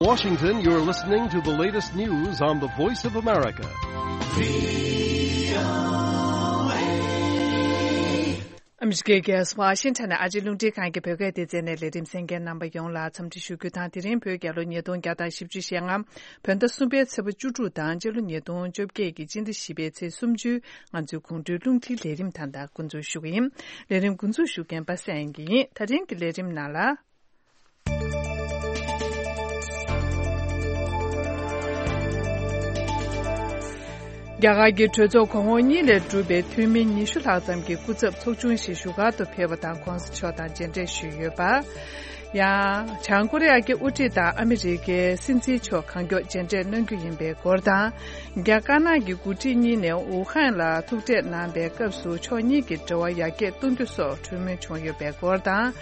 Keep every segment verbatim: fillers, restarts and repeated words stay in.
Washington, you're listening to the latest news on the Voice of America. ཨ་མི་རི་ཀའི་རྒྱལ་ས་ཝ་ཤིང་ཊོན་ནས་ཨ་རིའི་རླུང་འཕྲིན་ཁང་གི་བོད་སྐད་སྡེ་ཚན་ནས་ལས་རིམ་གསན་མཁན་རྣམ་པ་ཡོངས་ལ་འཚམས་འདྲི་ཞུ་རྒྱུ་དང་། དེ་རིང་བོད་རྒྱལ་ལོ་ཉིས་སྟོང་བརྒྱ་དང་བཞི་བཅུ་ཞེ་ལྔ། བོད་ཟླ་གསུམ་པའི་ཚེས་པ་བཅུ་དྲུག་དང་། སྤྱི་ལོ་ཉིས་སྟོང་བཅོ་བརྒྱད་ཀྱི་སྤྱི་ཟླ་བཞི་པའི་ཚེས་སུམ་ཅུ། ང་ཚོའི་དགོང་དྲོའི་རླུང་འཕྲིན་ལས་རིམ་ད་ལྟ་འགོ་འཛུགས་ཞུ་གི་ཡིན། ལས་རིམ་འགོ་འཛུགས་ཞུ་མཁན་པ་སངས་དབྱངས་སྐྱིད་ཡིན། ད་རིང་གི་ལས་རིམ་ནང་ལ། རྒྱ་གར་གྱི་གྲོས་ཚོགས་གོང་འོག་གཉིས་ལས་གྲུབ་པའི་འཐུས་མི་ཉི་ཤུ་ལྷག་ཙམ་གྱི་སྐུ་ཚབ་ཚོགས་ཆུང་ཞིག་བཞུགས་སྒར་དུ་ཕེབས་པ་དང་། ྋགོང་ས་མཆོག་དང་མཇལ་འཕྲད་ཞུས་ཡོད་པ། ཡང་། བྱང་ཀོ་རི་ཡ་གི་དབུ་ཁྲིད་དང་ཨ་མི་རི་ཀའི་སྲིད་འཛིན་མཆོག་གང་མགྱོགས་མཇལ་འཕྲད་གནང་རྒྱུ་ཡིན་པའི་སྐོར་དང་། རྒྱ་དཀར་ནག་གི་འགོ་ཁྲིད་གཉིས་ནས་ཝུ་ཧན་ལ་ཐུག་འཕྲད་གནང་པའི་སྐབས་སུ་ཕྱོགས་གཉིས་ཀྱི་འབྲེལ་བ་ཡར་རྒྱས་གཏོང་རྒྱུ་སོགས་གྲོས་མོལ་བྱུང་ཡོད་པའི་སྐོར་དང་།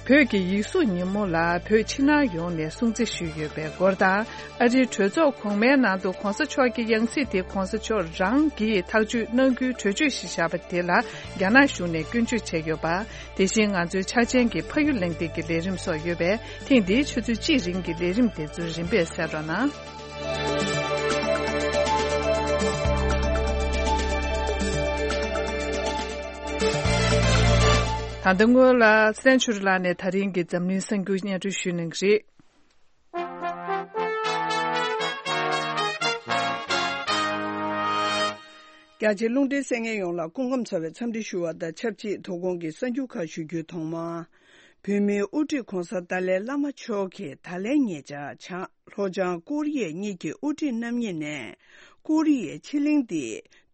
བོད་ཀྱི་ཡིག་གཟུགས་ཉིན་མོ་ལ་བོད་ཕྱི་ནང་ཡོངས་ནས་སྲུང་བརྩི་ཞུས་ཡོད་པའི་སྐོར་དང་། ཨ་རིའི་གྲོས་ཚོགས་གོང་མའི་ནང་དུ་ྋགོང་ས་མཆོག་གི་ཡང་སྲིད་དེ་ྋགོང་ས་མཆོག་རང་གིས་ཐག་གཅོད་གནང་རྒྱུའི་གྲོས་ཆོད་ཞིག་བཞག་པ་དེ་ལ་རྒྱ་ནག་གཞུང་ནས་སྐྱོན་བརྗོད་བྱས་ཡོད་པ། དེ་བཞིན་ང་ཚོའི་འཆར་ཅན་གྱི་ཕ་ཡུལ་གླེང་སྟེགས་ཀྱི་ལས་རིམ་སོགས་ཡོད་པས། ཐེངས་འདིའི་ཆུ་ཚོད་གཅིག་རིང་གི་ལས་རིམ་དེ་ཚོ་རིམ་པས་གསན་རོགས་གནང་། ད་ལྟ་སྔོན་ལ་བཙན་བྱོལ་ལགས་ནས་ད་རིང་གི་འཛམ་གླིང་གསར་འགྱུར་སྙན་སྒྲོན་ཞུ་གནང་གི་རེད། རྒྱ་ཆེའི་རླུང་འཕྲིན་གསན་མཁན་ཡོངས་ལ་སྐུ་ཁམས་བཟང་བའི་འཚམས་འདྲི་ཞུ་བ་དང་ཆབས་ཅིག་དོ་དགོང་གི་གསར་འགྱུར་ཁག་ཞུ་རྒྱུའི་ཐོག་མར། བོད་མིའི་དབུ་ཁྲིད་ྋགོང་ས་ཏཱ་ལའི་བླ་མ་མཆོག་གིས་ད་ལན་ཉེ་ཆར་བྱང་ལྷོ་བྱང་ཀོ་རི་ཡའི་གཉིས་ཀྱི་དབུ་ཁྲིད་རྣམ་གཉིས་ནས་ཀོ་རི་ཡའི་ཕྱེད་གླིང་འདི་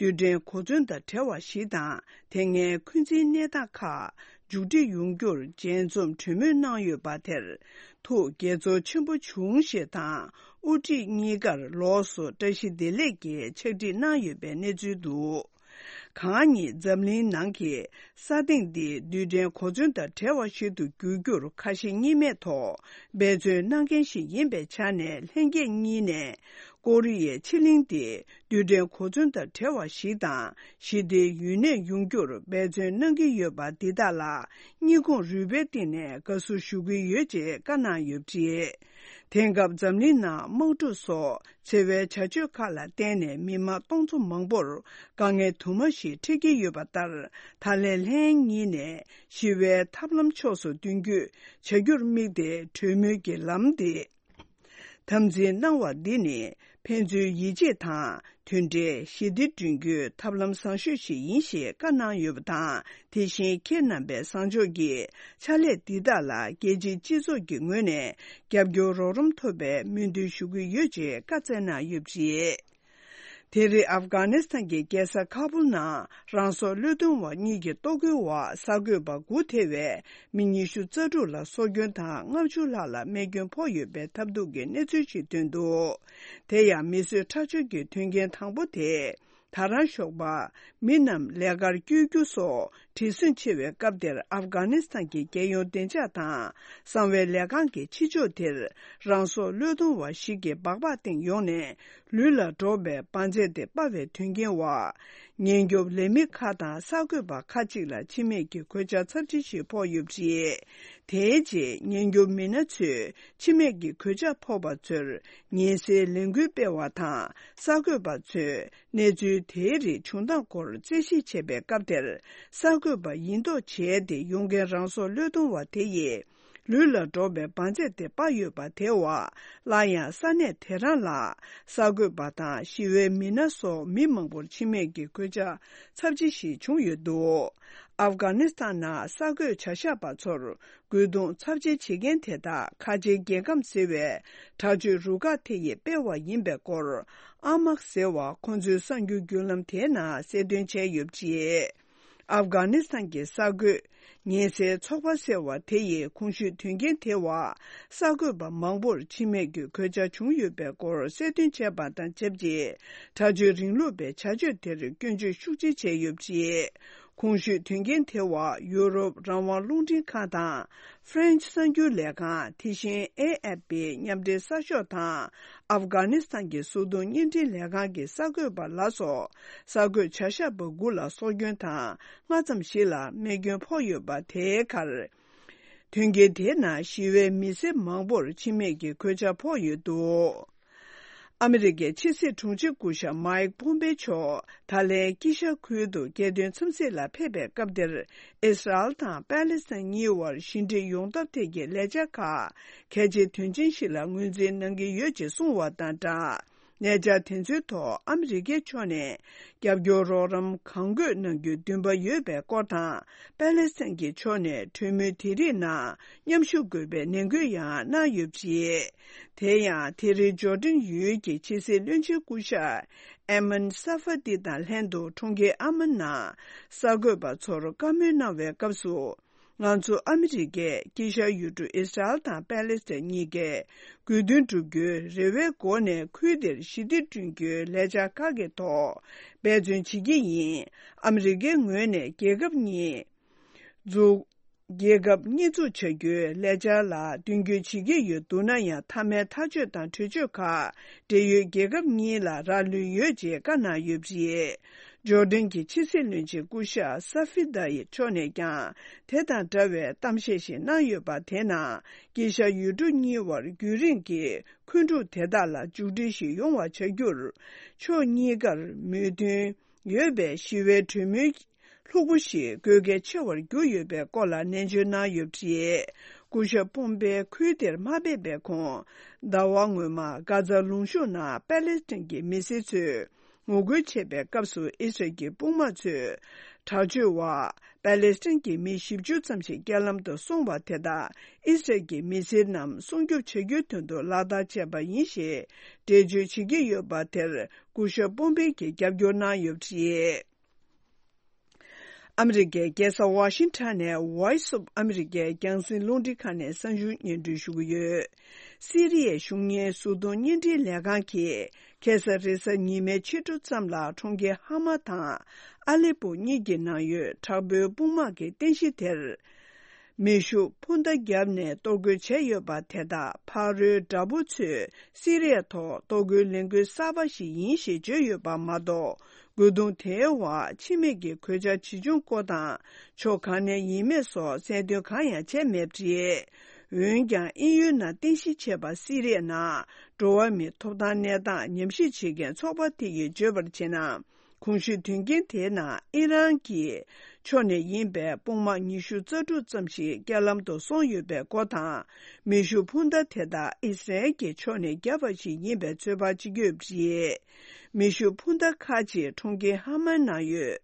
རྡུལ་ཕྲན་གོ་མཚོན་དང་བྲལ་བ་ཞིག་དང་། དེ་སྔའི་འཁོན་འཛིན་གནས་སྟངས་ཁག་མཇུག་སྒྲིལ་ཡོང་རྒྱུར་མཇལ་འཛོམས་གྲོས་མོལ་གནང་ཡོད་པ་དེར་ཐུགས་དགྱེས་ཚོར་ཆེན་པོ་བྱུང་ཞེས་དང་། དབུ་ཁྲིད་གཉིས་ཀར་ལོགས་སུ་བཀྲ་ཤིས་བདེ་ལེགས་ཀྱི་ཕྱག་བྲིས་གནང་ཡོད་པའི་གནས་ཚུལ་འདུག། གང་ཉིད་འཛམ་གླིང་ནང་གི་ས་སྟེང་འདི་རྡུལ་ཕྲན་གོ་མཚོན་དང་བྲལ་བ་ཞིག་ཏུ་འགྱུར་རྒྱུར་ཁ་ཞེ་གཉིས་མེད་ཐོག་འབད་བརྩོན་གནང་མཁན་ཞིག་ཡིན་པའི་ཆ་ནས། ལྷན་རྒྱས་གཉིས་ནས་ཀོ་རི་ཡའི་ཕྱེད་གླིང་འདི་རྡུལ་ཕྲན་གོ་མཚོན་དང་བྲལ་བ་ཞིག་དང་། ཞི་བདེའི་ཡུན་གནས་ཡོང་རྒྱུར་འབད་བརྩོན་གནང་གི་ཡོད་པ་འདི་དག་ལ་གཉིས་ཁོངས་རུས་པའི་གཏིང་ནས་དགའ་བསུ་ཞུ་གི་ཡོད་ཅེས་བཀའ་གནང་ཡོད་པ་རེད། དེང་སྐབས་འཛམ་གླིང་ནང་དམག་འཁྲུག་སོགས་འཚེ་བའི་བྱ་སྤྱོད་ཁག་ལ་བརྟེན་ནས་མི་མང་སྟོང་ཚོ་མང་པོར་དཀའ་ངལ་དུ་མ་ཞིག་འཕྲད་ཀྱི་ཡོད་པ་ལྟར། ད་ལན་ལྷན་གཉིས་ནས་ཞི་བའི་ཐབས་ལམ་ཕྱོགས་སུ་མདུན་སྐྱོད་བྱ་རྒྱུར་དམིགས་ཏེ་གྲོས་མོལ་གྱི་ལམ་དེ་དམ་འཛིན་གནང་བ་འདི་ནི་ཕན་ཚུན་ཡིད་ཆེས་དང་། མཐུན་སྒྲིལ། ཞི་བདེ་བསྐྲུན་རྒྱུའི་ཐབས་ལམ་བཟང་ཤོས་ཤིག་ཡིན་ཞེས་བཀའ་གནང་ཡོད་པ་དང་། དེ་བཞིན་ཁྱེད་རྣམ་པས་བཟང་ཕྱོགས་ཀྱི་ཕྱག་ལས་འདི་དག་ལ་རྒྱལ་སྤྱིའི་སྤྱི་ཚོགས་ཀྱི་ངོས་ནས་རྒྱབ་སྐྱོར་རོགས་རམ་ཐོབ་པའི་སྨོན་འདུན་ཞུ་གི་ཡོད་ཅེས་བཀའ་སྩལ་གནང་ཡོད་པ་རེད། དེ་རིང་ཨབ་གྷ་ནི་སི་ཐན་གྱི་རྒྱལ་ས་ཁ་པུལ་ནང་རང་སྲོག་བློས་གཏོང་བ་གཉིས་ཀྱི་ལྟོ་གོས་འོག་གསར་འགོད་པ་དགུ་ཐེ་བའི་མི་ཉི་ཤུ་རྩ་དྲུག་ལ་སྲོག་སྐྱོན་དང་། ལྔ་བཅུ་ལྷག་ལ་རྨས་སྐྱོན་ཕོག་ཡོད་པའི་ཐབས་སྡུག་གི་གནས་ཚུལ་ཞིག་ཐོན་འདུག། དེ་ཡང་མི་གསོད་ཁྲག་སྦྱོར་གྱི་དོན་རྐྱེན་དང་པོ་དེ། ད་རང་ཞོགས་པ་མི་རྣམས་ལས་ཀར་བསྐྱོད་རྒྱུ་སོགས་བྲེལ་ཟིང་ཆེ་བའི་སྐབས་དེར། ཨབ་གྷ་ནི་སི་ཐན་གྱི་རྒྱལ་ཡོངས་བདེ་འཇགས་དང་གསང་བའི་ལས་ཁང་གི་ཕྱི་ཕྱོགས་དེར་རང་སྲོག་བློས་གཏོང་བ་ཞིག་གིས་སྦག་སྦག་སྟེང་ཡོང་ནས། ལུས་ལ་འགྲོགས་པའི་འབར་རྫས་དེ་སྤར་བའི་དོན་རྐྱེན་འོག་ཉེན་སྐྱོབ་ལས་མི་ཁག་དང་གསར་འགོད་པ་ཁག་ཅིག་ལ་འཆི་རྨས་ཀྱི་གོད་ཆག་ཚབས་ཆེ་ཞིག་ཕོག་ཡོད་པ་རེད། དེའི་རྗེས་ཉེན་སྐྱོབ་མི་སྣ་ཚོས་འཆི་རྨས་ཀྱི་གོད་ཆག་ཕོག་པ་ཚོར་ཉེན་སེལ་ལས་འགུལ་སྤེལ་བ་དང་། གསར་འགོད་པ་ཚོས་གནས་ཚུལ་དེའི་རིགས་བྱུང་སྟངས་སྐོར་རྩད་ཞིབ་བྱས་པའི་སྐབས་དེར། གསར་འགོད་པ་ཡིན་མདོག་བྱས་ཏེ་ཡོང་མཁན་རང་སྲོག་བློས་གཏོང་བ་དེ་ཡིས། ལུས་ལ་འགྲོགས་པའི་འབར་རྫས་དེ་སྤར་ཡོད་པ་དེ་འོག་སླར་ཡང་ས་གནས་དེ་རང་ལ་གསར་འགོད་པ་དང་ཞི་བའི་མི་སྣ་སོགས་མི་མང་པོར་འཆི་རྨས་ཀྱི་གོད་ཆག་ཚབས་ཆེ་ཞིག་བྱུང་ཡོད་འདུག། ཨབ་གྷ་ནི་སི་ཐན་ནང་གསར་འགོད་བྱ་བཞག་པ་ཚོར་རྒོལ་རྡུང་ཚབས་ཆེ་བྱེད་མཁན་དེ་དག་ཁ་ཆེའི་རྒྱལ་ཁམས་ཟེར་བའི་དྲག་སྤྱོད་རུ་ཁག་དེ་ཡིས་སྤེལ་བ་ཡིན་པའི་སྐོར། ཨ་མག་ཟེར་བ་ཁོ་ཚོའི་གསར་འགྱུར་བརྒྱུད་ལམ་དེའི་ནང་གསལ་སྟོན་བྱས་ཡོད་པ་རེད། ཨབ་གྷ་ནི་སི་ཐན་གྱི་གསར་འགོད་ཉེན་སེལ་ཚོགས་པ་ཟེར་བ་དེ་ཡིས་གོང་ཞུས་དོན་རྐྱེན་དེ་འོག་གསར་འགོད་པ་མང་པོར་འཆི་རྨས་ཀྱི་གོད་ཆག་བྱུང་ཡོད་པའི་སྐོར་གསལ་སྟོན་བྱས་པ་དང་ཆབས་ཅིག། དྲག་སྤྱོད་རིང་ལུགས་པའི་བྱ་སྤྱོད་དེར་སྐྱོན་བརྗོད་ཤུགས་ཆེ་བྱས་ཡོད་པ་རེད། གོང་ཞུས་དོན་རྐྱེན་དེ་འོག་ཡུ་རོབ་རང་དབང་རླུང་འཕྲིན་ཁང་དང་། ཧྥ་རན་ཆི་གསར་འགྱུར་ལས་ཁང་། དེ་བཞིན་ཨེ་ཨེཕ་པི་མཉམ་འབྲེལ་གསར་ཤོག་དང་། ཨབ་གྷ་ནི་སི་ཐན་གྱི་གཟུགས་མཐོང་བརྙན་འཕྲིན་ལས་ཁང་གི་གསར་འགོད་པ་ལ་སོགས་གསར་འགོད་བྱ་བཞག་པ་དགུ་ལ་སྲོག་སྐྱོན་དང་། ལྔ་ཙམ་ཞིག་ལ་རྨས་སྐྱོན་ཕོག་ཡོད་པ་དེའི་ཁར། དོན་རྐྱེན་དེའི་ནང་ཞི་བའི་མི་སེར་མང་པོར་འཆི་རྨས་ཀྱི་གོད་ཆག་ཕོག་ཡོད་འདུག་ཨ་མི་རི་ཀའི་ཕྱི་སྲིད་དྲུང་ཆེ་སྐུ་ཞབས་མཱིག་ཕོམ་པེ་མཆོག་ད་ལན་དཀྱིལ་ཤར་ཁུལ་དུ་རྒྱལ་དོན་འཚམས་གཟིགས་ལ་ཕེབས་པའི་སྐབས་དེར། ཨི་སི་རལ་དང་པ་ལེ་སི་ཐན་གཉིས་དབར་ཞི་འགྲིག་ཡོང་ཐབས་ཐད་ཀྱི་ལས་འཆར་ཁག་གལ་ཆེ་དོན་ཆེན་ཞིག་ལ་ངོས་འཛིན་གནང་གི་ཡོད་ཅེས་གསུངས་བ་དང་སྦྲགས། ལས་འཆར་དེ་ཚོའི་ཐོག་ཨ་མི་རི་ཀའི་ཕྱོགས་ནས་རྒྱབ་སྐྱོར་རོགས་རམ་གང་དགོས་གནང་རྒྱུའི་འདུན་པ་ཡོད་པའི་སྐོར་དང་། པ་ལེ་སི་ཐན་གྱི་ཕྱོགས་ནས་གྲོས་མོལ་དེ་རིགས་ནང་མཉམ་ཞུགས་དགོས་པའི་ནན་སྐུལ་ཡང་གནང་ཡོད་པ་རེད། དེ་ཡང་དེ་རིང་ཇོར་ཌན་ཡུལ་གྱི་ཕྱི་སྲིད་བློན་ཆེན་སྐུ་ཞབས་ཨེ་མན་ས་ཧྥ་ཏི་དང་ལྷན་དུ་གྲོང་ཁྱེར་ཨ་མན་ནང་གསར་འགོད་པ་ཚོར་བཀའ་མོལ་གནང་བའི་སྐབས་སུ། ང་ཚོ་ཨ་མི་རི་ཀས་དཀྱིལ་ཤར་ཡུལ་གྲུ་ཨི་སི་རལ་དང་པ་ལེ་སི་ཐན་གཉིས་ཀས་དགོས་འདུན་བསྒྲུབ་རྒྱུའི་རེ་བའི་སྒོ་ནས་ཁུལ་དེར་ཞི་བདེ་བསྐྲུན་རྒྱུའི་ལས་འཆར་ཁག་གི་ཐོག་འབད་བརྩོན་བྱེད་ཀྱི་ཡིན། ཨ་མི་རི་ཀའི་ངོས་ནས་རྒྱལ་ཁབ་གཉིས་འཛུགས། རྒྱལ་ཁབ་གཉིས་འཛུགས་བྱ་རྒྱུའི་ལས་འཆར་ལ་མདུན་སྐྱོད་བྱེད་ཀྱི་ཡོད་འདུག་ན་ཡང་། མཐའ་མའི་ཐག་གཅོད་དང་གྲོས་ཆོད་ཁག་འབྲེལ་ཡོད་རྒྱལ་ཁབ་གཉིས་ལ་རག་ལུས་ཡོད་ཅེས་བཀའ་གནང་ཡོད་པ་རེད། ཇོར་ཌན་གྱི་ཕྱི་སྲིད་བློན་ཆེན་སྐུ་ཞབས་ས་ཧྥི་ཏཱ་ཡི་མཆོག་ནས་ཀྱང་དེ་དང་འདྲ་བའི་གཏམ་བཤད་ཞིག་གནང་ཡོད་པ། དེ་ནང་དཀྱིལ་ཤར་ཡུལ་གྲུ་གཉིས་དབར་རྒྱུན་རིང་གི་འཁོན་འཁྲུག་དེ་དག་ལ་མཇུག་སྒྲིལ་ཞིག་ཡོང་བ་བྱ་རྒྱུར། ཕྱོགས་གཉིས་ཀར་མོས་མཐུན་ཡོད་པའི་ཞི་བའི་གྲོས་མོལ་ལྷུག་པོ་ཞིག་དགོས་གལ་ཆེ་བར་གྱུར་ཡོད་པའི་སྐོར་ལ་ནན་བརྗོད་གནང་ཡོད་པ་རེད། སྐུ་ཞབས་པོམ་པེ་ཁུལ་དེར་མ་ཕེབས་པའི་གོང་། ཟླ་བ་སྔོན་མ་གྷ་ཛ་ལུང་གཤོང་ནང་པ་ལེ་སི་ཐན་གྱི་མི་སེར་ཚོས་ངོ་རྒོལ་བྱས་པའི་སྐབས་སུ། ཨི་སི་རལ་གྱི་དཔུང་དམག་ཚོས་དྲག་སྤྱོད་འོག་པ་ལེ་སི་ཐན་གྱི་མི་བཞི་བཅུ་ཙམ་ཞིག་རྐྱེན་ལམ་དུ་སོང་བ་དེ་དག་ཨི་སི་རལ་གྱི་མི་སེར་རྣམས་སྲུང་སྐྱོབ་བྱ་རྒྱུའི་དོན་དུ་ལག་བསྟར་བྱས་པ་ཡིན་ཞེས་འགྲེལ་བརྗོད་བྱེད་ཀྱི་ཡོད་པ་དེར། སྐུ་ཞབས་པོམ་པེ་གྱིས་རྒྱབ་སྐྱོར་གནང་ཡོད་པ་རེད། ཨ་མི་རི་ཀའི་རྒྱལ་ས་ཝ་ཤིང་ཊོན་ནས་Voice of America རྒྱང་སྲིང་རླུང་འཕྲིན་ཁང་ནས་གསར་འགྱུར་སྙན་སྒྲོན་ཞུ་གི་ཡོད། སི་རི་ཡའི་གཞུང་གཉེར་གཟུགས་མཐོང་བརྙན་འཕྲིན་ལས་ཁང་གིས་ཁ་སང་རེས་གཟའ་ཉི་མའི་ཕྱི་དྲོ་ཙམ་ལ་གྲོང་ཁྱེར་ཧ་མ་དང་ཨ་ལེ་པོ་གཉིས་ཀྱི་ནང་ཡོད་དྲག་པོའི་དཔུང་དམག་གི་རྟེན་གཞི་དེར། མེ་ཤུགས་འཕུར་མདའ་བརྒྱབ་ནས་གཏོར་རྒོལ་བྱས་ཡོད་པ་དེ་དག་ཕ་རོལ་དགྲ་བོ་ཚོས་སི་རི་ཡ་ཐོག་གཏོར་རྒོལ་ལས་འགུལ་གསར་པ་ཞིག་ཡིན་ཞེས་བརྗོད་ཡོད་པ་མ་གཏོགས། རྒོལ་རྡུང་དེའི་འོག་འཆི་རྨས་ཀྱི་གོད་ཆག་ཇི་བྱུང་སྐོར་དང་། ཕྱོགས་གང་ནས་ཡིན་མེད་སོགས་གསལ་སྟོན་གང་ཡང་བྱས་མེད་པ་རེད། འོན་ཀྱང་དབྱིན་ཡུལ་ནང་རྟེན་གཞི་བྱས་པ་སི་རི་ཡའི་ནང་འགྲོ་བ་མིའི་ཐོབ་ཐང་གནས་སྟངས་ཉམས་ཞིབ་བྱེད་མཁན་ཚོགས་པ་དེ་ཡིས་བརྗོད་པར་བྱས་ན། གོང་ཞུས་དོན་རྐྱེན་དེའི་ནང་ཨི་རན་གྱི་ཕྱོགས་ནས་ཡིན་པའི་དཔུང་དམག་ཉི་ཤུ་རྩ་དྲུག་ཙམ་ཞིག་རྐྱེན་ལམ་དུ་སོང་ཡོད་པའི་སྐོར་དང་། མེ་ཤུགས་འཕུར་མདའ་དེ་དག་ཨི་སི་རལ་གྱི་ཕྱོགས་ནས་བརྒྱབ་པ་ཞིག་ཡིན་པའི་ཚོད་དཔག་བྱེད་ཀྱི་ཡོད་པ་རེད། མེ་ཤུགས་འཕུར་མདའ་ཁག་ཅིག་གྲོང་ཁྱེར་ཧ་མའི་ནང་ཡོད།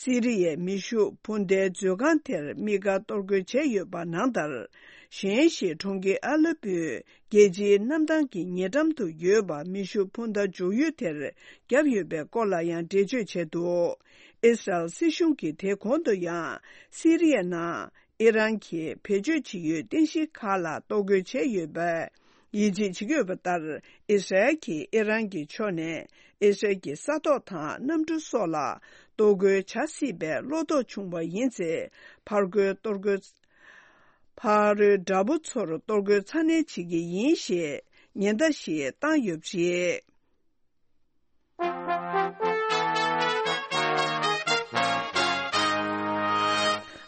སི་རི་ཡའི་མེ་ཤུགས་འཕུར་མདའི་མཛོད་ཁང་དེར་དམིགས་བཀར་གཏོར་རྒོལ་བྱས་ཡོད་པ་ནང་ལྟར། གཞན་ཞིག་གྲོང་ཁྱེར་ཨ་ལེ་པོའི་རྒྱལ་སྤྱིའི་གནམ་ཐང་གི་ཉེ་འགྲམ་དུ་ཡོད་པ་མེ་ཤུགས་འཕུར་མདའ་འཇོག་ཡུལ་དེར་བརྒྱབ་ཡོད་པའི་སྐོར་ལ་ཡང་འགྲེལ་བརྗོད་བྱས་འདུག་ཨི་སི་རལ་སྲིད་གཞུང་གིས་དེ་གོང་དུ་ཡང་སི་རི་ཡའི་ནང་ཨི་རན་གྱིས་བེད་སྤྱོད་བྱེད་ཡུལ་རྟེན་གཞི་ཁག་ལ་གཏོར་རྒོལ་བྱས་ཡོད་པའི་ཡིད་ཆེས་བྱེད་ཀྱི་ཡོད་པ་ལྟར། ཨི་སི་རལ་གྱིས་ཨི་རན་གྱི་ཕྱོགས་ནས་ཨི་སི་རལ་གྱི་ས་ཐོག་དང་གནམ་གྲུ་སོགས་ལ་གཏོར་རྒོལ་བྱ་སྲིད་པའི་བློ་དོགས་བྱུང་བ་ཡིན་ཚེ། ཕར་རྒོལ་གཏོར་རྒོལ། ཕ་རོལ་དགྲ་བོ་ཚོར་གཏོར་རྒོལ་ཚ་ནན་བྱེད་ཀྱི་ཡིན་ཞེས་ཉེན་བརྡ་ཞིག་བཏང་ཡོད་པ་རེད།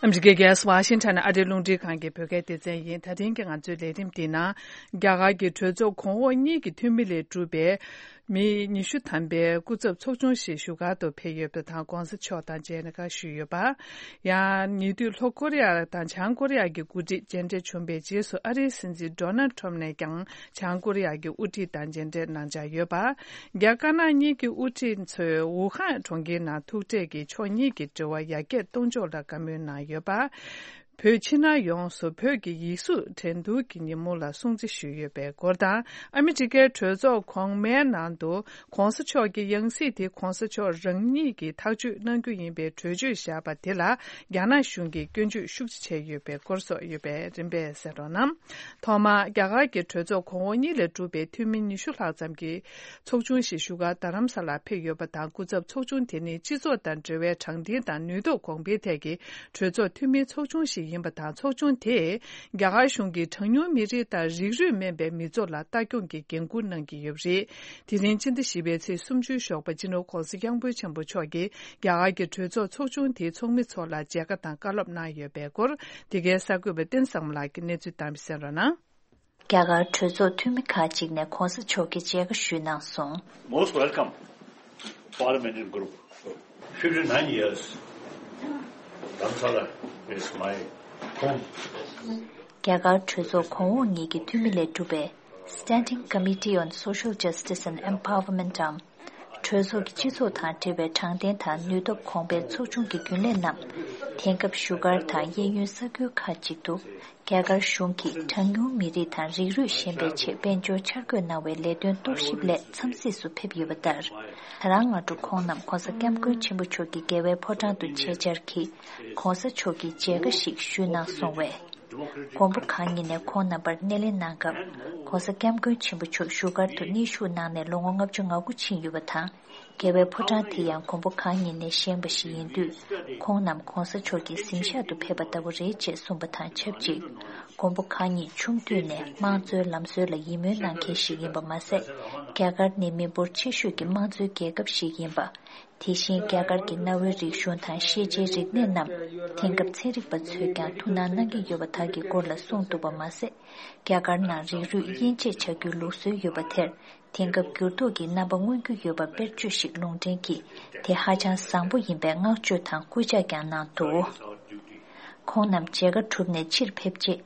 ཨ་མི་རི་ཀའི་རྒྱལ་ས་ཝ་ཤིང་ཊོན་ནས་ཨ་རིའི་རླུང་འཕྲིན་ཁང་གི་བོད་སྐད་སྡེ་ཚན་ཡིན། ད་ཐེངས་ཀྱི་ང་ཚོའི་ལས་རིམ་འདིའི་ནང་རྒྱ་གར་གྱི་གྲོས་ཚོགས་གོང་འོག་གཉིས་ཀྱི་འཐུས་མི་ལས་གྲུབ་པའི་མི་ཉི་ཤུ་ཐམ་པའི་སྐུ་ཚབ་ཚོགས་ཆུང་ཞིག་བཞུགས་སྒར་དུ་ཕེབས་ཡོད་པ་དང་། ྋགོང་ས་མཆོག་དང་མཇལ་ཁ་ཞུས་ཡོད་པ། ཡང་ཉེ་དུས་ལྷོ་ཀོ་རི་ཡ་དང་བྱང་ཀོ་རི་ཡ་གི་འགོ་ཁྲིད་མཇལ་འཕྲད་བྱུང་བའི་རྗེས་སུ། ཨ་རིའི་སྲིད་འཛིན་ཌོ་ནལ་ཊམ་ནས་ཀྱང་བྱང་ཀོ་རི་ཡ་གི་དབུ་ཁྲིད་དང་མཇལ་འཕྲད་གནང་འཆར་ཡོད་པ། རྒྱ་དཀར་ནག་གཉིས་ཀྱི་དབུ་ཁྲིད་ཚོས་ཝུ་ཧན་གྲོང་ཁྱེར་ནང་ཐུག་འཕྲད་ཀྱིས་ཕྱོགས་གཉིས་ཀྱི་འབྲེལ་བ་ཡར་རྒྱས་གཏོང་ཕྱོགས་ལ་བཀའ་མོལ་གནང་ཡོད་པ། བོད་ཕྱི་ནང་ཡོངས་སུ་བོད་ཀྱི་ཡིག་གཟུགས་འགྲན་བསྡུར་གྱི་ཉིན་མོ་ལ་སྲུང་བརྩི་ཞུས་ཡོད་པའི་སྐོར་དང་། ཨ་མི་རི་ཀའི་གྲོས་ཚོགས་གོང་མའི་ནང་དུ་ྋགོང་ས་མཆོག་གི་ཡང་སྲིད་དེ་ྋགོང་ས་མཆོག་རང་ཉིད་ཀྱིས་ཐག་གཅོད་གནང་རྒྱུ་ཡིན་པའི་གྲོས་ཆོད་བཞག་པ་དེ་ལ་རྒྱ་ནག་གཞུང་གིས་སྐྱོན་བརྗོད་ཤུགས་ཆེ་བྱས་ཡོད་པའི་སྐོར་སོགས་ཡོད་པས་རིམ་པས་གསན་རོགས་གནང་། ཐོག་མར་རྒྱ་གར་གྱི་གྲོས་ཚོགས་གོང་འོག་གཉིས་ལས་གྲུབ་པའི་འཐུས་མི་ཉི་ཤུ་ལྷག་ཙམ་གྱི་ཚོགས་ཆུང་ཞིག་བཞུགས་སྒར་རྡ་རམ་ས་ལར་ཕེབས་ཡོད་པ་དང་། སྐུ་ཚབ་ཚོགས་ཆུང་དེ་ནི་སྤྱི་ཚོགས་དང་འབྲེལ་བའི་དྲང་བདེན་དང་ནུས་སྟོབས་གོང་འཕེལ་ཐད་ཀྱི་གྲོས་ཚོགས་འཐུས་མིའི་ཚོགས་ཆུང་ཞིག་ཡིན་པ་དང་། ཚོགས་ཆུང་དེས་རྒྱ་གར་གཞུང་གིས་གྲངས་ཉུང་མི་རིགས་དང་རིགས་རུས་མིན་པའི་མི་ཚོགས་ལ་ལྟ་སྐྱོང་གི་འགན་འཁུར་གནང་གི་ཡོད་པ་རེད། དེ་རིང་ཕྱི་ཟླ་བཞི་པའི་ཚེས་སུམ་ཅུའི་ཞོགས་པ་སྤྱི་ནོར་༧གོང་ས་༧སྐྱབས་མགོན་ཆེན་པོ་མཆོག་གིས་རྒྱ་གར་གྱི་གྲོས་ཚོགས་ཚོགས་ཆུང་དེའི་ཚོགས་མི་ཚོ་ལ་མཇལ་ཁ་དང་བཀའ་སློབ་གནང་ཡོད་པའི་སྐོར། འདི་གའི་གསར་འགོད་པ་བསྟན་བཟང་མོ་ལགས་ཀྱིས་གནས་ཚུལ་བཏང་བ་གསན་རོགས་གནང་། རྒྱ་གར་གྲོས་ཚོགས་འཐུས་མི་ཁག་ཅིག་ནས་༧གོང་ས་མཆོག་གི་མཇལ་ཁ་ཞུས་གནང་སོང་། Most welcome, parliamentary group. fifty-nine years, Dharamsala is my home. རྒྱ་གར་གྲོས་ཚོགས་གོང་འོག་གཉིས་ཀྱི་འཐུས་མི་ལས་གྲུབ་པའི་Standing Committee on Social Justice and Empowerment འམ། གྲོས་ཚོགས་ཀྱི་སྤྱི་ཚོགས་དང་འབྲེལ་བའི་དྲང་བདེན་དང་ནུས་སྟོབས་གོང་སྤེལ་ཚོགས་ཆུང་གི་རྒྱུན་ལས་རྣམས། དེང་སྐབས་བཞུགས་སྒར་དང་གཡས་གཡོན་ས་ཁུལ་ཁག་ཅིག་ཏུ། རྒྱ་གར་གཞུང་གིས་གྲངས་ཉུང་མི་རིགས་དང་རིགས་རུས་ཞན་པའི་ཆེད་དཔལ་འབྱོར་འཆར་འགོད་གནང་བའི་ལས་དོན་རྟོག་ཞིབ་སླད་འཚམས་གཟིགས་སུ་ཕེབས་ཡོད་པ་ལྟར། ད་རང་སྔ་དྲོ་ཁོང་རྣམས་༧གོང་ས་༧སྐྱབས་མགོན་ཆེན་པོ་མཆོག་གི་རྒྱལ་བའི་ཕོ་བྲང་དུ་ཆེད་བཅར་གྱིས་༧གོང་ས་མཆོག་གི་མཇལ་ཁ་ཞིག་ཞུས་གནང་སོང་བས། མགོན་པོ་གང་ཉིད་ནས་ཁོང་རྣམ་པར་སྣེ་ལེན་གནང་སྐབས། ༧གོང་ས་༧སྐྱབས་མགོན་ཆེན་པོ་མཆོག་བཞུགས་སྒར་དུ་གནས་བཞུགས་གནང་ནས་ལོ་ངོ་ལྔ་བཅུ་ང་དགུ་ཕྱིན་ཡོད་པ་དང་། རྒྱལ་བའི་ཕོ་བྲང་དེ་ཡང་མགོན་པོ་གང་ཉིད་ནས་བཞེངས་པ་ཞིག་ཡིན་དུས། ཁོང་རྣམས་༧གོང་ས་མཆོག་གི་གཟིམ་ཤག་ཏུ་ཕེབས་པ་ལྟ་བུ་རེད་ཅེས་གསུངས་པ་དང་ཆབས་ཅིག་མགོན་པོ་གང་ཉིད་ཆུང་དུས་ནས་དམངས་གཙོའི་ལམ་སྲོལ་ལ་ཡིད་སྨོན་གནང་མཁན་ཞིག་ཡིན་པ་མ་ཟད། རྒྱ་གར་ནི་མི་འབོར་ཆེ་ཤོས་ཀྱི་དམངས་གཙོའི་རྒྱལ་ཁབ་ཞིག་ཡིན་པ། དེ་བཞིན་རྒྱ་གར་གྱི་གནའ་བོའི་རིག་གཞུང་དང་ཤེས་བྱའི་རིག་གནས་རྣམས་དེང་སྐབས་ཚན་རིག་པ་ཚོས་ཀྱང་ཐུགས་སྣང་གནང་གི་ཡོད་པ་དག་གི་སྐོར་ལ་གསུངས་འདུག་པ་མ་ཟད། རྒྱ་གར་ནང་རིགས་རུས་དབྱེ་འབྱེད་བྱ་རྒྱུའི་ལུགས་སྲོལ་ཡོད་པ་དེར། དེང་སྐབས་འགྱུར་ལྡོག་གི་རྣམ་པ་མངོན་རྒྱུ་ཡོད་པ་དཔེར་བརྗོད་ཞིག་ལུང་འདྲེན་གྱིས་དེ་ཧ་ཅང་བཟང་པོ་ཡིན་པའི་བསྔགས་བརྗོད་དང་སྐུལ་ལྕག་ཀྱང་གནང་འདུག་ཁོང་རྣམས་མཇལ་ཁ་གྲུབ་ནས་ཕྱིར་ཕེབས་རྗེས།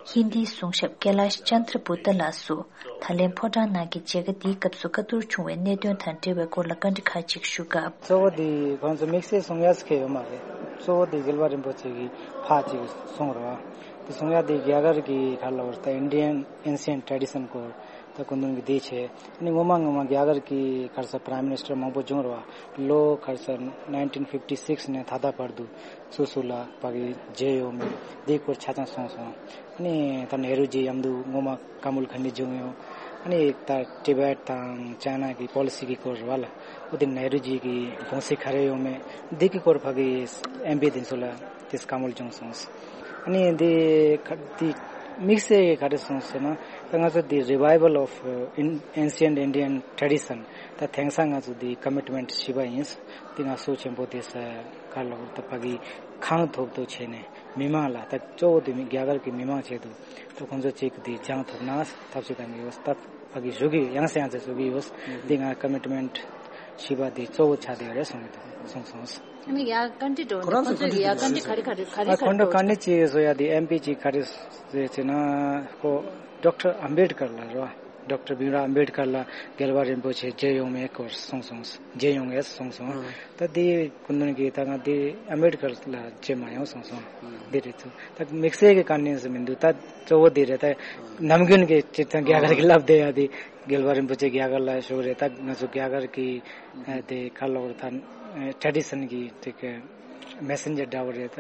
ཧིན་དིའི་གསུང་ཞབས་ཀེ་ལཱཤ་ཅན་དྲ་བུ་ཏཱ་ལགས་སུ། ད་ལན་ཕོ་བྲང་ནང་གི་མཇལ་ཁ་འདིའི་སྐབས་སུ་བཀའ་བསྡུར་བྱུང་བའི་གནད་དོན་དང་འབྲེལ་བའི་སྐོར་ལ་བཀའ་འདྲི་ཁག་ཅིག་ཞུ་སྐབས། གཙོ་བོ་དེ་ཁོང་ཚོ་དམིགས་བསལ་གསུང་ཡག་ཟེར་མཁན་ཡོད་མ་རེད། གཙོ་བོ་དེ་རྒྱལ་བ་རིན་པོ་ཆེ་གི་ཕ་ཅིག་གསུང་རོགས། དེ་གསུང་ཡག་དེ་རྒྱ་གར་གྱི་ག་ལ་བར་ད་Indian ancient tradition སྐོར། ད་སྐུ་མདུན་གྱིས་འདི་བྱས། ཨ་ནི་སྔོན་མ་སྔོན་མ་རྒྱ་གར་གྱི་ག་རེ་ཟེར་Prime Minister མང་པོ་བྱུང་རེད་བ། ལོ་ག་རེ་ཟེར་nineteen fifty six ནས་ད་ལྟ་བར་དུ་སུ་སུ་ལ་ཕ་གི་མཇལ་ཡོད་མེད་འདིའི་སྐོར་ཆ་ཚང་གསུངས་སོང་། ཨ་ནི་ད་ནེ་རུ་ཇི་མཉམ་དུ་སྔོན་མ་ཀ་མུལ་ཁ་ནི་བྱུང་ཡོད། ཨ་ནི་ད་ཊི་བེཊ་དང་ཅའི་ན་གི་པོ་ལི་སི་གི་སྐོར་རེད་བ་ལ། འོ་དེ་ནེ་རུ་ཇི་གི་དགོངས་གཞི་ག་རེ་ཡོད་མེད་འདི་གི་སྐོར་ཕ་གི་ཨེམ་པི་དེ་ཚོ་ལ་དེ་བཀའ་མོལ་བྱུང་སོང་། ཨ་ནི་འདི་ག་འདི་དམིགས་བསལ་ག་རེ་གསུངས་ཟེར་ན། ད་ང་ཚོ་འདི་Revival of, uh, In- Ancient Indian Tradition ད་དེང་སང་ང་ཚོ་འདི་Commitment བཞི་པ་ཡིན། འདི་ང་ཚོ་ཆེན་པོ་དེ་ས་ག་ལ་ད་ཕ་གི་གང་ཐུབ་ཐུབ་བྱས་ནས་མི་མང་ལ་ད་གཙོ་བོ་འདི་མི་རྒྱ་གར་གྱི་མི་མང་ཆེད་དུ་ད་ཁོང་ཚོ་གཅིག་འདི་སྦྱང་ཐུབ་ན་ཐབས་ཤེས་གཏང་གི་ཡོད། ད་ཕ་གི་ཞུ་གི་ཡང་སེ་ཡང་སེ་ཞུ་གི་ཡོད། འདི་ང་Commitment བཞི་པ་འདི་གཙོ་བོ་ཆགས་བསྡད་ཡོད་རེད་གསུངས་གི་འདུག་གསུངས་སོང་། ཨ་ནི་ཡ་བཀའ་འདྲི་འགྲོ་ཁོ་རང་ནས་ཁོ་ཚོས་ཚོ་ཡ་བཀའ་འདྲི་ག་རེ་ག་རེ་ག་རེ་ཨ་ཁོང་ཁྲོ་ག་ནས་ཅི་བཟོ་ཡ་དེ་ཨེམ་པི་ཅིག་ག་རེ་ཟེར་ཟེར་ན་ཁོ་ཌོག་ཊར་ཨམ་བེད་ཀར་ལ་རེད་བ། ཌོག་ཊར་བྷིམ་རའོ་ཨམ་བེད་ཀར་ལ་རྒྱལ་བ་རིན་པོ་ཆེ་མཇལ་ཡོང་མེད་སྐོར་གསུངས་སོང་། མཇལ་ཡོང་ངེས་གསུངས་སོང་། ད་དེ་སྐུ་མདུན་གྱིས་ད་ང་དེ་ཨམ་བེད་ཀར་ལ་མཇལ་མ་ཡོང་གསུངས་སོང་། འདི་རེད་ཚུལ་ད་དམིགས་བསལ་གྱི་བཀའ་དྲིན་ཟེར་མི་འདུག་ད་གཙོ་བོ་དེ་རེད། ད་ནམ་རྒྱུན་གྱི་སྤྱིར་བཏང་རྒྱ་གར་གྱི་ལབ་བསྡད་ཡ་དེ་རྒྱལ་བ་རིན་པོ་ཆེ་རྒྱ་གར་ལ་བཞུགས་རེད། ད་ང་ཚོ་རྒྱ་གར་གྱི་ཨ་དེ་ག་ལབ་རེད། ད་ཊེ་ཌི་ཤན་གྱི་དེ་གི་མེ་སེན་ཇར་འདྲ་བོ་རེད། ད་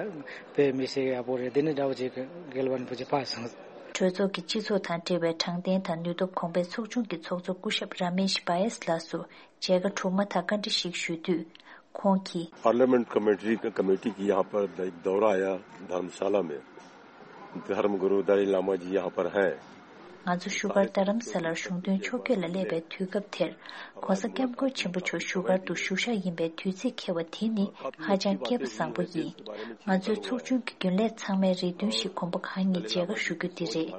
བོད་མི་ཞིག་ཡག་པོ་རེད། དེ་ནི་འདྲ་བོ་ཅིག་རྒྱལ་བ་རིན་པོ་ཆེ་ཕར་སོང་། གྲོས་ཚོགས་ཀྱི་སྤྱི་ཚོགས་དང་འབྲེལ་བའི་དྲང་བདེན་དང་ནུས་སྟོབས་གོང་འཕེལ་ཚོགས་ཆུང་གི་ཚོགས་གཙོ་སྐུ་ཞབས་ར་མེཤ་བྷ་ཡེས་ལགས་སུ་མཇལ་ཁ་གྲུབ་མ་ཐག་བཀའ་འདྲི་ཞིག་ཞུས་དུས། ཁོང་གིས། parliament committee committee की यहाँ पर एक दौरा आया धर्मशाला में। धर्म गुरु दलाई लामा जी यहाँ पर हैं। ང་ཚོ་བཞུགས་སྒར་རྡ་རམ་ས་ལར་གཞུང་དོན་ཕྱོགས་བསྐྱོད་ལ་སླེབས་པའི་དུས་སྐབས་དེར། ༸གོང་ས་༸སྐྱབས་མགོན་ཆེན་པོ་མཆོག་བཞུགས་སྒར་དུ་བཞུགས་ཤག་ཡིན་པའི་དུས་ཚིགས་འཁེལ་བ་དེ་ནི་ཧ་ཅང་སྐལ་པ་བཟང་པོ་ཡིན། ང་ཚོའི་ཚོགས་ཆུང་གི་རྒྱུན་ལས་ཚང་མའི་རེ་འདུན་ཞིག་མགོན་པོ་གང་ཉིད་མཇལ་ཁ་ཞུ་རྒྱུ་འདི་རེད།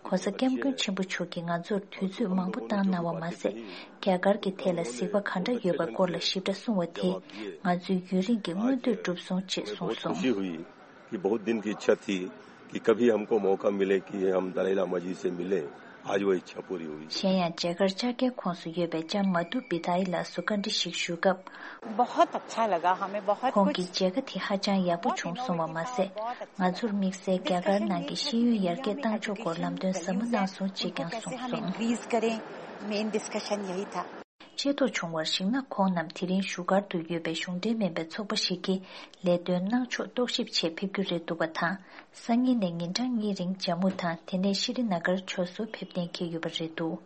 ༸གོང་ས་༸སྐྱབས་མགོན་ཆེན་པོ་མཆོག་གིས་ང་ཚོར་དུས་ཚོད་མང་པོ་བཏང་གནང་བ་མ་ཟད། རྒྱ་གར་གྱི་ཐད་ལ་གཟིགས་པ་ག་འདྲ་ཡོད་པའི་སྐོར་ལ་ཞིབ་ཕྲ་གསུང་བ་དེས་ང་ཚོའི་ཡུན་རིང་གི་མངོན་འདོད་གྲུབ་སོང་ཅེས་གསུངས་སོང་། कि बहुत दिन की इच्छा थी कि कभी हमको मौका मिले कि हम दलाई लामा जी से मिलें। आज वो इच्छा पूरी हुई। གཞན་ཡང་མཇལ་ཁར་བཅར་མཁན་ཁོངས་སུ་ཡོད་པའི་ལྕམ་མ་དྷུ་བི་དྷ་ཡི་ལགས་སུ་བཀའ་འདྲི་ཞིག་ཞུས་སྐབས། बहुत अच्छा लगा हमें, बहुत ཁོང་གིས་མཇལ་ཁ་དེ་ཧ་ཅང་ཡག་པོ་བྱུང་སོང་བ་མ་ཟད། ང་ཚོར་དམིགས་བསལ་རྒྱ་གར་ནང་གི་ཤེས་ཡོན་ཡར་རྒྱས་བཏང་ཕྱོགས་སྐོར་ལམ་སྟོན་ཟབ་མོ་གནང་སོང་ཅེས་ཀྱང་གསུངས་སོང་། ཤེས་རྟོགས་བྱུང་བར་གཞིགས་ན། ཁོང་རྣམས་དེ་རིང་བཞུགས་སྒར་དུ་ཡོད་པའི་གཞུང་འབྲེལ་མིན་པའི་ཚོགས་པ་ཞིག་གིས་ལས་དོན་གནང་ཕྱོགས་རྟོག་ཞིབ་ཆེད་ཕེབས་རྒྱུ་རེད་འདུག་པ་དང་། སང་ཉིན་ནས་ཉིན་གྲངས་གཉིས་རིང་ཇམ་མུ་དང་དེ་ནས་ཤྲི་ནཱ་གར་ཕྱོགས་སུ་ཕེབས་གཏན་འཁེལ་ཡོད་པ་རེད་འདུག་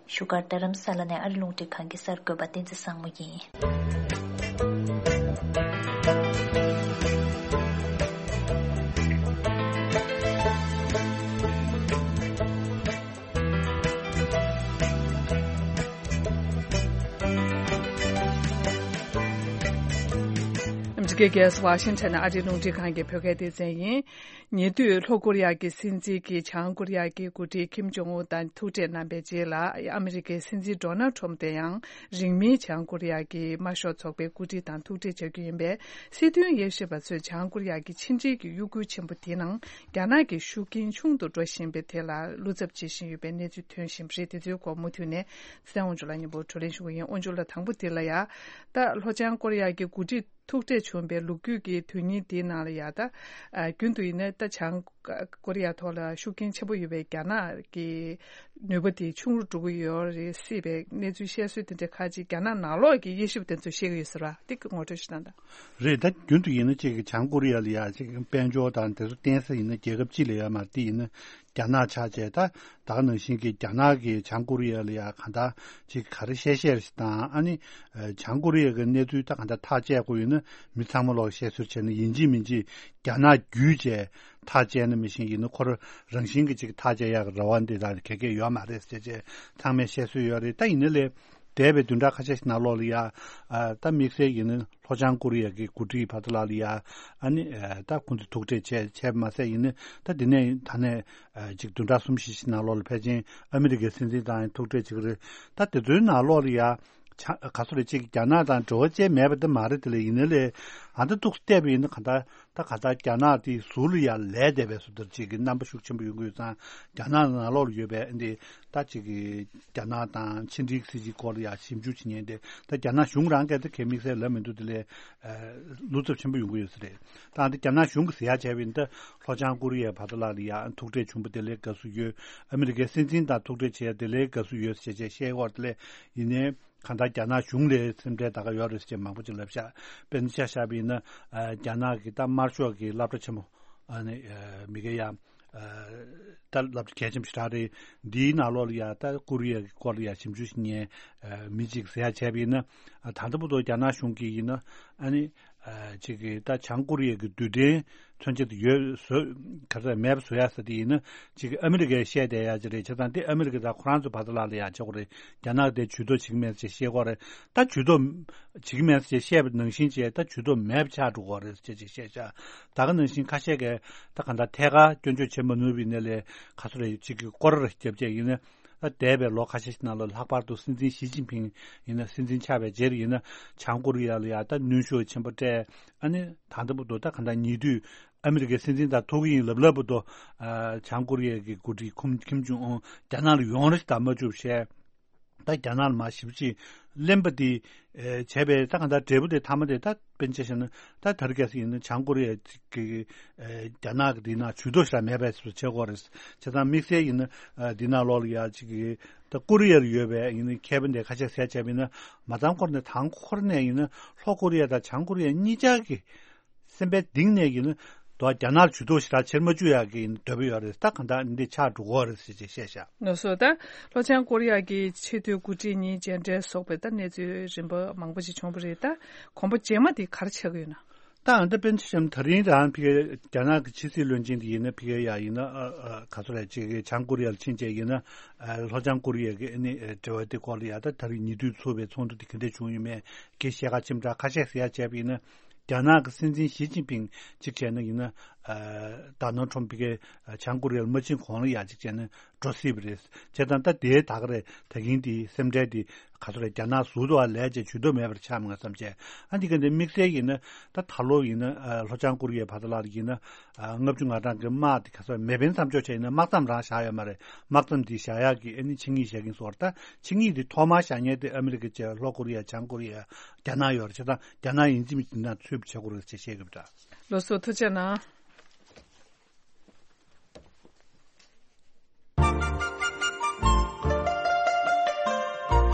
བཞུགས་སྒར་རྡ་རམ་ས་ལ་ནས་ཨ་རི་རླུང་འཕྲིན་ཁང་གི་གསར་འགོད་པ་བསྟན་འཛིན་བཟང་མོ་ཡིན། སྐད། རྒྱལ་ས་ཝ་ཤིང་ཊོན་ཨ་རིའི་རླུང་འཕྲིན་ཁང་གི་བོད་སྐད་སྡེ་ཚན་ཡིན། ཉེ་དུས་ལྷོ་ཀོ་རི་ཡ་གི་སྲིད་འཛིན་གྱིས་བྱང་ཀོ་རི་ཡ་གི་འགོ་ཁྲིད་ཁིམ་ཇོང་ཨུན་དང་ཐུག་འཕྲད་གནང་པའི་རྗེས་ལ། ཨ་མི་རི་ཀའི་སྲིད་འཛིན་ཌོ་ནལ་ཁྲོམ་དེ་ཡང་རིང་མིན་བྱང་ཀོ་རི་ཡ་གི་དམར་ཤོག་ཚོགས་པའི་འགོ་ཁྲིད་དང་ཐུག་འཕྲད་བྱ་རྒྱུ་ཡིན་པས། སྲིད་དོན་དབྱེ་ཞིབ་པ་ཚོས་བྱང་ཀོ་རི་ཡ་གི་ཕྱི་འབྲེལ་གྱི་གཡོ་འགུལ་ཆེན་པོ་དེའི་ནང་རྒྱ་ནག་གི་ཤུགས་རྐྱེན་ཆུང་དུ་འགྲོ་བཞིན་པའི་ཐད་ལ་བློ་འཚབ་བྱེད་བཞིན་ཡོད་པའི་གནས་ཚུལ་ཐོན་བཞིན་པ་རེད། དེ་ཚོའི་སྐོར་མུ་མཐུད་ནས་གསན་དབང་ཕྱུག་ལགས་མཉམ་པོ་བགྲོ་གླེང་ཞུ་གི་ཡིན། དབང་ཕྱུག་ལགས། དང་པོ་དེ་ལ་ཡ། ད་ལྷོ་བྱང་ཀོ་རི་ཡ་གི་འགོ་ཁྲིད་ཐུག་འཕྲད་བྱུང་བའི་ལོ་རྒྱུས་ཀྱི་དོན་སྙིང་དེའི་ནང་ལ་ཡ། ད་ཨ་རྒྱུན་དུ་ཡིན་ན་ད་བྱང་ཀོ་རི་ཡ་ཐོག་ལ་ཤུགས་རྐྱེན་ཆེན་པོ་ཡོད་པའི་རྒྱ་ནག་གི་ནུས་པ་དེ་ཆུང་རུ་འགྲོ་གི་ཡོད་རེད་སྲིད་པའི་གནས་ཚུལ་བཤད་སྲོལ་དེ་འདྲ་ཁག་ཅིག་རྒྱ་ནག་ནང་ལོགས་ཀྱི་དབྱེ་ཞིབ་དེ་ཚོ་བཤད་ཀྱི་ཡོད་ས་རེད། དེ་གི་ངོ་སྤྲོད་ཞིག་གནང་དང་། རེད། ད་རྒྱུན་དུ་ཡིན་ན་ཅིག་བྱང་ཀོ་རི་ཡ་ལ་ཡ་ཅིག་དཔལ་འབྱོར་དང་དེ་ཚོ་བརྟེན་ས་ཡིན་ན་རྒྱལ་ཁབ་གཅིག་ལ་ཡོད་མ་རེད། དེ་ཡིན་ན་རྒྱ་ནག་ཆགས་བྱས། ད་ད་ག་ནང་བཞིན་གྱི་རྒྱ་ནག་གིས་བྱང་ཀོ་རི་ཡ་ལ་ཡ་གང་ལྟར་ཅིག་ག་རེ་བཤད་བཤད་རེད་དང་། ཨ་ནི་ཨ་བྱང་ཀོ་རི་ཡ་གི་གནས་ཚུལ་ད་གང་ལྟར་ཐག་བཅད་དགོས་ཡོད་ན་མི་ཚང་མ་ལོག་བཤད་སྲོལ་བྱས་ན། ཡིན་གཅིག་མིན་གཅིག་རྒྱ་ནག་བརྒྱུད་བྱས་ཐག་བཅད་ན་མི་ཤེས་ཡིན་ན། ཁོ་རང་བཞིན་གྱི་ཅིག་ཐག་བཅད་ཡག་རེ་བ་འདི་ལ་ག་གེ་ཡོད་མ་རེད་ཟེར་བྱས་ཚང་མས་བཤད་སྲོལ་ཡོད་རེད། ད་ཡིན་ན་ལས་འདས་པའི་བདུན་ཕྲག་ཁ་ཤས་ཤིག་ནང་ལོགས་ལ་ཡ། ཨ་ད་དམིགས་བསལ་ཡིན་ན་ལྷོ་བྱང་ཀོ་རི་ཡ་གི་འགོ་ཁྲིད་བར་དུ་ལ་ལ་ཡ། ཨ་ནི་ཨ་ད་ཁོང་ཚོ་ཐུག་འཕྲད་བྱས་བྱས་པ་མ་ཟད་ཡིན་ན། ད་འདི་ནས་ད་ནས་ཨ་ཅིག་བདུན་ཕྲག་གསུམ་བཞི་ཞིག་ནང་ལོགས་ལ་ཕལ་ཆེར་ཨ་མི་རི་ཀའི་སྲིད་འཛིན་དང་ཐུག་འཕྲད་བྱེད་ཀྱི་རེད། ད་དེ་ཚོའི་ནང་ལོགས་ལ་ཡ། ཆ་ག་ཚོད་རེད། ཅིག་རྒྱ་ནག་དང་འབྲེལ་བ་ཅན་མེད་པ་དེ་མ་རེད། དེ་ལས་ཡིན་ན་ལས་ཨ་ད་ཏོག་ཙམ་བལྟས་པ་ཡིན་ན་གང་ལྟར། ད་ག་ད་རྒྱ་ནག་དེའི་ཟུར་ལ་ཡ་ལས་བསྡད་པའི་བཟོ་ལྟར་ཅིག་གི་རྣམ་པ་ཤུགས་ཆེན་པོ་ཡོང་གི་ཡོད་ཙང་། རྒྱ་ནག་ནང་ལོགས་ལ་ཡོད་པའི་འདི་ད་ཅིག་གི་རྒྱ་ནག་དང་ཕྱི་འབྲེལ་སྲིད་ཇུས་སྐོར་ལ་ཡ་ཞིབ་འཇུག་བྱེད་མཁན་དེ། ད་རྒྱ་ནག་གཞུང་རང་གིས་ད་གའི་དམིགས་བསལ་ལབ་མི་འདུག་དེ་ལས་ཨ་བློ་འཚབ་ཆེན་པོ་ཡོང་གི་ཡོད་ས་རེད། ད་འདི་རྒྱ་ནག་གཞུང་གིས་ཟེར་ཡ་བྱས་པ་ཡིན་ན། ད་ལྷོ་བྱང་ཀོ་རི་ཡའི་བར་དུ་ལ་ལ་ཡ་ཐུག་འཕྲད་བྱུང་བ་དེ་ལས་དགའ་བསུ་ཡོད། ཨ་མི་རི་ཀའི་སྲིད་འཛིན་དང་ཐུག་འཕྲད་བྱས་ཡ་དེ་ལས་དགའ་བསུ་ཡོད་ཟེར་བྱས་བཤད་ཡོད་རེད། དེ་ལས་ཡིན་ནའི། གང་ལྟར་རྒྱ་ནག་གཞུང་ལ་སེམས་ཁྲལ་ད་ག་ཡོད་རེད་ཟེར་མང་པོ་ཅིག་ལབ་ཤག་དཔེར་ན་ཆ་བཞག་པ་ཡིན་ན། ཨ་རྒྱ་ནག་གི་ད་དམར་ཤོག་གི་སློབ་གྲྭ་ཆེན་མོ། ཨ་ནི་ཨ་མི་གེ་ཡ། ཨ་ད་སློབ་གྲྭ་གལ་ཆེན་པོ་ཞེ་དྲག་རེད། འདིའི་ནང་ལོགས་ལ་ཡ་ད་ཀོ་རི་ཡ་གི་སྐོར་ལ་ཡ་ཞིབ་འཇུག་བྱེད་མཁན་ཨ་མི་གཅིག་ཟེར་ཡ་བྱས་པ་ཡིན་ན། ཨ་ད་ལྟ་བར་དུ་རྒྱ་ནག་གཞུང་གིས་ཡིན་ན། ཨ་ནི་ཨ་ཅིག་གི་ད་བྱང་ཀོ་རི་ཡ་གི་རྡུལ་ཕྲན་མཚོན་ཆ་དེ་ཡོད་བཟོ། ག་ཚོད་མེད་པ་བཟོ་ཡ་ཟེར་དེ་ཡིན་ན། ཅིག་གི་ཨ་མི་རི་ཀས་བཤད་བསྡད་ཡ་ཅིག་རེད། བྱས་ཙང་དེ་ཨ་མི་རི་ཀ་དང་ཁོ་རང་ཚོ་བར་དུ་ལ་ལ་ཡ་བྱེད་དགོས་རེད། རྒྱ་ནག་དེ་ཇུས་གཏོགས་བྱེད་ཀྱི་མེད་ཅེས་བཤད་ཀྱི་ཡོད་རེད། ད་ཇུས་གཏོགས་བྱེད་ཀྱི་མེད་ཅེས་བཤད་པ་ནང་བཞིན་བྱས། ད་ཇུས་གཏོགས་མེད་པ་ཆགས་འགྲོ་གི་ཡོད་རེད་ཅེས་ཅིག་བཤད་ཤག་ད་ག་ནང་བཞིན་ཁ་ཤས་ཀྱིས་ད་ག་འདྲ་ཐད་ཀར་སྐྱོན་བརྗོད་བྱེད་མ་ནུས་པའི་ནས་ལས་ག་ཚོད་རེད། ཅིག་གི་སྐོར་ར་རྒྱབ་བྱས་ཡིན་ན། ད་འདས་པའི་ལོ་ཁ་ཤས་ཤིག་ནང་ལ་ལྷག་པར་དུ་སྲིད་འཛིན་ཞི་ཅིན་ཕིང་ཡིན་ན། སྲིད་འཛིན་ཆགས་པའི་རྗེས་ལ་ཡིན་ན། བྱང་ཀོ་རི་ཡ་ལ་ཡ་ད་གནོན་ཤུགས་ཆེན་པོ་སྤྲད། ཨ་ནི་ད་ལྟ་བར་དུ་ད་ག་འདྲ་ཉེ་དུས་ཨ་མི་རི་ཀའི་སྲིད་འཛིན་དང་ཐུག་གི་ཡིན་ལབ་ལབ་བར་དུ། ཨ་བྱང་ཀོ་རི་ཡ་གི་འགོ་ཁྲིད་ཁུམ་ཁིམ་ཇུང་ཨུན་རྒྱ་ནག་ལ་ཡོང་རེ་ཞིག་ད་མ་བཅུག་བཤད། ད་རྒྱ་ནག་ལ་མར་ཞེ་པོ་ཅིག་གླེན་པ་དེ་ཨེ་བྱས་པས། ད་གང་ལྟར་འབྲས་བུ་དེ་མཐའ་མ་དེ་ད་དཔེར་ན་ཆ་བཞག་ན། ད་དེ་རིང་ཁ་སང་ཡིན་ན་བྱང་ཀོ་རི་ཡ་གི་ཨེ་རྒྱ་ནག་གི་འདི་ནང་ཇུས་གཏོགས་ཞེ་དྲག་མེད་པའི་བཟོ་བྱེད་ཀྱི་ཡོད་རེད། བྱས་ཙང་དམིགས་བསལ་ཡིན་ན་ཨ་འདི་ནང་ལོགས་ལ་ཡ་ཅིག་གི་ད་ཀོ་རི་ཡར་ཡོད་པའི་ཡིན་ན་མཁས་པ་འདི་ཁ་ཤས་ཟེར་བྱས་པ་ཡིན་ན། མ་ཚང་ཁོ་ར་ནས་དང་ཁོ་ར་ནས་ཡིན་ན་ལྷོ་ཀོ་རི་ཡ་དང་བྱང་ཀོ་རི་ཡ་གཉིས་ཆར་གྱི་སེམས་པའི་གཏིང་ནས་ཡིན་ན། དོ་རྒྱ་ནག་ལ་ཇུས་གཏོགས་ཞེ་དྲག་བྱེད་མ་བཅུག་ཡག་གི་ཡིན་འདོད་པ་ཡོད་རེད། ད་གང་ལྟར་འདི་ཆགས་འགྲོ་གི་ཡོད་རེད་ཟེར་ཅིག་བཤད་ཤག་ལགས་སོ། ད་ལྷོ་བྱང་ཀོ་རི་ཡ་གི་ཆེས་མཐོའི་འགོ་ཁྲིད་གཉིས་མཇལ་འཕྲད་སོགས་པའི་ད་གནས་ཚུལ་རིམ་པ་མང་པོ་ཞིག་བྱུང་བ་རེད། ད་གོམ་པ་རྗེས་མ་དེ་ག་རེ་ཆགས་ཀྱི་ཡོད་ན། ད་ཨ་ད་དཔེར་ན་ཆ་བཞག་ན་དེ་རིང་རང་ཕ་གིའི་རྒྱ་ནག་གི་ཕྱི་སྲིད་བློན་ཆེན་དེ་ཡིན་ན། ཕ་གིའི་ཡ་ཡིན་ན་ཨ་ཨ་ག་ཚོད་རེད། ཅིག་གི་བྱང་ཀོ་རི་ཡ་ལ་ཕྱིན་བྱས་ཡིན་ན། ཨ་ལྷོ་བྱང་ཀོ་རི་ཡ་གི་ཨ་ནི་འབྲེལ་བ་དེ་སྐོར་ལ་ཡ། ད་དེ་རིང་ཉེ་དུས་ཚོགས་པའི་ཚོགས་འདུ་དེ་ག་འདྲ་བྱུང་ཡོད་མེད་གི་བཤད་ཁ་ཅིག་འདྲ་ཁ་ཤས་ཟེར་ཡ་བྱས་པ་ཡིན་ན། རྒྱ་ནག་གི་སྲིད་འཛིན་ཞི་ཅིན་ཕིང་གཅིག་བྱས་ན་ཡིན་ན། ཨ་ཌོ་ནལ་ཊམ་ཕ་གིའི་ཨ་བྱང་ཀོ་རི་ཡ་ལ་མ་ཕྱིན་གོང་ལ་ཡ་གཅིག་བྱས་ན་འགྲོ་སྲིད་པ་རེད། བྱས་ཙང་ད་དེའི་ད་ག་རེ་ད་གིན་དེའི་སེམས་ཁྲལ་དེ་ག་ཚོད་རེད། རྒྱ་ནག་ཟུར་དུ་ཨ་ལས་བྱས་ཇུས་གཏོགས་མེད་པར་ཆགས་མ་བསམ་བྱས། ཨ་འདི་ག་འདི་དམིགས་བསལ་ཡིན་ན་ད་ད་ལོ་ཡིན་ན་ཨ་ལྷོ་བྱང་ཀོ་རི་ཡའི་བར་དུ་ལ་ཡིན་ན། ཨ་ལྔ་བཅུ་ང་གྲངས་ཀྱི་དམག་དེ་ག་ཚོད་མེ་འཕེན་མཚམས་འཇོག་བྱས་ཡིན་ན། དམག་མཚམས་རང་བཞག་ཡོད་མ་རེད། དམག་མཚམས་དེ་བཞག་ཡག་གི་ཨ་ནི་ཆིངས་ཡིག་བཞག་གིན་སོང་བ་རེད། ད་ཆིངས་ཡིག་དེ་ཐོག་མར་བཞག་མཁན་དེ་ཨ་མི་རི་ཀ་བཅས་ལྷོ་ཀོ་རི་ཡ། བྱང་ཀོ་རི་ཡ། རྒྱ་ནག་ཡོད་རེད། བྱས་ཙང་རྒྱ་ནག་ཡིན་གཅིག་མིན་གཅིག་ནང་ཚུད་པ་བྱེད་དགོས་རེད་ཅེས་བཤད་གི་ཡོད་པ་འདྲ། ལགས་སོ། ཐུགས་རྗེ་གནང་། ཨ་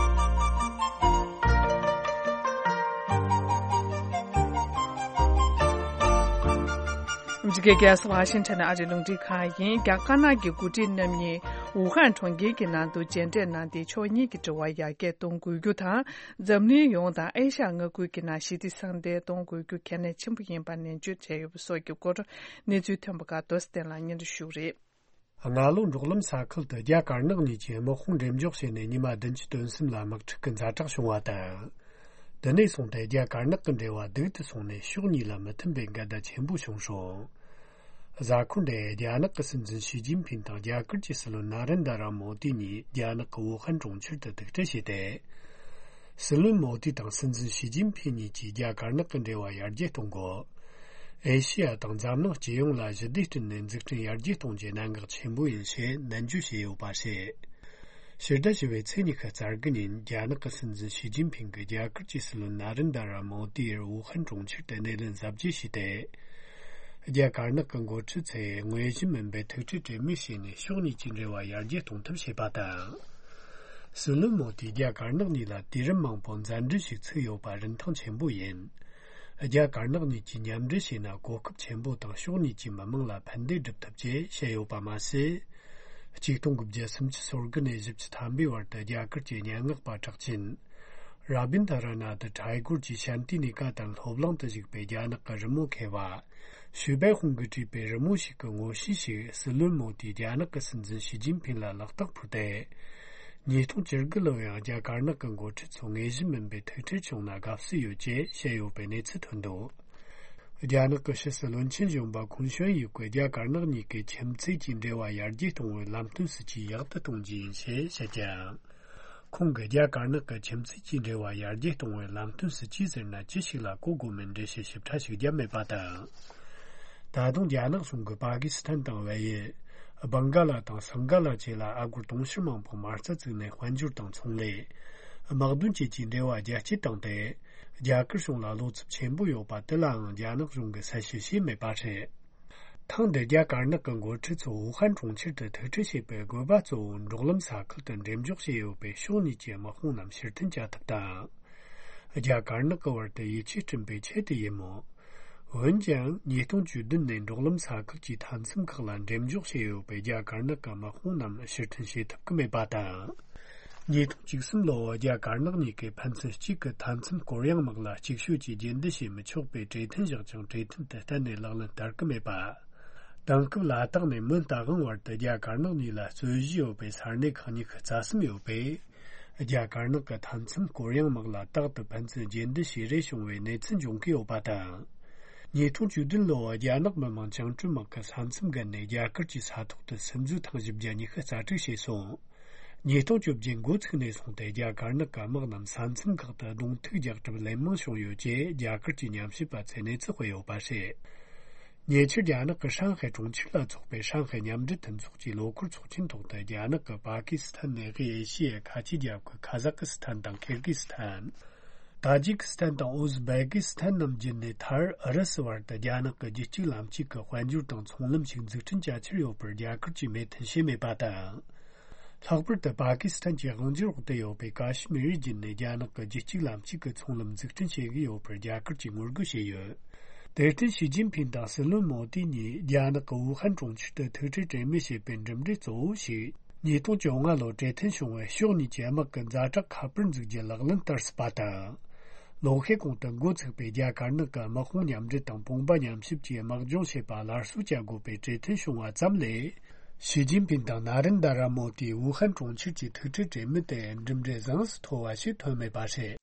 མི་རི་ཀའི་རྒྱལ་ས་ཝ་ཤིང་ཊོན་ཨ་རིའི་རླུང་འཕྲིན་ཁང་ཡིན། རྒྱ་དཀར་ནག་གི་འགོ་ཁྲིད་རྣམ་གཉིས་ཝུ་ཧན་གྲོང་ཁྱེར་གྱི་ནང་དུ་མཇལ་འཕྲད་གནང་སྟེ། ཕྱོགས་གཉིས་ཀྱི་འབྲེལ་བ་ཡར་རྒྱས་གཏོང་དགོས་རྒྱུ་དང་། འཛམ་གླིང་ཡོངས་དང་ཨེ་ཤ་ཡ་མངའ་ཁུལ་གྱི་ནང་ཞི་བདེ་སྲ་བརྟན་གཏོང་དགོས་རྒྱུ་གལ་གནད་ཆེན་པོ་ཡིན་པར་ནན་བརྗོད་བྱས་ཡོད་པ་སོགས་ཀྱི་སྐོར་གནས་ཚུལ་ཐོན་པ་ཁག་རྡོ་རྗེ་བསྟན་ལགས་སྙན་སྒྲོན་ཞུ་གི་རེད། སྔ་ལོ་འབྲོག་ལམ་ས་ཁུལ་དུ་རྒྱ་དཀར་ནག་གཉིས་ཀྱིས་དམག་དཔུང་འགྲེམས་འཇོག་བྱས་ནས་ཉི་མ་བདུན་ཅུ་དོན་གསུམ་ལ་དམག་འཁྲུག་གི་ཛ་དྲག་བྱུང་བ་དང་། དེ་ནས་བཟུང་སྟེ་རྒྱ་དཀར་ནག་གི་འབྲེལ་བ་སྡུག་ཏུ་སོང་ནས་ཕྱོགས་གཉིས་ལ་མི་མཐུན་པའི་འགལ་ཟླ་ཆེན་པོ་བྱུང་སོང་། གཟའ་འཁོར་འདིར་རྒྱ་ནག་གི་སྲིད་འཛིན་ཞི་ཅིན་ཕིན་དང་རྒྱ་གར་གྱི་སྲིད་བློན་ན་རེན་དྲ་མོ་དི་གཉིས་རྒྱ་ནག་གི་ཝུ་ཧན་གྲོང་ཁྱེར་དུ་ཐུག་འཕྲད་བྱས་ཏེ། སྲིད་བློན་མོ་དི་དང་སྲིད་འཛིན་ཞི་ཅིན་ཕིན་གཉིས་ཀྱིས་རྒྱ་དཀར་ནག་གི་འབྲེལ་བ་ཡར་རྒྱས་གཏོང་དགོས། ཨེ་ཤི་ཡ་དང་འཛམ་གླིང་སྤྱི་ཡོངས་ལ་ཞི་བདེ་བསྐྲུན་ནས་འཛུགས་སྐྲུན་ཡར་རྒྱས་གཏོང་རྒྱུ་གནད་འགག་ཆེན་པོ་ཡིན་ཞེས་ནན་བརྗོད་བྱས་ཡོད་པ་རེད། ཕྱི་ཟླ་བཞི་པའི་ཚེས་ཉི་ཤུ་རྩ་དགུ་ཉིན་རྒྱ་ནག་གི་སྲིད་འཛིན་ཞི་ཅིན་ཕིང་གིས་རྒྱ་གར་གྱི་སྲིད་བློན་ན་རེན་དྲ་མོ་དིར་ཝུ་ཧན་གྲོང་ཁྱེར་དུ་སྣེ་ལེན་གཟབ་རྒྱས་བྱས་ཏེ། རྒྱ་དཀར་ནག་གི་འགོ་ཁྲིད་ཚོས་ངོས་བཞིན་མིན་པའི་ཐུག་འཕྲད་གྲོས་མོལ་བྱས་ནས་ཕྱོགས་གཉིས་ཀྱི་འབྲེལ་བ་ཡར་རྒྱས་གཏོང་ཐབས་བྱས་པ་དང་། སྲིད་བློན་མོ་དིས་རྒྱ་དཀར་ནག་གཉིས་ལ་དུས་རིམ་མང་པོ་མཛའ་འབྲེལ་ཞིག་ཚུགས་ཡོད་པ་རིན་ཐང་ཆེན་པོ་ཡིན། རྒྱ་དཀར་ནག་གཉིས་ཀྱིས་མཉམ་འབྲེལ་བྱས་ན་གོ་སྐབས་ཆེན་པོ་དང་ཕྱོགས་གཉིས་ཀྱི་མི་དམངས་ལ་ཕན་བདེ་སྒྲུབ་ཐུབ་ཅེས་བཤད་ཡོད་པ་མ་ཟད། ཆིག་སྟོང་དགུ་བརྒྱ་སུམ་ཅུ་སོ་དགུ་ནས་བཞི་བཅུ་ཐམ་པའི་བར་དུ་རྒྱ་གར་གྱི་སྙན་ངག་པ་གྲགས་ཅན། ར་བིན་དྷ་ར་ནཱ་ཐ་ཐཱ་གོར་གྱི་ཤཱན་ཏི་ནི་ཀ་ཏན་སློབ་གླིང་དུ་བཞུགས་པའི་རྒྱ་ནག་གི་རི་མོ་མཁས་པ། ཞུས་པའི་ཧུང་གིས་བྲིས་པའི་རི་མོ་ཞིག་གི་ངོ་བཤུས་ཤིག་སྲིད་བློན་མོ་དིས་རྒྱ་ནག་གི་སྲིད་འཛིན་ཞི་ཅིན་ཕིན་ལ་ལག་རྟགས་ཕུལ་ཏེ། ཉིས་སྟོང་བཅུ་དགུ་ལོར་ཡང་རྒྱ་དཀར་ནག་གི་འགོ་ཁྲིད་ཚོ་ངོས་བཞིན་མིན་པའི་ཐུག་འཕྲད་བྱུང་ན་དགའ་བསུ་ཡོད་ཅེས་བཤད་ཡོད་པའི་གནས་ཚུལ་ཐོན་འདུག་རྒྱ་ནག་གི་ཕྱི་སྲིད་བློན་ཆེན་གཞོན་པ་ཁུན་ཤོན་ཡུས་ཀྱིས་རྒྱ་དཀར་ནག་གཉིས་ཀྱི་ཁྱིམ་མཚེས་ཀྱི་འབྲེལ་བ་ཡར་རྒྱས་གཏོང་བའི་ལམ་སྟོན་སྲིད་ཇུས་ཡག་ཏུ་གཏོང་རྒྱུ་ཡིན་ཞེས་བཤད་ཀྱང་། ཁོང་གིས་རྒྱ་དཀར་ནག་གི་ཁྱིམ་མཚེས་ཀྱི་འབྲེལ་བ་ཡར་རྒྱས་གཏོང་བའི་ལམ་སྟོན་སྲིད་ཇུས་ཟེར་ན་ཅི་ཞིག་ལ་གོ་དགོས་མིན་འགྲེལ་བཤད་ཞིབ་ཕྲ་ཞིག་བརྒྱབ་མེད་པ་དང་། ད་དུང་རྒྱ་ནག་གཞུང་གིས་པ་ཀི་སི་ཐན་དང་བལ་ཡུལ། བང་ག་ལ་དང་སིང་ག་ལ་བཅས་ལ་ཨ་སྒོར་དུང་ཕྱུར་མང་པོ་མ་རྩ་བཙུགས་ནས་དཔལ་འབྱོར་དང་ཚོང་ལས། དམག་དོན་བཅས་ཀྱི་འབྲེལ་བ་རྒྱ་སྐྱེད་བཏང་སྟེ། རྒྱ་གར་གཞུང་ལ་བློ་འཚབ་ཆེན་པོ་ཡོད་པ་དེ་ལའང་རྒྱ་ནག་གཞུང་གིས་གསལ་བཤད་བྱས་མེད་པ་རེད། ཐེངས་འདིར་རྒྱ་དཀར་ནག་གི་འགོ་ཁྲིད་ཚོ་ཝུ་ཧན་གྲོང་ཁྱེར་དུ་ཐུག་འཕྲད་བྱེད་པའི་དགོས་པ་གཙོ་བོ་འབྲོག་ལམ་ས་ཁུལ་དུ་འགྲེམས་འཇོག་བྱས་ཡོད་པའི་ཕྱོགས་གཉིས་ཀྱི་དམག་དཔུང་རྣམས་ཕྱིར་འཐེན་བྱ་ཐབས་དང་། རྒྱ་དཀར་ནག་གི་བར་དུ་ཡིད་ཆེས་བསྐྲུན་པའི་ཆེད་དུ་ཡིན་མོད། འོན་ཀྱང་ཉིས་སྟོང་བཅུ་བདུན་ནས་འབྲོག་ལམ་ས་ཁུལ་གྱི་མཐའ་མཚམས་ཁག་ལ་འགྲེམས་འཇོག་བྱས་ཡོད་པའི་རྒྱ་དཀར་ནག་གི་དམག་དཔུང་རྣམས་ཕྱིར་འཐེན་བྱེད་ཐུབ་ཀྱི་མེད་པ་དང་། ཉིས་སྟོང་བཅུ་གསུམ་ལོར་རྒྱ་དཀར་ནག་གཉིས་ཀས་ཕན་ཚུན་གཅིག་གི་མཐའ་མཚམས་སྐོར་གཡེང་དམག་ལ་ཅིག་ཤོས་ཀྱིས་རྒྱུན་སྡོད་བྱེད་མི་ཆོག་པའི་གྲོས་མཐུན་བཞག་ཀྱང་གྲོས་མཐུན་དེ་གཏན་ནས་ལག་ལེན་བསྟར་གྱི་མེད་པ། དེང་སྐབས་ལ་དྭགས་ནས་མོན་རྟ་དབང་བར་དུ་རྒྱ་དཀར་ནག་གཉིས་ལ་རྩོད་གཞི་ཡོད་པའི་ས་གནས་ཁག་ཉི་ཤུ་རྩ་གསུམ་ཡོད་པས། རྒྱ་དཀར་ནག་གི་མཐའ་མཚམས་སྐོར་གཡེང་དམག་ལ་རྟག་ཏུ་ཕན་ཚུན་རྒྱུན་སྡོད་བྱེད་རེས་བྱུང་བའི་གནས་ཚུལ་འབྱུང་གི་ཡོད་པ་དང་། ཉིས་སྟོང་བཅུ་བདུན་ལོར་རྒྱ་ནག་མི་དམངས་བཅིངས་འགྲོལ་དམག་གིས་ས་མཚམས་བརྒལ་ནས་རྒྱ་གར་གྱི་ས་ཐོག་ཏུ་སིམ་འཛུལ་ཐེངས་བཞི་བརྒྱ་ཉི་ཤུ་རྩ་དྲུག་བྱས་སོང་། ཉིས་སྟོང་བཅོ་བརྒྱད་འགོ་ཚུགས་ནས་བཟུང་སྟེ་རྒྱ་དཀར་ནག་གི་དམག་རྣམས་ས་མཚམས་ཁག་ཏུ་གདོང་ཐུག་རྒྱག་གྲབས་ལན་མང་བྱུང་ཡོད་ཅེས་རྒྱ་གར་གྱི་ཉམས་ཞིབ་པ་ཚོས་གནས་ཚུལ་སྤེལ་ཡོད་པ་རེད། ཉེ་ཆར་རྒྱ་ནག་གི་ཧྲང་ཧའེ་གྲོང་ཁྱེར་ལ་འཚོགས་པའི་ཧྲང་ཧའེ་མཉམ་འབྲེལ་མཐུན་ཚོགས་ཀྱི་ལོ་འཁོར་ཚོགས་ཆེན་ཐོག་ཏུ་རྒྱ་ནག་གིས་པ་ཀི་སི་ཐན་ནས་དབུས་ཨེ་ཤི་ཡའི་ཁ་ཆེའི་རྒྱལ་ཁབ་ཁ་ཟག་སི་ཐན་དང་ཁིར་གི་སི་ཐན། ཏཱ་ཇི་ཀི་སི་ཐན་དང་ཨུ་ཟི་བེ་ཀི་སི་ཐན་རྣམས་བརྒྱུད་ནས་མཐར་ཨུ་རུ་སུ་བར་དུ་རྒྱ་ནག་གི་རྒྱུད་གཅིག་ལམ་གཅིག་གི་དཔལ་འབྱོར་དང་ཚོང་ལམ་ཞིག་འཛུགས་སྐྲུན་བྱ་འཆར་ཡོད་པར་རྒྱ་གར་གྱིས་མོས་མཐུན་བྱས་མེད་པ་དང་། ལྷག་པར་དུ་པ་ཀི་སི་ཐན་གྱི་དབང་སྒྱུར་འོག་ཏུ་ཡོད་པའི་ཀ་ཤི་མིར་བརྒྱུད་ནས་རྒྱ་ནག་གི་རྒྱུད་གཅིག་ལམ་གཅིག་གི་ཚོང་ལམ་འཛུགས་སྐྲུན་བྱེད་ཀྱི་ཡོད་པར་རྒྱ་གར་གྱིས་ངོ་རྒོལ་བྱས་ཡོད། དེར་བརྟེན་ཞི་ཅིན་ཕིན་དང་སྲིད་བློན་མོ་དི་གཉིས་རྒྱ་ནག་གི་ཝུ་ཧན་གྲོང་ཁྱེར་དུ་ཐུག་འཕྲད་གྲོས་མོལ་བྱས་པའི་གྲུབ་འབྲས་གཙོ་བོ་ཞིག་ཉིས་སྟོང་བཅོ་ལྔ་ལོར་གྲོས་མཐུན་བྱུང་བའི་ཕྱོགས་གཉིས་ཀྱི་དམག་གི་ཛ་དྲག་ཁ་པར་འཛུགས་རྒྱུ་ལག་ལེན་བསྟར་སྲིད་པ་དང་། ལོ་ཤས་གོང་དུ་འགོ་ཚུགས་པའི་རྒྱ་དཀར་ནག་གི་དམག་དཔུང་མཉམ་འབྲེལ་དང་དཔུང་པ་མཉམ་གཤིབ་ཀྱིས་དམག་སྦྱོང་བྱེད་པ་སླར་གསོ་བྱ་དགོས་པའི་གྲོས་མཐུན་བྱུང་བ་ཙམ་ལས། ཞི་ཅིན་ཕིན་དང་ན་རེན་དྷ་ར་མོ་དིའི་ཝུ་ཧན་གྲོང་ཁྱེར་གྱི་ཐུག་འཕྲད་གྲོས་མོལ་དེ་གྲུབ་འབྲས་བཟང་ཙམ་ཐོབ་པ་ཞིག་ཐོན་མེད་པ་རེད།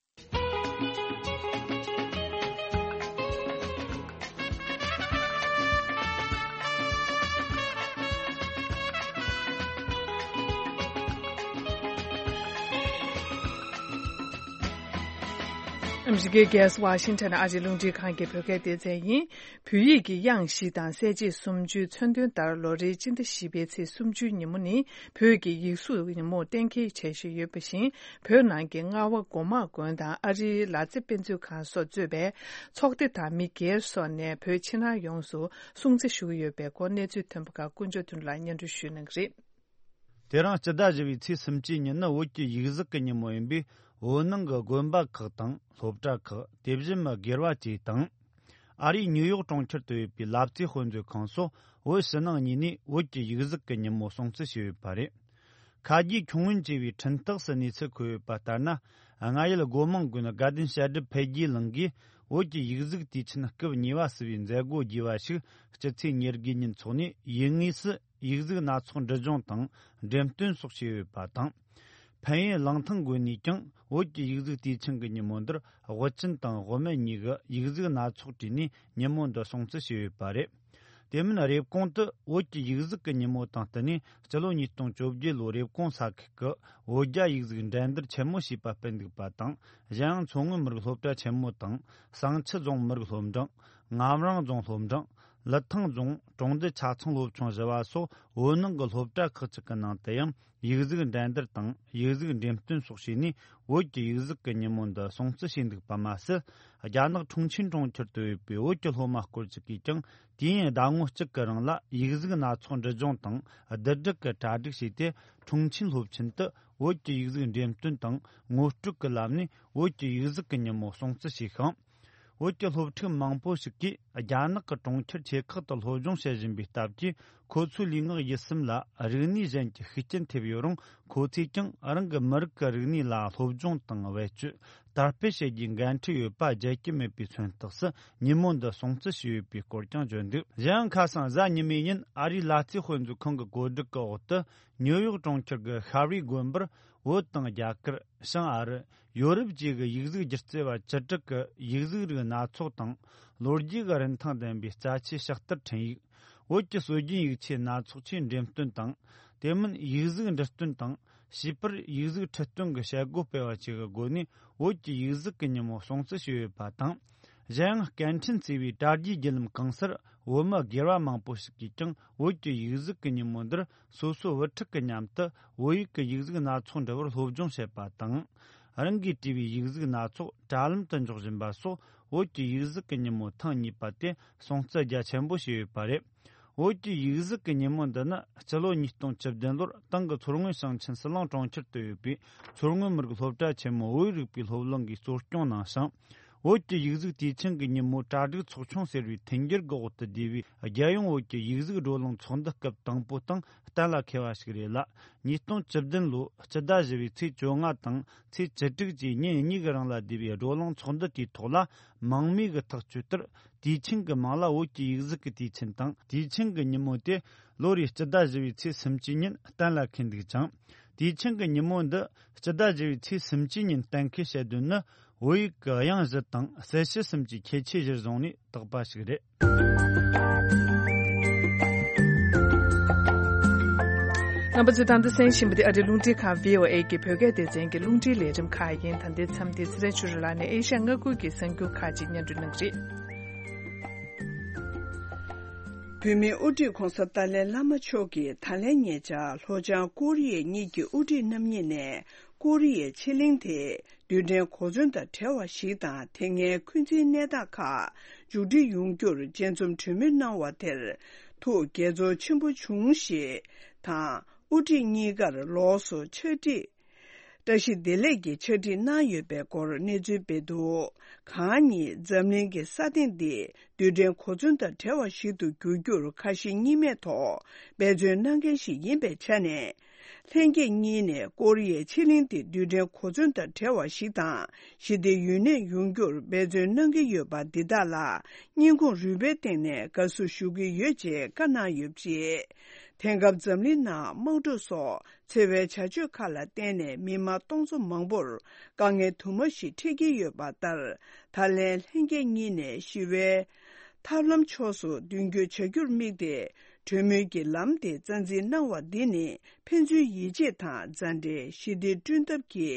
ཨ་མི་རི་ཀའི་རྒྱལ་ས་ཝ་ཤིང་ཊོན་ཨ་རིའི་རླུང་འཕྲིན་ཁང་གི་བོད་སྐད་སྡེ་ཚན་ཡིན། བོད་ཡིག་གི་དབྱངས་བཞི་དང་གསལ་བྱེད་སུམ་ཅུའི་མཚོན་དོན་ལྟར་ལོ་རེའི་སྤྱི་ཟླ་བཞི་པའི་ཚེས་སུམ་ཅུའི་ཉིན་མོ་ནི་བོད་ཀྱི་ཡིག་གཟུགས་ཉིན་མོར་གཏན་འཁེལ་བྱ་བཞིན་ཡོད་པ་བཞིན། བོད་ནང་གི་རྔ་བ་སྒོ་མང་དགོན་དང་ཨ་རིའི་ལ་རྩེ་དཔེ་མཛོད་ཁང་སོགས་གཙོས་པའི་ཚོགས་སྡེ་དང་མི་སྒེར་སོགས་ནས་བོད་ཕྱི་ནང་ཡོངས་སུ་སྲུང་བརྩི་ཞུ་གི་ཡོད་པའི་སྐོར་གནས་ཚུལ་ཐོན་པ་ཁག་དཀོན་མཆོག་མཐུན་ལ་སྙན་སྒྲོན་ཞུ་གནང་གི་རེད། དེ་རིང་སྤྱི་ཟླ་བཞི་པའི་ཚེས་སུམ་ཅུའི་ཉིན་ནི་བོད་ཀྱི་ཡིག་གཟུགས་ཀྱི་ཉིན་མོ་ཡིན་པས། བོད་ནང་གི་དགོན་པ་ཁག་དང་སློབ་གྲྭ་ཁག་དེ་བཞིན་མི་སྒེར་བ་བཅས་དང་། ཨ་རིའི་ཉིའུ་ཡོག་གྲོང་ཁྱེར་དུ་ཡོད་པའི་ལ་རྩེ་དཔེ་མཛོད་ཁང་སོགས་བོད་ཕྱི་ནང་གཉིས་ནས་བོད་ཀྱི་ཡིག་གཟུགས་ཀྱི་ཉིན་མོ་སྲུང་བརྩི་བྱས་ཡོད་པ་རེད། ཁ་རྗེ་ཁྱུང་ངོན་ཅེས་པའི་འཕྲིན་སྟེགས་སུ་གནས་ཚུལ་འཁོད་ཡོད་པ་ལྟར་ན། རྔ་ཡུལ་སྒོ་མང་དགོན་དགའ་ལྡན་བཤད་སྒྲུབ་འཕེལ་རྒྱས་གླིང་གིས་བོད་ཀྱི་ཡིག་གཟུགས་དུས་ཆེན་སྐབས་གཉིས་པ་ཟེར་བའི་མཛད་སྒོ་རྒྱས་པ་ཞིག་སྤྱི་ཚེས་ཉེར་དགུའི་ཉིན་འཚོགས་ནས། ཡུལ་དངོས་སུ་ཡིག་གཟུགས་སྣ་ཚོགས་འབྲི་སྦྱོང་དང་འགྲེམས་སྟོན་སོགས་བྱས་ཡོད་པ་དང་། ཕན་ཡུན་གླང་ཐང་དགོན་ནས་ཀྱང་བོད་ཀྱི་ཡིག་གཟུགས་དུས་ཆེན་གྱི་ཉིན་མོ་འདིར་དབུ་ཅན་དང་དབུ་མེད་གཉིས་ཀྱི་ཡིག་གཟུགས་སྣ་ཚོགས་བྲིས་ནས་ཉིན་མོ་འདི་སྲུང་བརྩི་བྱས་ཡོད་པ་རེད། དེ་མིན་རེབ་གོང་དུ་བོད་ཀྱི་ཡིག་གཟུགས་ཀྱི་ཉིན་མོ་དང་བསྟུན་ནས་སྤྱི་ལོ་ཉིས་སྟོང་བཅོ་བརྒྱད་ལོའི་རེབ་གོང་ས་ཁུལ་གྱི་བོད་རྒྱ་ཡིག་གཟུགས་འགྲན་བསྡུར་ཆེན་མོ་ཞེས་པ་སྤེལ་འདུག་པ་དང་། གཞན་ཡང་མཚོ་སྔོན་མི་རིགས་སློབ་གྲྭ་ཆེན་མོ་དང་བསང་ཆུ་རྫོང་མི་རིགས་སློབ་འབྲིང་། ངམ་རང་རྫོང་སློབ་འབྲིང་། ལི་ཐང་རྫོང་གྲོང་རྡལ་ཆ་ཚང་སློབ་ཆུང་བཞི་བ་སོགས་བོད་ནང་གི་སློབ་གྲྭ་ཁག་ཅིག་གི་ནང་དུ་ཡང་ཡིག་གཟུགས་འགྲན་བསྡུར་དང་ཡིག་གཟུགས་འགྲེམས་སྟོན་སོགས་བྱས་ནས་བོད་ཀྱི་ཡིག་གཟུགས་ཀྱི་ཉིན་མོ་འདི་སྲུང་བརྩི་བྱས་འདུག་པ་མ་ཟད། རྒྱ་ནག་ཁྲུང་ཆིན་གྲོང་ཁྱེར་དུ་ཡོད་པའི་བོད་ཀྱི་སློབ་མ་སྐོར་ཅིག་གིས་ཀྱང་དུས་ཡུན་ཟླ་ངོ་གཅིག་གི་རིང་ལ་ཡིག་གཟུགས་སྣ་ཚོགས་འབྲི་སྦྱོང་དང་བསྡུ་སྒྲིག་གི་གྲ་སྒྲིག་བྱས་ཏེ། ཁྲུང་ཆིན་སློབ་ཆེན་དུ་བོད་ཀྱི་ཡིག་གཟུགས་འགྲེམས་སྟོན་དང་ངོ་སྤྲོད་ཀྱི་ལམ་ནས་བོད་ཀྱི་ཡིག་གཟུགས་ཀྱི་ཉིན་མོ་སྲུང་བརྩི་བྱས་ཤིང་། བོད་ཀྱི་སློབ་ཕྲུག་མང་པོ་ཞིག་གིས་རྒྱ་ནག་གི་གྲོང་ཁྱེར་ཆེ་ཁག་ཏུ་སློབ་སྦྱོང་བྱེད་བཞིན་པའི་སྟབས་ཀྱིས། ཁོ་ཚོའི་ལུས་ངག་ཡིད་གསུམ་ལ་རིག་གནས་གཞན་གྱི་ཤུགས་རྐྱེན་ཐེབས་ཡོད་རུང་། ཁོ་ཚོས་ཀྱང་རང་གི་མི་རིགས་ཀྱི་རིག་གནས་ལ་སློབ་སྦྱོང་དང་བེད་སྤྱོད་དར་སྤེལ་བྱེད་རྒྱུའི་འགན་འཁྲི་ཡོད་པ་བརྗེད་ཀྱི་མེད་པའི་མཚོན་རྟགས་སུ་ཉིན་མོ་འདི་སྲུང་བརྩི་བྱས་ཡོད་པའི་སྐོར་ཀྱང་བརྗོད་འདུག་གཞན་ཡང་ཁ་སང་གཟའ་ཉི་མའི་ཉིན་ཨ་རིའི་ལ་རྩེ་དཔེ་མཛོད་ཁང་གི་བཀོད་སྒྲིག་གི་འོག་ཏུ། ཉིའུ་ཡོག་གྲོང་ཁྱེར་གྱི་ཤ་རི་དགོན་པར་བོད་དང་རྒྱ་གར། བྱང་ཨ་རི། ཡོ་རོབ་བཅས་ཀྱི་ཡིག་གཟུགས་སྒྱུ་རྩལ་བ་བཅུ་དྲུག་གི་ཡིག་གཟུགས་རིགས་སྣ་ཚོགས་དང་། ལོ་རྒྱུས་ཀྱི་རིན་ཐང་ལྡན་པའི་རྩ་ཆེའི་ཕྱག་བསྟར་འཕྲིན་ཡིག་བོད་ཀྱི་སྲོལ་རྒྱུན་ཡིག་ཆའི་སྣ་ཚོགས་ཆེད་འགྲེམས་སྟོན་དང་། དེ་མིན་ཡིག་གཟུགས་འབྲི་སྟོན་དང་། བྱིས་པར་ཡིག་གཟུགས་ཁྲིད་སྟོན་གྱི་བྱེད་སྒོ་སྤེལ་བ་བཅས་ཀྱི་སྒོ་ནས་བོད་ཀྱི་ཡིག་གཟུགས་ཀྱི་ཉིན་མོ་སྲུང་བརྩི་བྱས་ཡོད་པ་དང་། གཞན་ཡང་སྐད་འཕྲིན་བརྩེ་བའི་དྲ་རྒྱའི་བརྒྱུད་ལམ་གང་སར་བོད་མི་སྒེར་བ་མང་པོ་ཞིག་གིས་ཀྱང་བོད་ཀྱི་ཡིག་གཟུགས་ཀྱི་ཉིན་མོ་འདིར་སོ་སོའི་བུ་ཕྲུག་གི་མཉམ་དུ་བོད་ཡིག་གི་ཡིག་གཟུགས་སྣ་ཚོགས་འབྲི་བར་སློབ་སྦྱོང་བྱེད་པ་དང་། རང་གིས་བྲིས་པའི་ཡིག་གཟུགས་སྣ་ཚོགས་དྲ་ལམ་དུ་འཇོག་བཞིན་པ་སོགས་བོད་ཀྱི་ཡིག་གཟུགས་ཀྱི་ཉིན་མོ་ཐེངས་གཉིས་པ་དེ་སྲུང་བརྩི་རྒྱ་ཆེན་པོ་བྱས་ཡོད་པ་རེད། བོད་ཀྱི་ཡིག་གཟུགས་ཀྱི་ཉིན་མོ་འདི་ནི་སྤྱི་ལོ་ཉིས་སྟོང་བཅུ་བདུན་ལོར་ཏང་གི་མཚོ་སྔོན་ཞིང་ཆེན་ཟི་ལིང་གྲོང་ཁྱེར་དུ་ཡོད་པའི་མཚོ་སྔོན་མི་རིགས་སློབ་གྲྭ་ཆེན་མོ་བོད་རིག་པའི་སློབ་གླིང་གིས་གཙོ་སྐྱོང་གནང་ཞིང་། བོད་ཀྱི་ཡིག་གཟུགས་དུས་ཆེན་གྱི་ཉིན་མོ་གྲ་སྒྲིག་ཚོགས་ཆུང་ཟེར་བའི་མཐུན་འགྱུར་གྱི་འོག་ཏུ་བསྡུས་པའི་རྒྱལ་ཡོངས་བོད་ཀྱི་ཡིག་གཟུགས་བགྲོ་གླེང་ཚོགས་འདུ་སྐབས་དང་པོ་དང་གཏན་ལ་འཁེལ་བ་ཞིག་རེད་ལ། ཉིས་སྟོང་བཅུ་བདུན་ལོའི་སྤྱི་ཟླ་བཞི་པའི་ཚེས་བཅོ་ལྔ་དང་ཚེས་བཅུ་དྲུག་བཅས་ཉིན་གཉིས་ཀྱི་རིང་ལ་བསྡུས་པའི་བགྲོ་གླེང་ཚོགས་འདུ་དེའི་ཐོག་ལ་མང་མོས་ཀྱིས་ཐག་གཅོད་ལྟར། དུས་ཆེན་གྱི་མིང་ལ་བོད་ཀྱི་ཡིག་གཟུགས་ཀྱི་དུས་ཆེན་དང་། དུས་ཆེན་གྱི་ཉིན་མོ་དེ་ལོ་རེའི་སྤྱི་ཟླ་བཞི་པའི་ཚེས་སུམ་ཅུའི་ཉིན་གཏན་ལ་འཁེལ་འདུག་ཅིང་། དུས་ཆེན་གྱི་ཉིན་མོ་འདི་སྤྱི་ཟླ་བཞི་པའི་ཚེས་སུམ་ཅུའི་ཉིན་གཏན་འཁེལ་བྱེད་དོན་ནི། བོད་ཡིག་གི་དབྱངས་བཞི་དང་གསལ་བྱེད་གསུམ་གྱི་ཁྱད་ཆོས་གཞིར་བཟུང་ནས་བཏགས་པ་ཞིག་རེད། རྣམ་པ་ཚོས་ད་ལྟ་གསན་བཞིན་པ་དེ་ཨ་རིའི་རླུང་འཕྲིན་ཁང་བྷི་ཨོ་ཨེ་གི་བོད་སྐད་སྡེ་ཚན་གྱི་རླུང་འཕྲིན་ལས་རིམ་ཁག་ཡིན། ད་ལྟའི་མཚམས་དེ་ཚེ་རིང་ཆོས་སྒྲོན་ལགས་ནས་ཨེ་ཤ་ཡ་མངའ་ཁུལ་གྱི་གསར་འགྱུར་ཁག་ཅིག་སྙན་སྒྲོན་གནང་གི་རེད། བོད་མིའི་དབུ་ཁྲིད་༧གོང་ས་ཏཱ་ལའི་བླ་མ་མཆོག་གིས་ད་ལན་ཉེ་ཆར་ལྷོ་བྱང་ཀོ་རི་ཡའི་གཉིས་ཀྱི་དབུ་ཁྲིད་རྣམ་གཉིས་ནས་ཀོ་རི་ཡའི་ཕྱེད་གླིང་དེ་རྡུལ་ཕྲན་གོ་མཚོན་དང་བྲལ་བ་ཞིག་དང་། དེ་སྔའི་འཁོན་འཛིན་གནས་སྟངས་ཁག་མཇུག་སྒྲིལ་ཡོང་རྒྱུར་དཔྱད་འཛོམས་གྲོས་མོལ་གནང་བ་དེར་ཐུགས་དགྱེས་ཚོར་ཆེན་པོ་བྱུང་ཞེས་དང་། དབུ་ཁྲིད་གཉིས་ཀར་ལོགས་སུ་ཕྱག་བྲིས། བཀྲ་ཤིས་བདེ་ལེགས་ཀྱི་ཕྱག་བྲིས་གནང་ཡོད་པའི་སྐོར་གནས་ཚུལ་སྤེལ་འདུག་གང་ཉིད་འཛམ་གླིང་གི་ས་སྟེང་འདི་རྡུལ་ཕྲན་གོ་མཚོན་དང་བྲལ་བ་ཞིག་ཏུ་འགྱུར་རྒྱུར་ཁ་ཞེ་གཉིས་མེད་ཐོག་འབད་བརྩོན་གནང་མཁན་ཞིག་ཡིན་པའི་ཆ་ནས། ལྷན་རྒྱས་གཉིས་ནས་ཀོ་རི་ཡའི་ཕྱེད་གླིང་འདི་རྡུལ་ཕྲན་གོ་མཚོན་དང་བྲལ་བ་ཞིག་དང་། ཞི་བདེ་ཡུན་གནས་ཡོང་རྒྱུར་འབད་བརྩོན་གནང་གི་ཡོད་པ་འདི་དག་ལ་སྙིང་ཁོང་རུས་པའི་གཏིང་ནས་དགའ་བསུ་ཞུ་གི་ཡོད་ཅེས་བཀའ་གནང་ཡོད་པ་རེད། དེང་སྐབས་འཛམ་གླིང་ནང་དམག་འཁྲུག་སོགས། འཚེ་བའི་བྱ་སྤྱོད་ཁག་ལ་བརྟེན་ནས་མི་དམངས་སྟོང་ཚོ་མང་པོར་དཀའ་ངལ་དུ་མ་ཞིག་འཕྲད་ཀྱི་ཡོད་པ་ལྟར། ད་ལན་ལྷན་རྒྱས་གཉིས་ནས་ཞི་བའི་ཐབས་ལམ་ཕྱོགས་སུ་མདུན་སྐྱོད་བྱ་རྒྱུར་དམིགས་ཏེ། གྲོས་མོལ་གྱི་ལམ་དེ་རྩ་འཛིན་གནང་བ་འདི་ནི་ཕན་ཚུན་ཡིད་ཆེས་དང་མཛའ་འབྲེལ། ཞི་བདེ་བསྐྲུན་ཐབས་ཀྱི་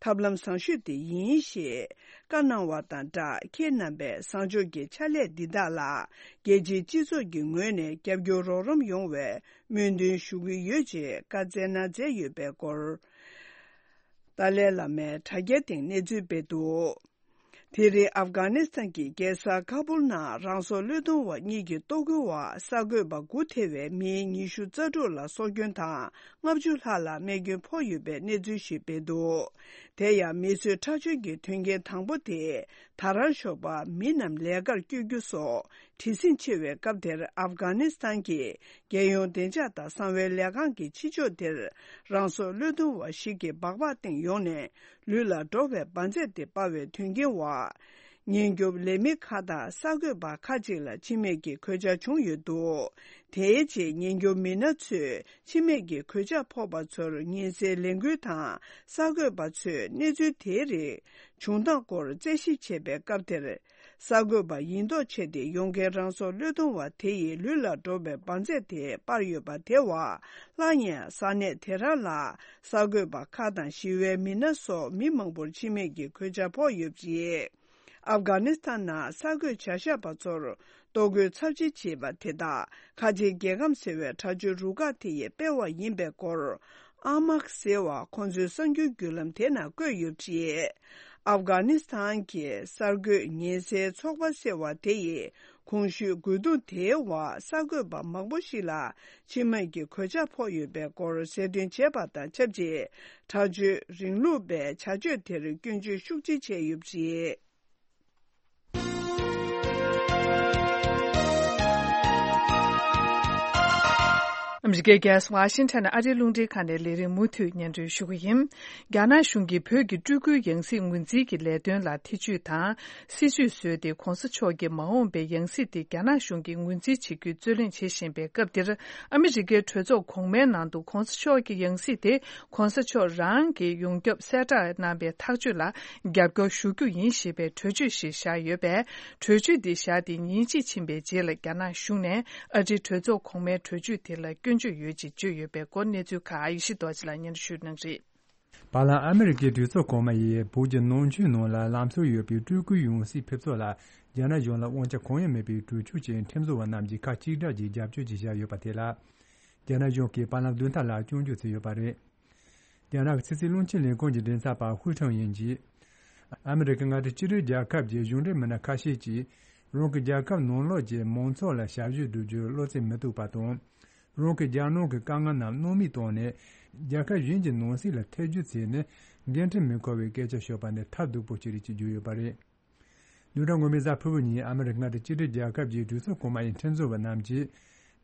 ཐབས་ལམ་བཟང་ཤོས་དེ་ཡིན་ཞེས་བཀའ་གནང་བ་དང་སྦྲགས། ཁྱེད་རྣམ་པས་བཟང་ཕྱོགས་ཀྱི་ཕྱག་ལས་འདི་དག་ལ་རྒྱལ་སྤྱིའི་སྤྱི་ཚོགས་ཀྱི་ངོས་ནས་རྒྱབ་སྐྱོར་རོགས་རམ་ཡོང་བའི་སྨོན་འདུན་ཞུ་གི་ཡོད་ཅེས་བཀའ་སྩལ་གནང་མཛད་ཡོད་པའི་སྐོར། ཏཱ་ལའི་བླ་མའི་དྲ་རྒྱའི་སྟེང་གནས་ཚུལ་སྤེལ་འདུག་དེ་རིང་ཨབ་གྷ་ནི་སི་ཐན་གྱི་རྒྱལ་ས་ཁ་པུལ་ནང་རང་སྲོག་བློས་གཏོང་བ་གཉིས་ཀྱི་གཏོར་རྒོལ་བ་གསར་འགོད་པ་དགུ་ཐེ་བའི་མི་ཉི་ཤུ་རྩ་དྲུག་ལ་སྲོག་སྐྱོན་དང་། ལྔ་བཅུ་ལྷག་ལ་རྨས་སྐྱོན་ཕོག་ཡོད་པའི་གནས་ཚུལ་ཞིག་སྤེལ་འདུག་དེ་ཡང་མི་གསོད་ཁྲག་སྦྱོར་གྱི་དོན་རྐྱེན་དང་པོ་དེ། ད་རང་ཤོག་པ་མི་རྣམས་ལས་ཀར་བསྐྱོད་རྒྱུ་སོགས་བྲེལ་ཟིང་ཆེ་བའི་སྐབས་དེར། ཨབ་གྷ་ནི་སི་ཐན་གྱི་རྒྱལ་ཡོངས་བདེ་འཇགས་དང་གསང་བའི་ལས་ཁང་གི་ཕྱི་ཕྱོགས་དེར། རང་སྲོག་བློས་གཏོང་བ་ཞིག་གིས་སྦག་སྦག་སྟེང་ཡོང་ནས་ལུས་ལ་འགྲོ་བའི་འབར་རྫས་དེ་སྤར་བའི་དོན་རྐྱེན་འོག་ཉེན་སྐྱོབ་ལས་མི་ཁག་དང་གསར་འགོད་པ་ཁག་ཅིག་ལ་འཆི་རྨས་ཀྱི་གོད་ཆག་བྱུང་ཡོད་འདུག་དེའི་རྗེས་ཉེན་སྐྱོབ་མི་སྣ་ཚོས་འཆི་རྨས་ཀྱི་གོད་ཆག་ཕོག་པ་ཚོར་ཉེན་སེལ་ལས་འགུལ་དང་གསར་འགོད་པ་ཚོས་གནས་ཚུལ་དེའི་རིགས་བྱུང་སྟངས་སྐོར་རྩད་ཞིབ་བྱེད་པའི་སྐབས་དེར། གསར་འགོད་པ་ཡིན་མདོག་བྱས་ཏེ་ཡོང་མཁན་རང་སྲོག་བློས་གཏོང་བ་དེ་ཡིས་ལུས་ལ་འགྲོ་བའི་འབར་རྫས་དེ་སྤར་ཡོད་པ་དེ་བ། སླར་ཡང་ས་གནས་དེ་རང་ལ་གསར་འགོད་པ་ཁག་དང་ཞི་བའི་མི་སྣ་སོགས་མི་མང་པོར་འཆི་རྨས་ཀྱི་གོད་ཆག་ཕོག་ཡོད་པ་རེད། ཨབ་གྷ་ནི་སི་ཐན་ནང་གསར་འགོད་བྱ་བཞག་པ་ཚོར་ལྟོ་གོས་ཚབས་ཆེ་བྱེད་པ་དེ་དག་ཁ་ཆེའི་རྒྱལ་ཁམས་ཟེར་བའི་དྲ་རྒྱའི་རུ་ཁག་དེ་ཡིས་སྤེལ་བ་ཡིན་པའི་སྐོར། ཨ་མག་ཟེར་བ་ཁོང་ཚོའི་གསར་འགྱུར་བརྒྱུད་ལམ་དེ་ནང་བཀོད་ཡོད་པ་རེད། ཨབ་གྷ་ནི་སི་ཐན་གྱི་གསར་འགོད་ཉེན་སེལ་ཚོགས་པ་ཟེར་བ་དེ་ཡིས་གོང་ཞུས་རྒོལ་རྡུང་དེའི་འོག་གསར་འགོད་པ་མང་པོ་ཞིག་ལ་འཆི་རྨས་ཀྱི་གོད་ཆག་ཕོག་ཡོད་པའི་སྐོར་གསལ་སྟོན་བྱས་པ་དང་ཆབས་ཅིག་དྲག་སྤྱོད་རིང་ལུགས་པའི་བྱ་སྤྱོད་དེར་སྐྱོན་བརྗོད་ཤུགས་ཆེ་བྱས་ཡོད་པ་རེད། ཨ་མི་རི་ཀའི་རྒྱལ་ས་ཝ་ཤིང་ཊོན་ནས་ཨ་རིའི་རླུང་འཕྲིན་ཁང་ནས་ལས་རིམ་མུ་མཐུད་སྙན་སྒྲོན་ཞུ་གི་ཡིན། རྒྱ་ནག་གཞུང་གིས་བོད་ཀྱི་སྤྲུལ་སྐུའི་ཡང་སྲིད་ངོས་འཛིན་གྱི་ལས་དོན་ལ་ཐེ་བྱུས་དང་། སྲིད་བྱུས་བཟོས་ཏེ་༸གོང་ས་མཆོག་གི་མ་འོངས་པའི་ཡང་སྲིད་དེ་རྒྱ་ནག་གཞུང་གིས་ངོས་འཛིན་བྱེད་རྒྱུའི་རྩོད་ལེན་བྱེད་བཞིན་པའི་སྐབས་འདིར། ཨ་མི་རི་ཀའི་གྲོས་ཚོགས་གོང་མའི་ནང་དུ་༸གོང་ས་མཆོག་གི་ཡང་སྲིད་དེ་༸གོང་ས་མཆོག་རང་གི་ཡོངས་ཁྱབ་གསལ་བསྒྲགས་གནང་བའི་ཐག་གཅོད་ལ་རྒྱབ་སྐྱོར་ཞུ་རྒྱུ་ཡིན་ཞེས་པའི་གྲོས་ཆོད་ཞིག་བཞག་ཡོད་པས། གྲོས་ཆོད་འདི་བཞག་སྟེ་ཉིན་གཅིག་ཕྱིན་པའི་རྗེས་ལ་རྒྱ་ནག་གཞུང་ནས་ཨ་རིའི་གྲོས་ཚོགས་གོང་མའི་གྲོས་ཆོད་དེ་ལ་སྐྱོན་བརྗོད་ཡོད་ཅེས་བརྗོད་ཡོད་པའི་སྐོར་གནས་ཚུལ་ཁག་ཡེ་ཤེས་རྡོ་རྗེ་ལགས་སྙན་སྒྲོན་ཞུ་གནང་རེད། བར་ལམ་ཨ་མི་རི་ཀའི་གྲོས་ཚོགས་གོང་མ་ཡིས་བོད་ཀྱི་ནང་ཆོས་ནང་ལ་ལམ་སྲོལ་ཡོད་པའི་སྤྲུལ་སྐུའི་ཡང་སྲིད་ཕེབས་ཚུལ་ལ་རྒྱ་ནག་གཞུང་ལ་དབང་ཆ་གང་ཡང་མེད་པའི་གྲོས་ཆོད་ཅིག་ཁྲིམས་བཟོ་བ་རྣམས་ཀྱིས་ཁ་གཅིག་གྲགས་ཀྱིས་རྒྱབ་སྐྱོར་གྱིས་བཞག་ཡོད་པ་དེ་ལ། རྒྱ་ནག་གཞུང་གིས་བར་ལམ་བདུན་ཕྲག་ལ་སྐྱོན་བརྗོད་བྱས་ཡོད་པ་རེད། རྒྱ་ནག་གི་ཕྱི་སྲིད་བློན་ཆེན་ལས་ཁུངས་ཀྱི་མགྲིན་ཚབ་པ་ཧུའུ་ཁྲང་ཡིན་གྱིས། ཨ་མི་རི་ཀ་མངའ་སྡེ་གཅིག་སྒྲིལ་རྒྱལ་ཁབ་ཀྱི་གཞུང་འབྲེལ་མི་སྣ་ཁ་ཤས་ཀྱིས། རང་གི་རྒྱལ་ཁབ་ནང་ལོགས་ཀྱི་མང་ཚོགས་ལ་ཞབས་ཞུ་བསྒྲུབ་རྒྱུར་བློ་རྩེ་མི་གཏུག་པ་དང་། རང་གི་རྒྱལ་ནང་གི་དཀའ་ངལ་རྣམས་སྣང་མེད་བཏང་ནས། རྒྱལ་ཁབ་གཞན་གྱི་ནང་སྲིད་ལ་ཐེ་ཇུས་བྱས་ནས། འགན་འཁྲི་མི་འཁུར་བའི་སྐད་ཆ་ཤོད་པ་ནི་ཐབས་སྡུག་པོ་ཞིག་རེད་ཅེས་བརྗོད་ཡོད་པ་རེད། བདུན་ཕྲག་སྔོན་མའི་གཟའ་ཕུར་བུ་ཉིན་ཨ་མི་རི་ཀ་མངའ་སྡེ་གཅིག་སྒྲིལ་རྒྱལ་ཁབ་ཀྱི་གྲོས་ཚོགས་གོང་མ་ཡི་ཁྲིམས་བཟོ་བ་རྣམས་ཀྱིས།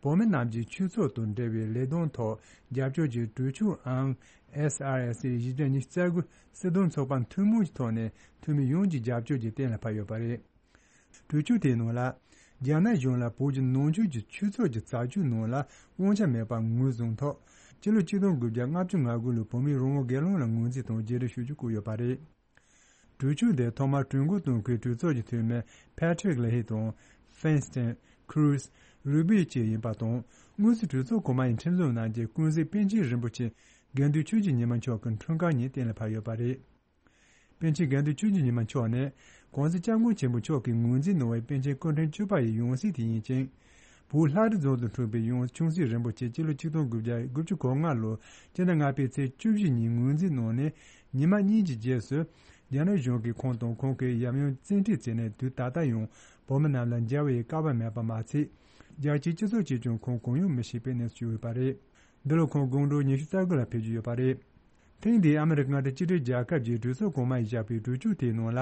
བོད་མི་རྣམས་ཀྱི་ཆོས་ཚོགས་དང་འབྲེལ་བའི་ལས་དོན་ཐོག་རྒྱབ་སྐྱོར་གྱི་གྲོས་ཆོད་ཨང་S R S བཞི་བརྒྱ་ཉི་ཤུ་རྩ་དགུ་སྲིད་དོན་ཚོགས་པ་ཐུན་མོང་གི་ཐོག་ནས་འཐུས་མི་ཡོངས་ཀྱི་རྒྱབ་སྐྱོར་གྱིས་གཏན་ལ་ཕབ་ཡོད་པ་རེད། གྲོས་ཆོད་དེའི་ནང་ལ། རྒྱ་ནག་གཞུང་ལ་བོད་ཀྱི་ནང་ཆོས་ཀྱི་ཆོས་ཚོགས་ཀྱི་རྩ་ཆོད་ནང་ལ་དབང་ཆ་མེད་པ་ངོས་བཟུང་ཐོག་ཕྱི་ལོ་ཆིག་སྟོང་དགུ་བརྒྱ་ལྔ་བཅུ་ང་དགུ་ལོའི་བོད་མིའི་རང་དབང་སྒེར་ལངས་ལ་ངོས་འཛིན་དང་བརྗེ་རེས་ཞུ་རྒྱུ་བཀོད་ཡོད་པ་རེད། གྲོས་ཆོད་དེ་ཐོག་མར་གྲོས་འགོ་བཏོན་མཁན་གྲོས་ཚོགས་ཀྱི་འཐུས་མི་Patrick Leahy དང་Feinstein, Cruz, Rubio བཅས་ཡིན་པ་དང་། དངོས་སུ་གྲོས་ཚོགས་གོང་མ་ཡི་ཁྲིམས་བཟོ་གནང་རྗེས་ཀུན་གཟིགས་པཎ་ཆེན་རིན་པོ་ཆེ་དགེ་འདུན་ཆོས་ཀྱི་ཉི་མ་མཆོག་གི་འཁྲུངས་སྐར་ཉིན་གཏན་ལ་ཕབ་ཡོད་པ་རེད། པཎ་ཆེན་དགེ་འདུན་ཆོས་ཀྱི་ཉི་མ་མཆོག་ནི་༸གོང་ས་༸སྐྱབས་མགོན་ཆེན་པོ་མཆོག་གིས་ངོས་འཛིན་གནང་བའི་པཎ་ཆེན་སྐུ་ཕྲེང་བཅུ་པ་ཡི་ཡང་སྲིད་དེ་ཡིན་ཅིང་། བོད་ལྷ་རི་རྫོང་དུ་འཁྲུངས་པའི་ཡང་ཆུང་སྲིད་རིན་པོ་ཆེ་སྤྱི་ལོ་ཆིག་སྟོང་དགུ་བརྒྱ་དགུ་བཅུ་གོ་ལྔ་ལོར་སྤྱི་ཟླ་ལྔ་པའི་ཚེས་བཅུ་བཞི་ཉིན་ངོས་འཛིན་གནང་ནས། ཉི་མ་གཉིས་ཀྱི་རྗེས་སུ། རྒྱ་ནག་གཞུང་གིས་ཁོང་དང་ཁོང་གི་ཡབ་ཡུམ་བཙན་ཁྲིད་བྱས་ནས། དུས་ད་ལྟ་ཡང་བོད་མི་རྣམས་ལ་མཇལ་བའི་སྐལ་བ་མེད་པ་མ་ཚད། རྒྱལ་སྤྱིའི་སྤྱི་ཚོགས་ཀྱིས་ཀྱང་ཁོང་གུང་ཡངས་མི་བྱེད་པའི་གནས་སུ་གྱུར་ཡོད་པ་རེད། འདི་ལོ་ཁོང་དགུང་གྲངས་ཉི་ཤུ་རྩ་དགུ་ལ་ཕེབས་ཀྱི་ཡོད་པ་རེད། ཐེངས་འདིའི་ཨ་མི་རི་ཀ་མངའ་སྡེ་གཅིག་སྒྲིལ་རྒྱལ་ཁབ་ཀྱི་གྲོས་ཚོགས་གོང་མ་ཡིས་བཞག་པའི་གྲོས་ཆོད་དེའི་ནང་ལ།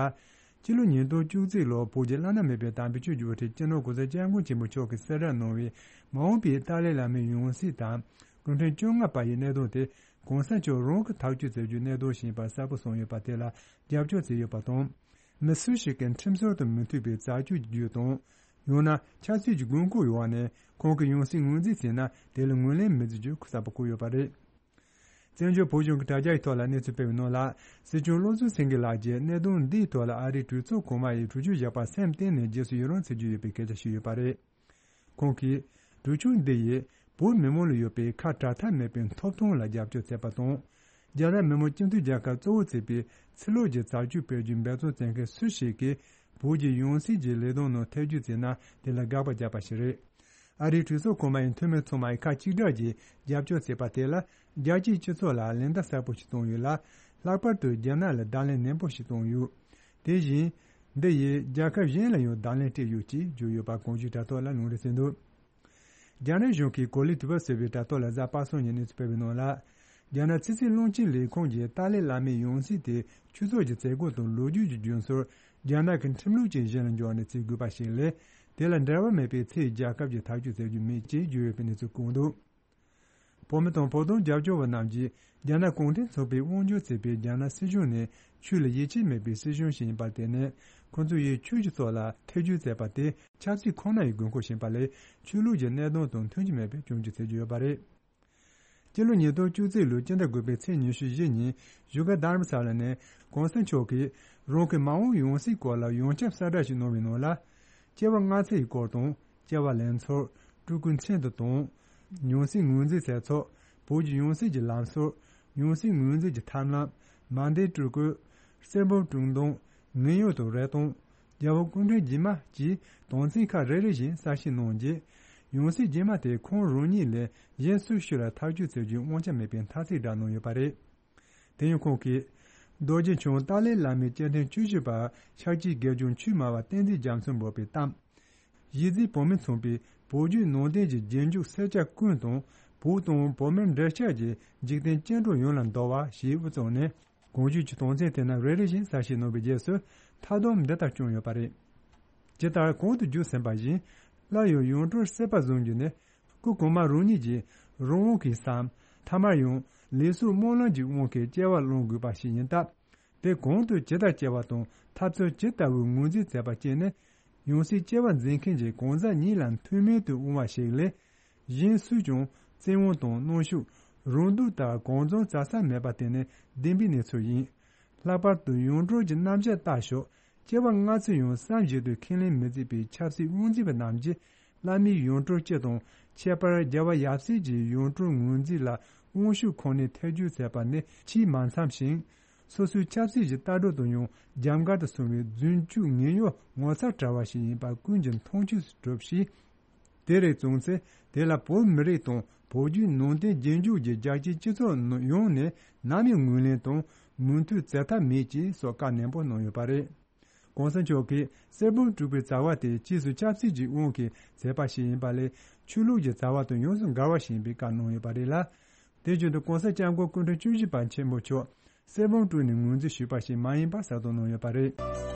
སྤྱི་ལོ་ཉིས་སྟོང་བཅུ་གཅིག་ལོར་བོད་ཀྱི་བླ་ན་མེད་པའི་དམ་པའི་ཆོས་ཀྱི་དབུ་ཁྲིད་སྤྱི་ནོར་༸གོང་ས་༸སྐྱབས་མགོན་ཆེན་པོ་མཆོག་གིས་གསལ་བསྒྲགས་གནང་བའི་མ་འོངས་པའི་ཏཱ་ལའི་བླ་མའི་ཡང་སྲིད་དང་། སྐུ་ཕྲེང་བཅོ་ལྔ་པ་ཡི་གནད་དོན་དེ་༸གོང་ས་མཆོག་རང་གིས་ཐག་གཅོད་མཛད་རྒྱུའི་གནད་དོན་ཞིག་ཡིན་པ་གསལ་པོ་གསུངས་ཡོད་པ་དེ་ལ་རྒྱབ་སྐྱོར་བྱས་ཡོད་པ་དང་། མི་སུ་ཞིག་གིས་ཁྲིམས་སྲོལ་དང་མི་མཐུན་པའི་རྩ་ཆོད་ཀྱི་བརྒྱུད་དང་། ཡང་ན་ཆབ་སྲིད་ཀྱི་དགོས་མཁོ་ཡོད་པ་ནས་ཁོང་གི་ཡང་སྲིད་ངོས་འཛིན་བྱས་ན། དེ་ལ་ངོས་ལེན་མི་བྱེད་རྒྱུ་གསལ་པོ་བཀོད་ཡོད་པ་རེད། བཙན་བྱོལ་བོད་གཞུང་གི་དྲ་རྒྱའི་ཐོག་ལ་གནས་ཚུལ་སྤེལ་བའི་ནང་ལ། སྲིད་སྐྱོང་བློ་བཟང་སེང་གེ་ལགས་ཀྱིས་གནད་དོན་འདིའི་ཐོག་ལ་ཨ་རིའི་གྲོས་ཚོགས་གོང་མ་ཡིས་གྲོས་ཆོད་བཞག་པར་སེམས་གཏིང་ནས་རྗེས་སུ་ཡི་རང་བྱེད་ཀྱི་ཡོད་པའི་སྐད་ཆ་བཤད་ཡོད་པ་རེད། ཁོང་གིས། གྲོས་ཆོད་འདི་ཡིས་བོད་མི་མང་ལ་ཡོད་པའི་ཁ་བྲལ་ཐབས་མེད་པའི་ཐོབ་ཐང་ལ་རྒྱབ་སྐྱོར་བྱས་པ་དང་། རྒྱ་ནག་མི་དམངས་སྤྱི་མཐུན་རྒྱལ་ཁབ་གཙོ་བོ་བྱེད་པའི་ཕྱི་ལོགས་ཀྱི་རྩ་ཆོད་སྤེལ་རྒྱུའི་འབད་བརྩོན་བྱེད་མཁན་སུ་ཞིག་གིས་བོད་ཀྱི་ཡང་སྲིད་ཀྱི་ལས་དོན་ནང་ཐེ་བྱུས་བྱས་ན། དེ་ལ་དགག་པ་བརྒྱབ་པ་ཞིག་རེད། ཨ་རིའི་གྲོས་ཚོགས་གོང་མ་ཡི་འཐུས་མི་ཚང་མས་ཁ་གཅིག་གྲགས་ཀྱིས་རྒྱབ་སྐྱོར་བྱས་པ་དེ་ལ། རྒྱལ་སྤྱིའི་སྤྱི་ཚོགས་ལ་ལན་བརྡ་གསལ་པོ་ཞིག་བཏང་ཡོད་ལ། ལྷག་པར་དུ་རྒྱ་ནག་ལ་བརྡ་ལན་ནན་པོ་ཞིག་བཏང་ཡོད། དེ་བཞིན། འདི་ཡིས་རྒྱལ་ཁབ་གཞན་ལ་ཡང་བརྡ་ལན་སྤྲད་ཡོད་ཅེས་བརྗོད་ཡོད་པ་གོང་ཞུས་དྲ་ཐོག་ལ་ལུང་འདྲེན་བྱས་འདུག་རྒྱ་ནག་གཞུང་གིས་གོ་ལའི་དུས་བབ་ཟེར་བའི་དྲ་ཐོག་ལ་གཟའ་པ་སངས་ཉིན་གནས་ཚུལ་སྤེལ་བའི་ནང་ལ། རྒྱ་ནག་ཕྱི་སྲིད་བློན་ཆེན་ལས་ཁུངས་ཀྱིས་ཏཱ་ལའི་བླ་མའི་ཡང་སྲིད་དེ་ཆོས་ཚོགས་ཀྱི་མཛད་སྒོ་དང་ལོ་རྒྱུས་ཀྱི་རྒྱུན་སྲོལ། རྒྱ་ནག་གི་ཁྲིམས་ལུགས་བཅས་གཞི་ལ་འཇོག་ནས་བྱེད་དགོས་པ་ཞིག་ལས། དེ་ལ་འབྲེལ་བ་མེད་པའི་ཕྱིའི་རྒྱལ་ཁབ་ཀྱིས་ཐག་གཅོད་མཛད་རྒྱུ་མེད་ཅེས་བརྗོད་ཡོད་པའི་གནས་ཚུལ་བཀོད་འདུག་བོད་མི་དང་བོད་དོན་རྒྱབ་སྐྱོར་བ་རྣམས་ཀྱིས་རྒྱ་ནག་གུང་ཁྲན་ཚོགས་པས་དབང་སྒྱུར་བྱེད་པའི་རྒྱ་ནག་སྲིད་གཞུང་ནི་ཆོས་ལ་ཡིད་ཆེས་མེད་པའི་སྲིད་གཞུང་ཞིག་ཡིན་པར་བརྟེན་ནས། ཁོ་ཚོ་ཡིས་ཆོས་ཀྱི་ཐོག་ལ་ཐེ་བྱུས་མཛད་པ་དེ་ཆབ་སྲིད་ཁོ་ན་ཡི་དགོས་མཁོ་ཞིག་ཡིན་པ་ལས། ཆོས་ལུགས་ཀྱི་གནད་དོན་དང་མཐུན་གྱི་མེད་པའི་སྐྱོན་བརྗོད་བྱེད་ཀྱི་ཡོད་པ་རེད། སྤྱི་ལོ་ཉིས་སྟོང་བཅུ་གཅིག་ལོའི་སྤྱི་ཟླ་དགུ་པའི་ཚེས་ཉི་ཤུ་བཞི་ཉིན་བཞུགས་སྒར་དྷ་རམ་ས་ལ་ནས་གོང་ས་མཆོག་གིས་རང་གི་མ་འོངས་ཡང་སྲིད་སྐོར་ལ་ཡོངས་ཁྱབ་གསལ་བསྒྲགས་ཤིག་གནང་བའི་ནང་ལ། སྐྱེ་བ་སྔ་ཕྱི་ཡི་སྐོར་དང་། སྐྱེ་བ་ལེན་ཚུལ། སྤྲུལ་སྐུའི་མཚན་དང་དང་། ཡང་སྲིད་ངོས་འཛིན་བྱེད་ཚུལ། བོད་ཀྱི་ཡང་སྲིད་ཀྱི་ལམ་སྲོལ། ཡང་སྲིད་ངོས་འཛིན་གྱི་ཐབས་ལམ། མ་འདས་སྤྲུལ་སྐུ། གསེར་བུམ་དཀྲུག་འདོན། ངན་གཡོ་དང་རེ་སྟོང་། རྒྱལ་བ་སྐུ་ཕྲེང་རྗེས་མ་བཅས་དོན་ཚན་ཁག་རེ་རེ་བཞིན་གསལ་བཤད་གནང་རྗེས། ཡང་སྲིད་རྗེས་མ་དེ་ཁོང་རང་ཉིད་ལས་གཞན་སུ་ཞིག་ལ་ཐག་གཅོད་བྱེད་རྒྱུའི་དབང་ཆ་མེད་པའི་མཐའ་གསལ་བསྒྲགས་གནང་ཡོད་པ་རེད། དེ་ཡང་ཁོང་གིས། རྡོ་རྗེ་འཆང་ཏཱ་ལའི་བླ་མའི་སྐྱེ་ཕྲེང་བཅུ་བཞི་པ་ཤཱཀྱའི་དགེ་སྦྱོང་ཆོས་སྨྲ་བ་བསྟན་འཛིན་རྒྱ་མཚོས་འབོད་པའི་གཏམ། གཞིས་རྩེའི་བོད་མི་ཚང་མས་བོད་བརྒྱུད་ནང་བསྟན་གྱི་རྗེས་འཇུག་སེར་སྐྱ་ཀུན་དང་བོད་དང་བོད་མིར་འབྲེལ་ཆགས་ཀྱི་འཇིག་རྟེན་སྐྱེ་འགྲོ་ཡོངས་ལ་འདུད་པ་ཞེས་དབུ་བཙུགས་ནས། གོང་ཞུས་ཀྱི་དོན་ཚན་དེ་རྣམས་རེ་རེ་བཞིན་གསལ་བཤད་གནང་བའི་རྗེས་སུ་མཐའ་སྡོམ་འདི་ལྟར་བསྐྱངས་ཡོད་པ་རེད། ཇི་ལྟར་གོང་དུ་བརྗོད་ཟིན་པ་བཞིན། སླར་ཡང་ཡང་སྤྲུལ་སྲིད་པ་བཟུང་རྒྱུ་ནི། སྐུ་གོང་མ་རང་ཉིད་ཀྱི་རང་དབང་གིས་སམ། ཐ་མར་ཡང་ལུས་སྲོག་སྨོན་ལམ་གྱི་དབང་གིས་སྐྱེ་བ་བླང་དགོས་པ་ཞིག་ཡིན་སྟབས། དེ་གང་དུ་ཇི་ལྟར་སྐྱེ་བ་དང་ཐབས་ཚུལ་ཇི་ལྟ་བུའི་ངོས་འཛིན་མཛད་པ་བཅས་ནི། ཡང་སྲིད་སྐྱེ་བ་འཛིན་མཁན་གྱི་གང་ཟག་ཉིད་ལ་མཐུན་མིན་དུ་འོང་བ་ཞིག་ལས། གཞན་སུས་ཀྱང་བཙན་དབང་དང་གནོན་ཤུགས། རང་སྡུག་ལྟར་གང་བྱུང་བྱ་ས་མེད་པ་དེ་ནི་བདེན་པའི་གནས་ཚུལ་ཡིན། ལྷག་པར་དུ་ཡང་སྤྲུལ་གྱི་རྣམ་གཞག་ལྟ་ཞོག་སྐྱེ་བ་སྔ་ཕྱི་ཡང་བསམ་བཞིན་དུ་ཁས་ལེན་མི་བྱེད་པའི་ཆབ་སྲིད་དབང་འཛིན་པ་རྣམས་ཀྱིས། བླ་མའི་ཡང་སྤྲུལ་སྤྱི་དང་། ཁྱད་པར་རྒྱལ་བ་ཡབ་སྲས་ཀྱི་ཡང་སྤྲུལ་ངོས་འཛིན་ལ་དབང་ཤུགས་ཁོ་ནས་ཐེ་བྱུས་མཛད་པ་ནི་ཆེས་མ་འཚམས་ཤིང་། སོ་སོའི་ཆབ་སྲིད་ཀྱི་ལྟ་གྲུབ་དང་ཡང་རྒྱབ་འགལ་དུ་སོང་བའི་རྫུན་སྐྱུག་ངན་གཡོ་ངོ་མཚར་བྲལ་བ་ཞིག་ཡིན་པ་ཀུན་གྱིས་མཐོང་ཆོས་སུ་གྲུབ་ཞིང་། དེ་རིགས་བྱུང་ཚེ་དེ་ལ་བོད་མི་རིགས་དང་བོད་བརྒྱུད་ནང་བསྟན་རྗེས་འཇུག་གི་རྒྱལ་སྤྱིའི་སྤྱི་ཚོགས་ཡོངས་ནས་ནམ་ཡང་ངོས་ལེན་དང་མོས་མཐུན་བྱེད་ཐབས་མེད་ཅེས་སོགས་བཀའ་ནན་པོ་གནང་ཡོད་པ་རེད། གོང་ས་མཆོག་གིས་གསེར་བུམ་དཀྲུག་པའི་བྱ་བ་དེ་ཕྱིས་སུ་ཆབ་སྲིད་ཀྱི་དབང་གིས་བྱས་པ་ཞིག་ཡིན་པ་ལས། ཆོས་ལུགས་ཀྱི་བྱ་བ་དང་ཡོངས་སུ་འགལ་བ་ཞིག་ཡིན་པའི་བཀའ་གནང་ཡོད་པ་རེད་ལ། དེ་བཞིན་དུ་གོང་ས་སྐྱབས་མགོན་སྐུ་ཕྲེང་བཅུ་བཞི་པ་ཆེན་པོ་མཆོག་གསེར་བུམ་དཀྲུགས་ནས་ངོས་འཛིན་ཞུས་པ་ཞིག་མ་ཡིན་པ་གསལ་སྟོན་གནང་ཡོད་པ་རེད།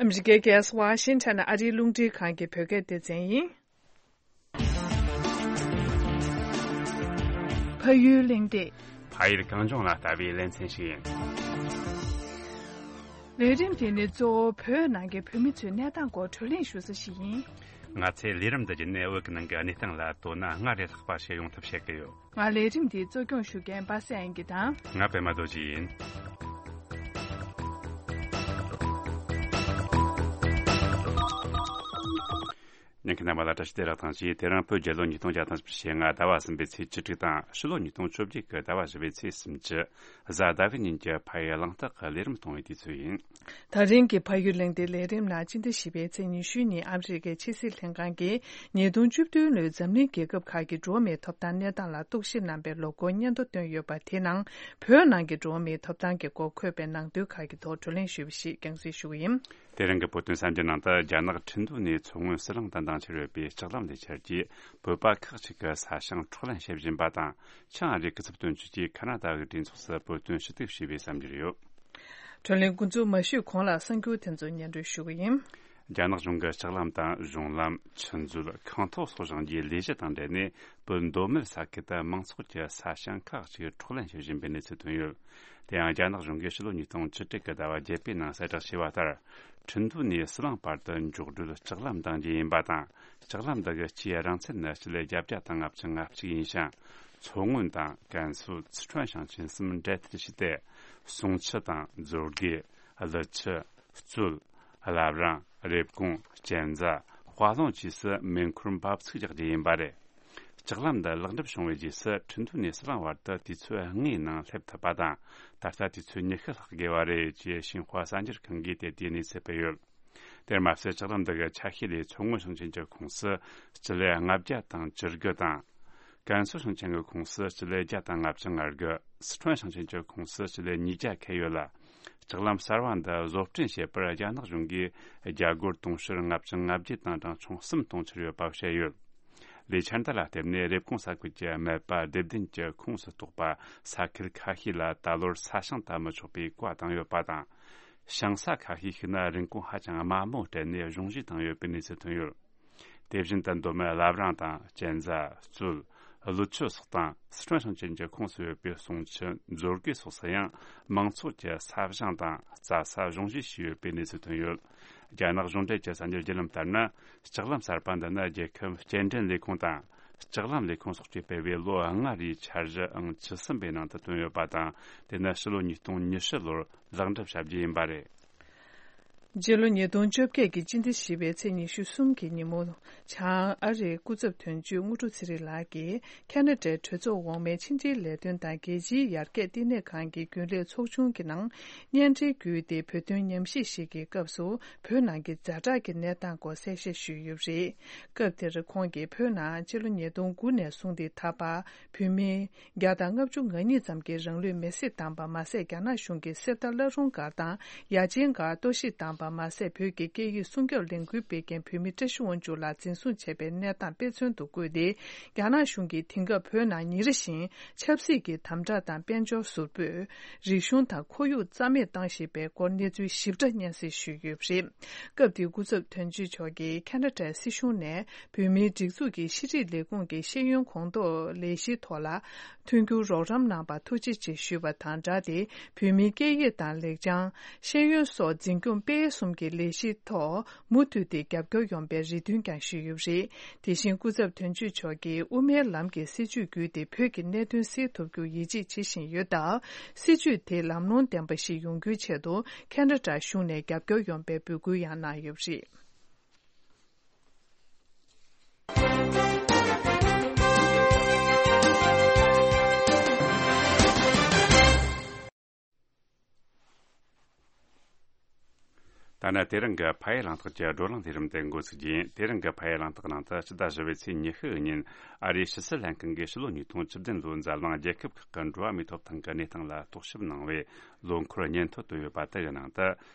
ཨ་མི་རི་ཀའི་རྒྱལ་ས་ཝ་ཤིང་ཊོན་ནས་ཨ་རིའི་རླུང་འཕྲིན་ཁང་གི་བོད་སྐད་སྡེ་ཚན་ཡིན། ཕ་ཡུལ་གླེང་སྟེགས། ཕ་ཡུལ་གངས་ལྗོངས་ལ་ལྟ་བའི་ལེ་ཚན་ཞིག་ཡིན། ལས་རིམ་དེ་ནི་གཙོ་བོ་བོད་ནང་གི་བོད་མི་ཚོའི་གནས་སྟངས་སྐོར་བགྲོ་གླེང་ཞུ་ས་ཞིག་ཡིན། ང་ཚོས་ལས་རིམ་འདི་བརྒྱུད་ནས་བོད་ཀྱི་ནང་གི་གནས་སྟངས་ལ་དོ་སྣང་སྔར་ལས་ལྷག་པ་ཞིག་ཡོང་ཐབས་བྱེད་ཀྱི་ཡོད། ང་ལས་རིམ་འདིའི་གཙོ་སྐྱོང་ཞུ་མཁན་པ་སངས་དབྱངས་སྐྱིད་དང་། ང་པད་མ་རྡོ་རྗེ་ཡིན། ཉན་མཁན་རྣམ་པ་ལ་བཀྲ་ཤིས་བདེ་ལེགས་དང་བཅས། དེ་རིང་བོད་རྒྱལ་ལོ་ཉིས་སྟོང་བརྒྱ་དང་བཞི་བཅུ་ཞེ་ལྔ་ཟླ་བ་གསུམ་པའི་ཚེས་བཅུ་དྲུག་དང་། ཕྱི་ལོ་ཉིས་སྟོང་བཅོ་བརྒྱད་ཀྱི་ཟླ་བ་བཞི་པའི་ཚེས་སུམ་ཅུ། གཟའ་ཟླ་བའི་ཉིན་གྱི་ཕ་ཡུལ་གླེང་སྟེགས་ཀྱི་ལས་རིམ་གཏོང་བའི་དུས་ཚོད་ཡིན། ད་རིང་གི་ཕ་ཡུལ་གླེང་སྟེགས་ལས་རིམ་ནང་སྤྱི་ཟླ་བཞི་པའི་ཚེས་ཉི་ཤུ་ཉིན་ཨ་མི་རི་ཀའི་ཕྱི་སྲིད་ལྷན་ཁང་གིས་ཉིས་སྟོང་བཅུ་བདུན་ལོའི་འཛམ་གླིང་རྒྱལ་ཁབ་ཁག་གི་འགྲོ་བ་མིའི་ཐོབ་ཐང་གནས་སྟངས་ལ་རྟོག་ཞིབ་གནང་པའི་ལོ་འཁོར་སྙན་ཐོ་བཏོན་ཡོད་པ། དེ་ནང་བོད་ནང་གི་འགྲོ་བ་མིའི་ཐོབ་ཐང་གི་སྐོར་འཁོད་པའི་ནང་དོན་ཁག་གི་ཐོག་བགྲོ་གླེང་ཞུས་པ་ཞིག་རྒྱང་སྲིང་ཞུ་གི་ཡིན། དེ་རིང་གི་བོད་དོན་གསར་འགྱུར་ནང་དུ། རྒྱ་ནག་ཁྲིན་ཏུའུ་ནས་མཚོ་སྔོན་ཟི་ལིང་དུ་འདང་ཆེར་ཡོད་པའི་ལྕགས་ལམ་ལས་འཆར་གྱིས་བོད་པ་ཁག་ཅིག་གི་ས་ཞིང་འཕྲོག་ལེན་བྱེད་བཞིན་པ་དང་། ཆིང་ཨ་རིའི་སྐུ་ཚབ་དོན་གཅོད་ཀྱིས་ཁ་ན་ཌ་གི་གྲོས་ཚོགས་སུ་བོད་དོན་ཞུ་གཏུག་བྱས་པའི་གསར་འགྱུར་ཡོད། བགྲོ་གླེང་འགོ་འཛུགས་མ་ཞུས་གོང་ལ་གསར་འགྱུར་དེ་ཚོ་སྙན་སྒྲོན་ཞུ་གི་ཡིན། རྒྱ་ནག་གཞུང་གིས་ལྕགས་ལམ་དང་གཞུང་ལམ། ཆུ་མཛོད། ཁང་ཐོག་སོགས་བཞེངས་རྒྱུའི་ལས་གཞི་དང་འབྲེལ་ནས། བོད་མདོ་སྨད་ས་ཁུལ་དུ་མང་ཚོགས་ཀྱི་ས་ཞིང་ཁག་ཅིག་འཕྲོག་ལེན་བྱེད་བཞིན་པའི་གནས་ཚུལ་ཐོན་ཡོད། དེ་ཡང་རྒྱ་ནག་གཞུང་གིས་ཕྱི་ལོ་ཉིས་སྟོང་བཅུ་དྲུག་གི་ཟླ་བ་བརྒྱད་པའི་ནང་གསལ་བསྒྲགས་བྱས་པ་ལྟར། ཁྲིན་ཏུའུ་ནས་ཟི་ལིང་བར་དུ་འཇོག་སྒྲིལ་ལྕགས་ལམ་འདིང་རྒྱུ་ཡིན་པ་དང་། ལྕགས་ལམ་འདི་གི་སྤྱིའི་རིང་ཚད་ནི་སྤྱི་ལེ་བརྒྱད་བརྒྱ་དང་ལྔ་བཅུ་ང་གཅིག་ཡིན་ཞིང་། མཚོ་སྔོན་དང་ཀན་སུའུ། སི་ཁྲོན་ཞིང་ཆེན་གསུམ་འབྲེལ་མཐུད་བྱས་ཏེ། ཟུང་ཆུ་དང་མཛོད་དགེ། ཀླུ་ཆུ། གཙོད། བླ་བྲང་། རེབ་གོང་། གཅན་ཚ། དཔའ་ལུང་བཅས་སུ་མེ་འཁོར་འབབ་ཚུགས་རྒྱག་རྒྱུ་ཡིན་པ་རེད། ལྕགས་ལམ་འདི་ལེགས་འགྲུབ་བྱུང་བའི་རྗེས་སུ། ཁྲིན་ཏུའུ་ནས་ཟི་ལིང་བར་དུ་དུས་ཚོད་ལྔའི་ནང་སླེབས་ཐུབ་པ་དང་། ད་ལྟ་དུས་ཚོད་ཉི་ཤུ་ལྷག་དགོས་པ་རེད་ཅེས་ཤིན་ཧྭ་གསར་འགྱུར་ཁང་གིས་དེ་དུས་གནས་ཚུལ་སྤེལ་ཡོད། དེར་མ་ཟད། ལྕགས་ལམ་འདི་གི་ཆ་ཤས་ལས་མཚོ་སྔོན་ཞིང་ཆེན་གྱི་ཁོངས་སུ་སྤྱི་ལེ་ལྔ་བརྒྱ་དང་བཅུ་དགུ་དང་། ཀན་སུའུ་ཞིང་ཆེན་གྱི་ཁོངས་སུ་སྤྱི་ལེ་བརྒྱ་དང་ལྔ་བཅུ་ང་དགུ། སི་ཁྲོན་ཞིང་ཆེན་གྱི་ཁོངས་སུ་སྤྱི་ལེ་ཉིས་བརྒྱ་ཁེལ་ཡོད་ལ། ལྕགས་ལམ་གསར་བ་འདི་བཟོ་སྐྲུན་བྱེད་པར་རྒྱ་ནག་གཞུང་གིས་རྒྱ་སྒོར་དུང་ཕྱུར་ལྔ་བཅུ་ང་བརྒྱད་དང་གྲངས་ཆུང་གསུམ་གཏོང་འཆར་ཡོད་པ་བཤད་ཡོད། ལས་འཆར་འདི་ལ་བརྟེན་ནས་རེབ་གོང་ས་ཁུལ་གྱི་སྨད་པ་སྡེ་བདུན་གྱི་ཁོངས་སུ་གཏོགས་པ་ས་ཁུལ་ཁ་ཤས་ལ་ད་ལོར་ས་ཞིང་བཏབ་མི་ཆོག་པའི་བཀའ་བཏང་ཡོད་པ་དང་། ཞིང་ས་ཁ་ཤས་ཤིག་ན་རིན་གོང་ཧ་ཅང་དམའ་མོ་སྤྲད་ནས་གཞུང་བཞེས་བཏང་ཡོད་པའི་གནས་ཚུལ་ཐོན་ཡོད། དེ་བཞིན་དུ་མདོ་སྨད་བླ་བྲང་དང་གཅན་གཟན། གཙོད། ཀླུ་ཆུ་སོགས་དང་སི་ཁྲོན་ཞིང་ཆེན་གྱི་ཁོངས་སུ་ཡོད་པའི་གསུང་ཆུ། མཛོད་དགེ་སོགས་སུ་ཡང་མང་ཚོགས་ཀྱི་ས་ཞིང་དང་རྩྭ་ས་གཞུང་བཞེས་བྱས་ཡོད་པའི་གནས་ཚུལ་ཐོན་ཡོད། རྒྱ་ནག་གཞུང་འབྲེལ་གྱི་གསར་འགྱུར་བརྒྱུད་ལམ་ལྟར་ན། ལྕགས་ལམ་གསར་པ་འདི་ནི་རྒྱལ་ཁབ་སྐྱེལ་འདྲེན་ལས་ཁུངས་དང་། ལྕགས་ལམ་ལས་ཁུངས་སོགས་ཀྱིས་སྤེལ་བའི་ལོ་ལྔ་རེའི་འཆར་གཞི་ཨང་བཅུ་གསུམ་པའི་ནང་དུ་བཏོན་ཡོད་པ་དང་། དེ་ནི་ཕྱི་ལོ་ཉིས་སྟོང་ཉི་ཤུ་ལོར་ལེགས་འགྲུབ་བྱ་རྒྱུ་ཡིན་པ་རེད། སྤྱི་ལོ་ཉིས་སྟོང་བཅོ་བརྒྱད་ཀྱི་སྤྱི་ཟླ་བཞི་པའི་ཚེས་ཉི་ཤུ་གསུམ་གྱི་ཉིན་མོ། བྱང་ཨ་རིའི་སྐུ་ཚབ་དོན་གཅོད་དངོས་གྲུབ་ཚེ་རིང་ལགས་ཀྱིས་ཁ་ན་ཌའི་གྲོས་ཚོགས་འོག་མའི་ཕྱི་འབྲེལ་ལས་དོན་དང་རྒྱལ་སྤྱིའི་ཡར་རྒྱས་ལྟེ་གནས་ཁང་གི་རྒྱུན་ལས་ཚོགས་ཆུང་གི་ནང་སྙན་སྒྲོན་བརྒྱུད་དེ་བོད་དོན་ཉམས་ཞིབ་ཞིག་གི་སྐབས་སུ་བོད་ནང་གི་ཛ་དྲག་གི་གནས་སྟངས་སྐོར་གསལ་བཤད་ཞུས་ཡོད་པ་རེད། སྐབས་དེར་ཁོང་གིས་བོད་ནང་སྤྱི་ལོ་ཉིས་སྟོང་དགུ་ནས་བཟུང་སྟེ་ད་བར་བོད་མི་བརྒྱ་དང་ལྔ་བཅུ་ང་གཉིས་ཙམ་གྱིས་རང་ལུས་མེར་སྲེག་བཏང་པ་མ་ཟད། རྒྱ་ནག་གཞུང་གིས་གསེར་རྟ་བླ་རུང་སྒར་དང་ཡ་ཆེན་སྒར་གཏོར་བཤིག་བཏང་པ་མ་ཟད། བོད་ཀྱི་སྐད་ཡིག་སྲུང་སྐྱོབ་ལས་འགུལ་སྤེལ་མཁན་བོད་མི་བཀྲ་ཤིས་དབང་ཕྱུག་ལགས་འཛིན་བཟུང་བྱས་པའི་གནས་སྟངས་དཔེ་མཚོན་དུ་བཀོད་དེ། རྒྱ་ནག་གཞུང་གིས་དེང་སྐབས་བོད་ནང་ཉིན་རེ་བཞིན་ཆབ་སྲིད་ཀྱི་དམ་དྲག་དང་དཔལ་འབྱོར་ཟུར་ཕོག་རིག་གཞུང་དང་ཁོར་ཡུག་རྩ་མེད་བཏང་བཞིན་པའི་སྐོར་གནས་ཚུལ་ཞིབ་ཕྲ་སྙན་སེང་ཞུས་ཡོད་པ་རེད། སྐབས་དེའི་སྐུ་ཚབ་དོན་གཅོད་མཆོག་གིས་ཁ་ན་ཌའི་སྲིད་གཞུང་ནས་བོད་མིའི་སྒྲིག་འཛུགས་ཀྱི་ཤེས་རིག་ལས་ཁུངས་ཀྱི་ཤེས་ཡོན་གོང་ཐོག་ལས་གཞིའི་ཐོག་ལ་མཐུན་འགྱུར་རོགས་རམ་གནང་བར་ཐུགས་རྗེ་ཆེ་ཞུས་པ་དང་སྦྲགས་ཏེ། བོད་མིའི་སྐད་ཡིག་དང་ལེགས་བྱང་། ཤེས་ཡོན་སོགས་འཛིན་སྐྱོང་སྤེལ་གསུམ་གྱི་ལས་གཞིའི་ཐོག་མུ་མཐུད་དེ་རྒྱབ་སྐྱོར་ཡོང་བའི་རེ་འདུན་ཀྱང་ཞུས་ཡོད་པ་རེད། དེ་བཞིན་སྐུ་ཚབ་དོན་གཅོད་མཆོག་གིས་དབུ་མའི་ལམ་གྱི་སྲིད་བྱུས་བརྒྱུད་དེ་བོད་ཀྱི་གནད་དོན་སེལ་ཐུབ་རྒྱུར་ཡིད་ཆེས་བྱེད་བཞིན་ཡོད་སྟབས། སྲིད་བྱུས་དེ་ལམ་ལྷོང་ལྡན་པ་ཞིག་ཡོང་རྒྱུའི་ཆེད་དུ་ཁ་ན་ཌ་གཞུང་ནས་རྒྱབ་སྐྱོར་ཡོང་བའི་འབོད་སྐུལ་ཡང་གནང་ཡོད་པ་རེད། ད་ནི་དེ་རིང་གི་ཕ་ཡུལ་གླེང་སྟེགས་ཀྱི་བགྲོ་གླེང་ལས་རིམ་དེ་འགོ་ཚུགས་རྒྱུ་ཡིན། དེ་རིང་གི་ཕ་ཡུལ་གླེང་སྟེགས་ནང་དུ་སྤྱི་ཟླ་བཞི་པའི་ཚེས་ཉི་ཤུ་ཉིན་ཨ་རིའི་ཕྱི་སྲིད་ལྷན་ཁང་གིས་ཕྱི་ལོ་ཉིས་སྟོང་བཅུ་བདུན་ལོའི་འཛམ་གླིང་རྒྱལ་ཁབ་ཁག་གི་འགྲོ་བ་མིའི་ཐོབ་ཐང་གི་གནས་སྟངས་ལ་རྟོག་ཞིབ་གནང་བའི་ལོ་འཁོར་སྙན་ཐོ་བཏོན་ཡོད་པ་དེ་ཡི་ནང་དུ།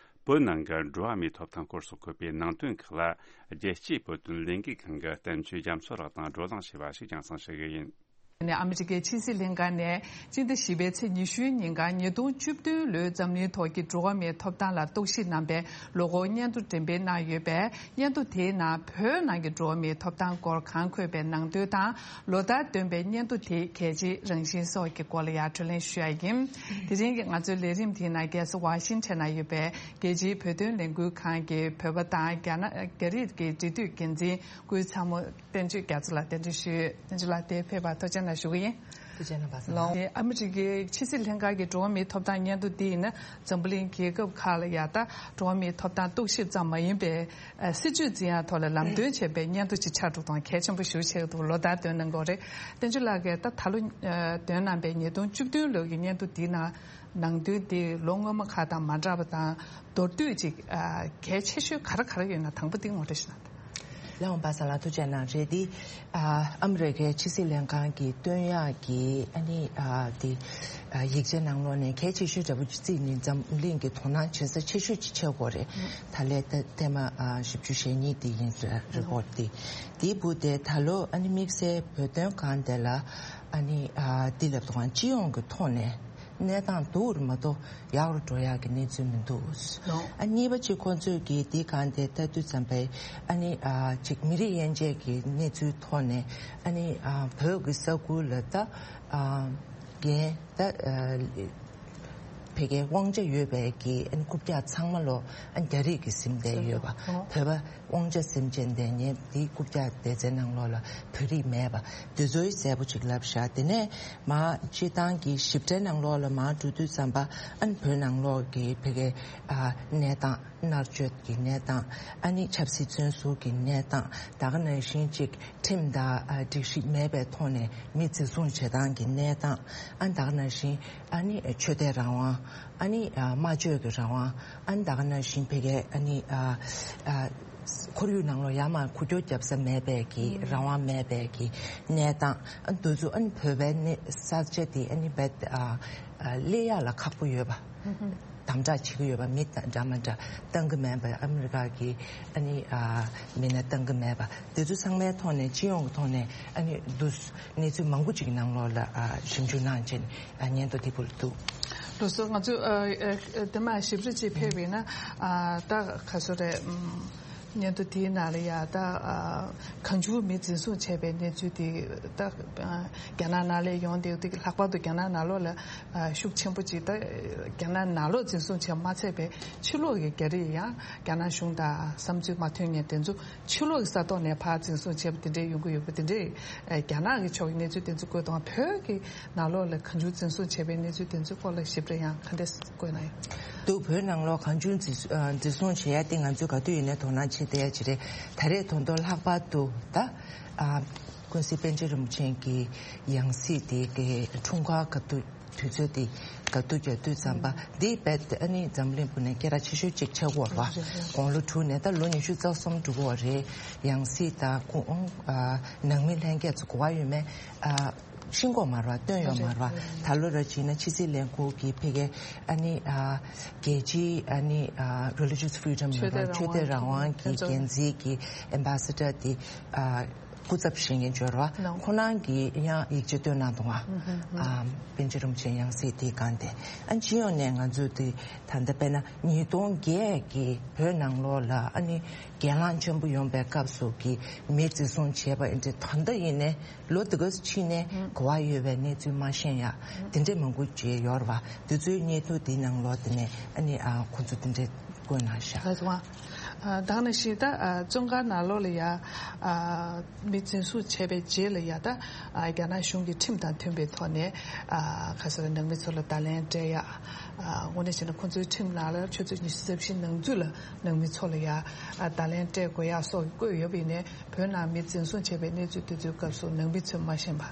བོད་ནང་གི་འགྲོ་བ་མིའི་ཐོབ་ཐང་སྐོར་སོགས་འཁོད་པའི་ནང་དོན་ཁག་ལ། རྒྱལ་སྤྱིའི་བོད་དོན་ལས་འགུལ་ཁང་གི་བསྟན་ཆོས་རྒྱ་མཚོ་ལགས་དང་བགྲོ་གླེང་བྱས་པ་ཞིག་རྒྱང་སྲིང་ཞུ་གི་ཡིན། ནས་ཨ་མི་རི་ཀའི་ཕྱི་སྲིད་ལྷན་ཁང་ནས་སྤྱི་ཟླ་བཞི་པའི་ཚེས་ཉི་ཤུའི་ཉིན་གང་ཉིས་སྟོང་བཅུ་བདུན་ལོའི་འཛམ་གླིང་ཐོག་གི་འགྲོ་བ་མིའི་ཐོབ་ཐང་ལ་རྟོག་ཞིབ་གནང་པའི་ལོ་འཁོར་སྙན་ཐོ་འགྲེམས་སྤེལ་གནང་ཡོད་པས། སྙན་ཐོ་དེའི་ནང་བོད་ནང་གི་འགྲོ་བ་མིའི་ཐོབ་ཐང་སྐོར་གང་འཁོད་པའི་ནང་དོན་དང་། ལོ་ལྟར་འདོན་པའི་སྙན་ཐོ་དེའི་གལ་ཆེའི་རང་བཞིན་སོགས་ཀྱི་སྐོར་ལ་ཡང་བགྲོ་གླེང་ཞུ་ཡ་ཡིན། དེ་རིང་གི་ང་ཚོའི་ལས་རིམ་དེའི་ནང་རྒྱལ་ས་ཝ་ཤིང་ཊོན་ན་ཡོད་པའི་རྒྱལ་སྤྱིའི་བོད་དོན་ལས་འགུལ་ཁང་གི་བོད་པ་དང་རྒྱ་ནག་རྒྱ་རིགས་ཀྱི་འབྲེལ་མཐུད་འགན་འཛིན་སྐུའི་ཚ་མོ་བསྟན་ཆོས་རྒྱ་མཚོ་ལགས་གདན་འདྲེན་ཞུས། བསྟན་ཆོས་ལགས་དེར་ཕེབས་པར་ཐུགས་རྗེ་གནང་ཞུ་གི་ཡིན། ཐུགས་རྗེ་གནང་བ་སོང་ལགས། ཨ་མི་རི་ཀའི་ཕྱི་སྲིད་ལྷན་ཁང་གི་འགྲོ་བ་མིའི་ཐོབ་ཐང་སྙན་ཐོ་འདི་ཡིན་ན་འཛམ་བུ་གླིང་རྒྱལ་ཁབ་ཁག་ལ་ཡ་ད་འགྲོ་བ་མིའི་ཐོབ་ཐང་རྟོག་ཞིབ་ཙམ་མ་ཡིན་པའི་སྲིད་བྱུས་འཛིན་ཡ་ཐོག་ལ་ལམ་སྟོན་བྱེད་པའི་སྙན་ཐོ་ཅིག་ཆགས་འགྲོ་དང་གལ་ཆེན་པོ་ཞིག་ཆགས་འདུག་ལོ་ལྟར་འདོན་གནང་གི་ཡོད་རེད། བསྟན་ཆོས་ལགས་ཀྱིས་ད་ད་ལོ་འདོན་གནང་པའི་ཉིས་སྟོང་བཅུ་བདུན་ལོ་གི་སྙན་ཐོ་འདིའི་ནང་ནང་དོན་དེ་ལོ་སྔོན་མ་ཁག་དང་མ་འདྲ་བ་དང་མདོར་བསྡུས་ཅིག་ཨ་གལ་ཆེ་ཤོས་ག་རེ་ག་རེ་ཡོད་ན་དང་པོ་དེ་ངོ་སྤྲོད་ཞུ་ན། ལགས་འོང་པ་ས་ལགས་ཐུགས་རྗེ་གནང་། རེད་དེ། ཨ་ཨ་མི་རི་ཀའི་ཕྱི་སྲིད་ལྷན་ཁང་གིས་བཏོན་ཡག་གི་ཨ་ནི་ཨ་དེ་ཨ་ཡིག་ཆའི་ནང་ལོགས་ནས་གལ་ཆེ་ཤོས་འདྲ་པོ་ཅིག་བརྩིས་ནས་འཛམ་གླིང་གི་དོ་སྣང་བྱེད་ས་ཆེ་ཤོས་ཅིག་ཆགས་ཀྱི་ཡོད་རེད། ད་ལན་ད་ཐེངས་མ་ཨ་བཞི་བཅུ་ཞེ་གཉིས་དེ་ཡིན་རེད། རི་པོར་ཊི་དེ། དེའི་བུ་དེ་ད་ལོ་ཨ་ནི་དམིགས་བསལ་བོད་དོན་སྒང་དེ་ལ་ཨ་ནི་ཨ་དེ་ལབ་དུས་སྤྱི་ཡོངས་ཀྱི་ཐོག་ནས། གནས་སྟངས་སྡུག་རུ་མ་གཏོགས་ཡག་རུ་འགྲོ་ཡག་གི་གནས་ཚུལ་མི་འདུག་ལགས། ཨ་གཉིས་པ་གཅིག་ཁོང་ཚོས་ཀྱིས་འདི་གང་དེ་ལྟ་དུས་ཙམ་པའི་ཨ་ནི་ཨ་ཅིག་མི་རིགས་དབྱེ་འབྱེད་ཀྱི་གནས་ཚུལ་ཐོག་ནས་ཨ་ནི་ཨ་བོད་ཀྱི་ས་ཁུལ་ལ་ད་ཨ་རྒན་ད་ཨ་ཕ་གིའི་དབང་ཆ་ཡོད་པའི་གི་ཨ་ནི་རྐུབ་བཀྱག་ཚང་མ་ལོ་ཨ་རྒྱ་རིགས་ཀྱིས་ཟིན་བསྡད་ཡོད་པ། ལགས། བོད་པ་དབང་ཆ་ཟིན་བྱས་འདས་ཉེ་འདི་རྐུབ་བཀྱག་སྡེ་ཚན་ནང་ལོགས་ལ་བོད་རིགས་མེད་པ་འདི་ཚོའི་གསལ་པོ་ཅིག་ལབ་བཞག་དེ་ནས་མ་སྤྱི་བཏང་གི་ཞིབ་ཕྲའི་ནང་ལོགས་ལ་མ་འགྲོ་དུས་ཙམ་པ་ཨ་ནི་བོད་ནང་ལོགས་ཀྱི་ཕ་གིའི་ཨ་གནས་སྟངས་མནར་གཅོད་ཀྱི་གནས་སྟངས་ཨ་ནི་ཆབ་སྲིད་བཙོན་ཟུར་གྱི་གནས་སྟངས་ད་ག་ནང་བཞིན་ཅིག་ཁྲིམས་དང་ཨ་སྒྲིག་གཞི་མེད་པའི་ཐོག་ནས་མི་འཛིན་བཟུང་བྱེད་སྟངས་ཀྱི་གནས་སྟངས་ཨ་ནི་ད་ག་ནང་བཞིན་ཨ་ནི་ཆོས་དད་རང་དབང་ཨ་ནི་ཨ་སྨྲ་བརྗོད་ཀྱི་རང་དབང་ཨ་ནི་ད་ག་ནང་བཞིན་ཕ་གིའི་ཨ་ནི་ཨ་ཨ། ཁོར་ཡུག་ནང་ལོགས་ཡར་མར་འགུལ་སྐྱོད་རྒྱབ་ས་མེད་པའི་གི་རང་དབང་མེད་པའི་གི་གནས་སྟངས་ཨ་འདི་ཚོ་ཨ་ནི་བོད་པའི་གནས་ས་ཆ་དེ་ཨ་ནི་རྦད་ཨ་ཨ་སླེབས་ཡག་ལ་ཁག་པོ་ཡོད་པ། དམ་དྲག་བྱེད་ཀྱི་ཡོད་པ། མི་འདྲ་མི་འདྲ་བཏང་གི་མེད་པ། ཨ་མི་རི་ཀ་གི་ཨ་ནི་ཨ་མི་སྣ་བཏང་གི་མེད་པ། དེ་ཚོ་ཚང་མའི་ཐོག་ནས་སྤྱི་ཡོངས་ཀྱི་ཐོག་ནས་ཨ་ནི་འདུག་གནས་ཚུལ་མང་པོ་ཅིག་ནང་ལོགས་ལ་ཨ་ཞིབ་འཇུག་གནང་བྱས་ནས་ཨ་སྙན་ཐོ་དེ་ཕུལ་འདུག། ལགས་སོ། ང་ཚོས་ཨ་ཨ་དེ་མ་ཞིབ་རེ་ཅིག་ཕེབས་པས་ན། ཨ་ད་ག་ཚོད་རེད། ཨམ། སྙན་ཐོ་དེའི་ནང་ལ་ཡ་ད་ཨ་གང་བྱུང་མི་འཛིན་བཟུང་བྱས་པའི་གནས་ཚུལ་དེ་ད་ཨ་རྒྱ་ནག་ནང་ལ་ཡོང་དེ། དེ་ལྷག་པར་དུ་རྒྱ་ནག་ནང་ལོགས་ལ་ཨ་ཤུགས་ཆེན་པོ་ཅིག་ད་རྒྱ་ནག་ནང་ལོགས་འཛིན་བཟུང་བྱས་མ་ཚད་པའི་ཕྱི་ལོགས་ཀྱི་རྒྱ་རིགས་ཡང་རྒྱ་ནག་གཞུང་དང་བསམ་ཚུལ་མ་མཐུན་མཁན་དེ་ཚོ་ཕྱི་ལོགས་ཀྱི་ས་ཐོག་ནས་ཕར་འཛིན་བཟུང་བྱས་པ་དེ་འདྲས་ཡོང་གི་ཡོད་པ་དེ་འདྲས། ཨ་རྒྱ་ནག་གི་ཕྱོགས་ཀྱི་གནས་ཚུལ་དེ་ཚོ་བཀོད་དང་། བོད་ཀྱི་ནང་ལོགས་ལ་གང་བྱུང་འཛིན་བཟུང་བྱས་པའི་གནས་ཚུལ་དེ་ཚོའི་སྐོར་ལ་ཞིབ་ཕྲ་ཡང་ག་འདྲས་བཀོད་གནང་ཡོད། འདུག། བོད་ནང་ལོགས་གང་བྱུང་འཛིན་བཟུང་བྱེད་ཡ་དེ་ང་ཚོས་ག་དུས་ཡིན་ནའི་དོ་སྣང་བྱེད་བསྡད་ཡ་ཅིག་རེད། ད་རེས་ད་དུང་ལྷག་པར་དུ་ད་ཨ་ཀུན་གཟིགས་པཎ་ཆེན་རིན་པོ་ཆེ་གི་ཡང་སྲིད་དེ་གི་འཁྲུངས་སྐར་ག་དུས་དུས་ཚོད་དེ་ག་དུས་རྒྱག་དུས་ཙམ་པ་འདི་རྦད་དེ་ཨ་ནི་འཛམ་གླིང་ཕུ་ནས་སྐད་གྲགས་ཆེ་ཤོས་ཅིག་ཆགས་ཀྱི་ཡོད་རེད་བ། དགུང་ལོ་དྲུག་ནས་ད་ལོ་ཉི་ཤུ་རྩ་གསུམ་འགྲོ་གི་ཡོད་རེད། ཡང་སྲིད་དང་ཁོང་ཨ་ནང་མི་ལྷན་རྒྱས་ཚོ་གོ་བ་ཡོད་མེད་ཨ་ཤེས་ཀྱི་ཡོད་མ་རེད་བ། བཏོན་ཡོད་མ་རེད་བ། རེད། ད་ལོ་ར་བྱས་ན་ཕྱི་སྲིད་ལས་ཁུངས་ཀྱི་ཕ་གིའི་ཨ་ནི་ཨ་རྒྱལ་སྤྱིའི་ཨ་ནི་ཨ་religious freedom ལབ་ར། ཆོས་དད་རང་དབང་གི་འགན་འཛིན་གྱི་ambassador དེ་ཨ་སྐུ་ཚབ་བཞེངས་མཁན་ཅིག་ཡོད་རེད་བ། ཁོ་རང་གིས་ཡང་ཡིག་ཆ་བཏོན་གནང་འདུག་ག། ཨ་པཎ་ཆེན་རིན་པོ་ཆེ་ཡང་སྲིད་དེའི་སྒང་དེ། ཨ་སྤྱི་ཡོངས་ནས་ང་ཚོས་དེ་ད་ལྟ་དཔེར་ན་ཉིས་སྟོང་བརྒྱད་ཀྱི་བོད་ནང་ལོགས་ལ་ཨ་ནི་སྒེར་ལངས་ཆེན་པོ་ཡོང་པའི་སྐབས་སུ་གི་མི་འཛིན་བཟུང་བྱས་པ་ཨེ་འདྲ་ད་ལྟ་ཡིན་ནའི་ལོ་འདི་ག་ཕྱིན་ནས་གོ་བ་ཡོད་པའི་གནས་ཚུལ་མ་ཤེས་ཡ་དེ་འདྲས་མང་པོ་ཅིག་ཡོད་རེད་བ། དེ་ཚོའི་སྙན་ཐོ་དེའི་ནང་ལོགས་དེ་ནས་ཨ་ནི་ཨ་ཁོང་ཚོ་དེ་འདྲས་བཀོད་གནང་ཤག། ལགས་སོ། ཨ་ད་ག་ནང་བཞིན་ད་ཨ་བཙོན་ཁང་ནང་ལོགས་ལ་ཡ་ཨ་མི་འཛིན་བཟུང་བྱས་པའི་རྗེས་ལ་ཡ་ད་ཨ་རྒྱ་ནག་གཞུང་གི་ཁྲིམས་དང་མཐུན་པའི་ཐོག་ནས་ཨ་ག་ཟེར་ནང་མི་ཚོ་ལ་བརྡ་ལན་སྤྲད་ཡ། ཨ་དངོས་གནས་བྱས་ན་ཁོང་ཚོའི་ཁྲིམས་ནང་ལ་ཆུ་ཚོད་ཉི་ཤུ་རྩ་བཞི་ནང་ཚུད་ལ་ནང་མི་ཚོ་ལ་ཡ་ཨ་བརྡ་ལན་སྤྲད་དགོས་ཡ་སོགས་བཀོད་ཡོད་པ་ཡིན་ནའི། བོད་ནང་མི་འཛིན་བཟུང་བྱས་པའི་གནས་ཚུལ་དེ་ཚོའི་སྐབས་སུ་ནང་མི་ཚོས་མ་ཤེས་པ་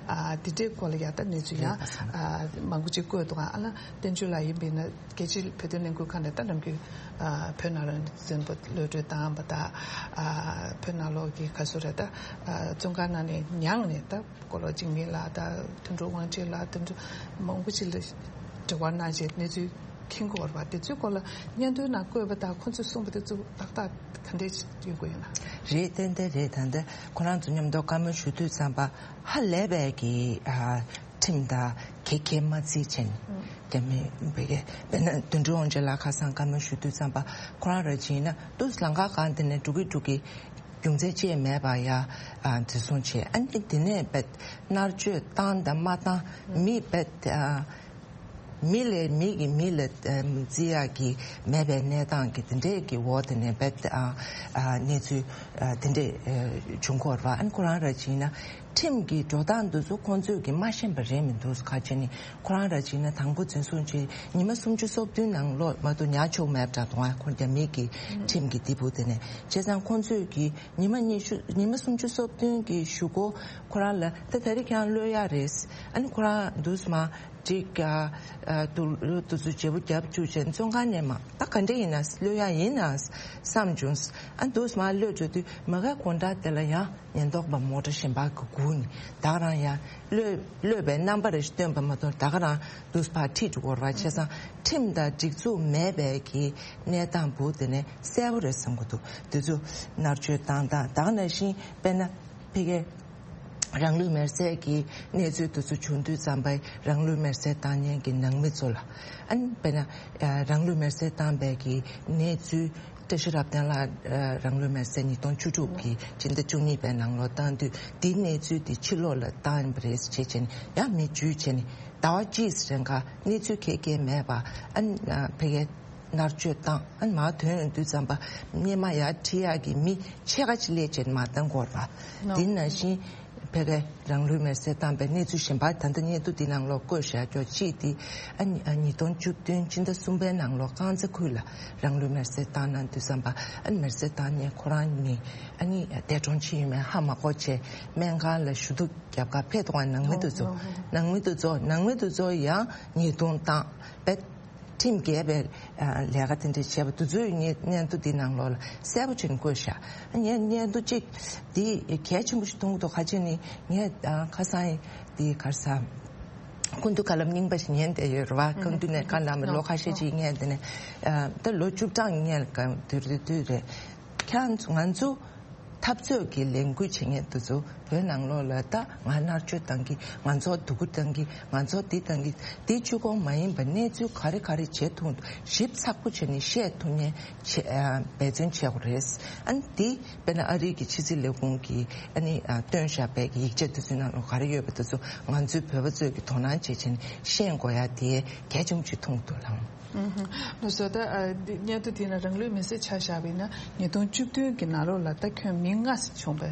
ཨ་དེ་འདྲའི་སྐོར་ལ་ཡ་ད་གནས་ཚུལ་ཡང་ཨ་མང་པོ་ཅིག་བཀོད་འདུག་ག། ཨ་ལ་བསྟན་ཆོས་ལགས་ཡིན་པ་ཡིན་ན་རྒྱལ་སྤྱིའི་བོད་དོན་ལས་འགུལ་ཁང་ནས་ད་ནམ་རྒྱུན་ཨ་བོད་ནང་ལ་འཛིན་པ་གློད་གྲོལ་བཏང་བ་དང་ཨ་བོད་ནང་ལོགས་ཀྱི་ག་ཚོད་རེད་ད་ཨ་བཙོན་ཁང་ནང་ནས་མྱངས་ནས་ད་སྐོར་ལ་འཇིགས་མེད་ལགས་དང་དོན་གྲུབ་དབང་ཆེན་ལགས་དོན་གྲུབ་མང་པོ་ཅིག་ལ་འབྲེལ་བ་གནང་བྱས་གནས་ཚུལ་མཁྱེན་གྱི་ཡོད་རེད་པ། དེ་ཚོའི་སྐོར་ལ་སྙན་ཐོའི་ནང་བཀོད་པ་དང་ཁོང་ཚོས་གསུངས་པ་དེ་ཚོ་ཏག་ཏག་ག་འདྲས་ཡོང་གི་ཡོད་ན། རེད། ཏན་ཏན་རེད། ད་ལྟ་ཁོ་རང་ཚོ་མཉམ་དུ་བཀའ་མོལ་ཞུ་དུས་ཙམ་པ་ཧ་ལས་པའི་གི་ཨ་ཁྲིམས་དང་གེགས་གེགས་མ་བརྩིས་བྱས་ནས་རྒྱ་མི་བོད་ཀྱི་དཔེར་ན་དོན་གྲུབ་དབང་ཆེན་ལགས་ཁ་སང་བཀའ་མོལ་ཞུ་དུས་ཙམ་པ་ཁོ་རང་ར་བྱས་ན་དུས་ལམ་ཁ་སྒང་དེ་ནས་འགྲོ་གི་འགྲོ་གི་རྒྱུ་མཚན་ཅི་ཡང་མེད་པ་ཡ་ཨ་འཛིན་བཟུང་བྱས། ཨ་ནི་དེ་ནས་བེད་མནར་གཅོད་བཏང་དང་མ་བཏང་མི་བེད་ཨ། མི་ལས་མི་གིས་མི་ལ་བརྩི་ཡག་གི་མེད་པའི་གནས་སྟངས་ཀྱི་དེ་འདྲས་ཀྱི་འོག་དེ་ནས་བེད་ཨ་ཨ་གནས་ཚུལ་ཨ་དེ་འདྲས་ཨ་བྱུང་གི་ཡོད་རེད་པ། ཨ་ནི་ཁོ་རང་ར་བྱས་ན་ཁྲིམས་ཀྱི་འགྲོ་སྟངས་འདི་ཚོ་ཁོང་ཚོས་ཀྱིས་མ་ཤེས་པ་རེད་མི་འདུག། ག་རེ་བྱས་ནས་ཁོ་རང་ར་བྱས་ན་དང་པོ་འཛིན་བཟུང་བྱས་ཉི་མ་སུམ་ཅུ་སོ་བདུན་ནང་ལོགས་མ་གཏོགས་ཉར་ཆོག་མེད་པ་འདྲ་འདུག། ཨ་ཁོ་རྒྱ་མི་གི་ཁྲིམས་ཀྱི་སྡེ་ཕུག་དེ་ནས་བྱས་ཙང་ཁོང་ཚོས་ཀྱིས་ཉི་མ་ཉི་ཤུ་ཉི་མ་སུམ་ཅུ་སོ་བདུན་གྱི་གཞུག་གུ་ཁོ་རང་ལ་ད་ད་རེས་ཁྱེད་རང་གློད་ཡག་རེད། ཨ་ནི་ཁོ་རང་འདུག་སེ་མར་ཅིག་ཨ་ཨ་དུ་དུ་ཚོད་བརྗེ་པོ་རྒྱབ་བཅུག་བྱས་བཙོན་ཁང་ནས་མར་ད་ག་འདྲ་ཡིན་ན་གློད་ཡག་ཡིན་ན་བསམ་བྱུང་། ཨ་འདུག་སེ་མར་གློད་འགྲོ་དུས་མ་གའི་དགོང་དག་དེ་ལ་ཡང་ཉེན་རྟོག་པ་མོ་ཊ་གཞན་པ་གིས་སྒུག་ནས་ད་ག་རང་ཡང་གློད་གློད་པའི་རྣམ་པ་རེ་ཞིག་སྟོན་པ་མ་གཏོགས་ད་ག་རང་འདུག་སེ་ཕར་ཁྲིད་འགྲོ་གི་ཡོད་རེད་པ། བྱས་ཙང་ཁྲིམས་དང་སྒྲིག་འཛུགས་མེད་པའི་གི་གནས་སྟངས་པོ་དེ་ནས་གསལ་པོ་རེད་བསམ་གྱི་འདུག། དེ་ཚོ་མནར་གཅོད་བཏང་སྟངས་ད་ག་ནང་བཞིན་དཔེར་ན་ཕ་གིའི་རང་ལུས་མེར་སྲེག་གི་གནས་ཚུལ་དེ་ཚོ་བྱུང་དུས་ཙམ་པ་རང་ལུས་མེར་སྲེག་བཏང་མཁན་གྱི་ནང་མི་ཚོ་ལ་ཨ་ནི་དཔེར་ན་ཨ་རང་ལུས་མེར་སྲེག་བཏང་པའི་གི་གནས་ཚུལ་བཀྲ་ཤིས་རབ་བརྟན་ལགས་ཨ་རང་ལུས་མེར་སྲེག་ཉིས་སྟོང་བཅུ་དྲུག་གི་སྤྱི་ཟླ་བཅུ་གཉིས་པའི་ནང་ལོགས་བཏང་དུས་དེའི་གནས་ཚུལ་དེ་ཕྱི་ལོགས་ལ་བཏང་པ་རེད་ཅེས་བྱས་ནས་ཡང་མི་འཇུས་བྱས་ནས་ཟླ་བ་གཅིག་རིང་ག་གནས་ཚུལ་ག་གེ་མེད་པ་ཨ་ནི་ཕ་གིའི་མནར་གཅོད་བཏང་ཨ་ནི་མར་ཐོན་ཡོང་དུས་ཙམ་པ་སྔོན་མ་ཡར་ཁྲིད་ཡག་གི་མི་ཕྱེད་ཀ་ཅིག་སླེབས་བྱས་ནས་མར་བཏང་དགོས་རེད་པ། དེ་ནང་བཞིན་ཕ་གིའི་རང་ལུས་མེར་སྲེག་བཏང་པའི་གནས་ཚུལ་གཞན་པ་ད་ལྟ་སྙན་ཐོ་འདི་ནང་ལོགས་བཀོད་བཞག་ཀྱོག་གཅིག་དེ་ཨ་ནི་ཨ་ཉིས་སྟོང་བཅུ་བདུན་སྤྱི་ཟླ་གསུམ་པའི་ནང་ལོགས་རྐང་ཚ་ཁུལ་ལ་རང་ལུས་མེར་སྲེག་བཏང་གནང་དུས་ཙམ་པ་ཨ་ནི་མེར་སྲེག་བཏང་མཁན་ཁོ་རང་ནི་ཨ་ནི་འདས་གྲོངས་ཕྱིན་ཡོད་མེད་ཧ་མ་གོ་བྱས་སྨན་ཁང་ལ་ཞུ་གཏུག་རྒྱབ་གར་ཕེབས་འདུག་ག། ནང་མི་དེ་ཚོ་ནང་མི་དེ་ཚོ་ནང་མི་དེ་ཚོ་ཡང་ཉེས་རྡུང་བཏང་བས། ཁྲིམས་འགལ་བའི་ཨ་ལས་ཀ་དེ་འདྲ་བྱས་པ་དེ་ཚོའི་སྙན་སྙན་ཐོ་འདི་ནང་ལོགས་ལ་གསལ་པོ་བྱས་ནས་བཀོད་བཞག། ངས་སྙན་ཐོ་གཅིག་འདི་གལ་ཆེན་པོ་ཞིག་མཐོང་གི་འདུག། ག་རེ་བྱས་ནས་ངས་ཨ་ཁ་སང་འདི་ག་རེ་ཟ་ སྐུ་མདུན་བཀའ་སློབ་རྙིང་པ་ཞིག་ཉན་བསྡད་ཡོད་རེད་བ། སྐུ་མདུན་ནས་བཀའ་གནང་བ་ལོ་ཁ་ཤས་ཅིག་ཉན་བསྡད་ནས། ཨ་ད་ལོ་བཅུ་གྲངས་ཉན་གང་དུས་རེད་དུས་རེད། ཁྱེད་ང་ཚོ་འཐབ་རྩོད་ཀྱི་ལས་འགུལ་བྱེད་མཁན་དེ་ཚོ་བོད་ནང་ལོགས་ལ་ད་ང་མནར་གཅོད་བཏང་གི། ང་ཚོ་སྡུག་པོ་བཏང་གི། ང་ཚོ་འདི་བཏང་གི། འདི་གཅིག་པོ་མ་ཡིན་པ་གནས་ཚུལ་ག་རེ་ག་རེ་བྱེད་ཐུབ་ཞིབ་ཚགས་པོ་བྱས་ནས་བཤད་ཐུབ་མཁན་བྱེད་ཨ་འབད་བརྩོན་བྱེད་དགོས་རེད། ཨ་ནི་འདི་དཔེར་ན་ཨ་རི་གི་ཕྱི་སྲིད་ལས་ཁུངས་ཀྱིས་ཨ་ནི་ཨ་བཏོན་བཞག་པའི་གི་ཡིག་ཆ་དེ་ཚོའི་ནང་ལ་ག་རེ་ཡོད་པ་དེ་ཚོ་ང་ཚོའི་བོད་པ་ཚོས་ཀྱི་དོ་སྣང་བྱེད་བྱས་ནས་ཤེས་དགོས་ཡ་དེ་གལ་ཆེན་པོ་ཅིག་མཐོང་གི་འདུག་ལགས། ཨུམ། ལགས་སོ། ད་ཨ་འདི་སྙན་ཐོ་དེ་ནི་རང་ལུས་མེར་སྲེག་ཆ་བཞག་པ་ཡིན་ན་ཉིས་སྟོང་བཅུ་བདུན་གྱི་ནང་ལོགས་ལ་ད་ཁྱོན་མི་ལྔ་ཙམ་བྱུང་བ་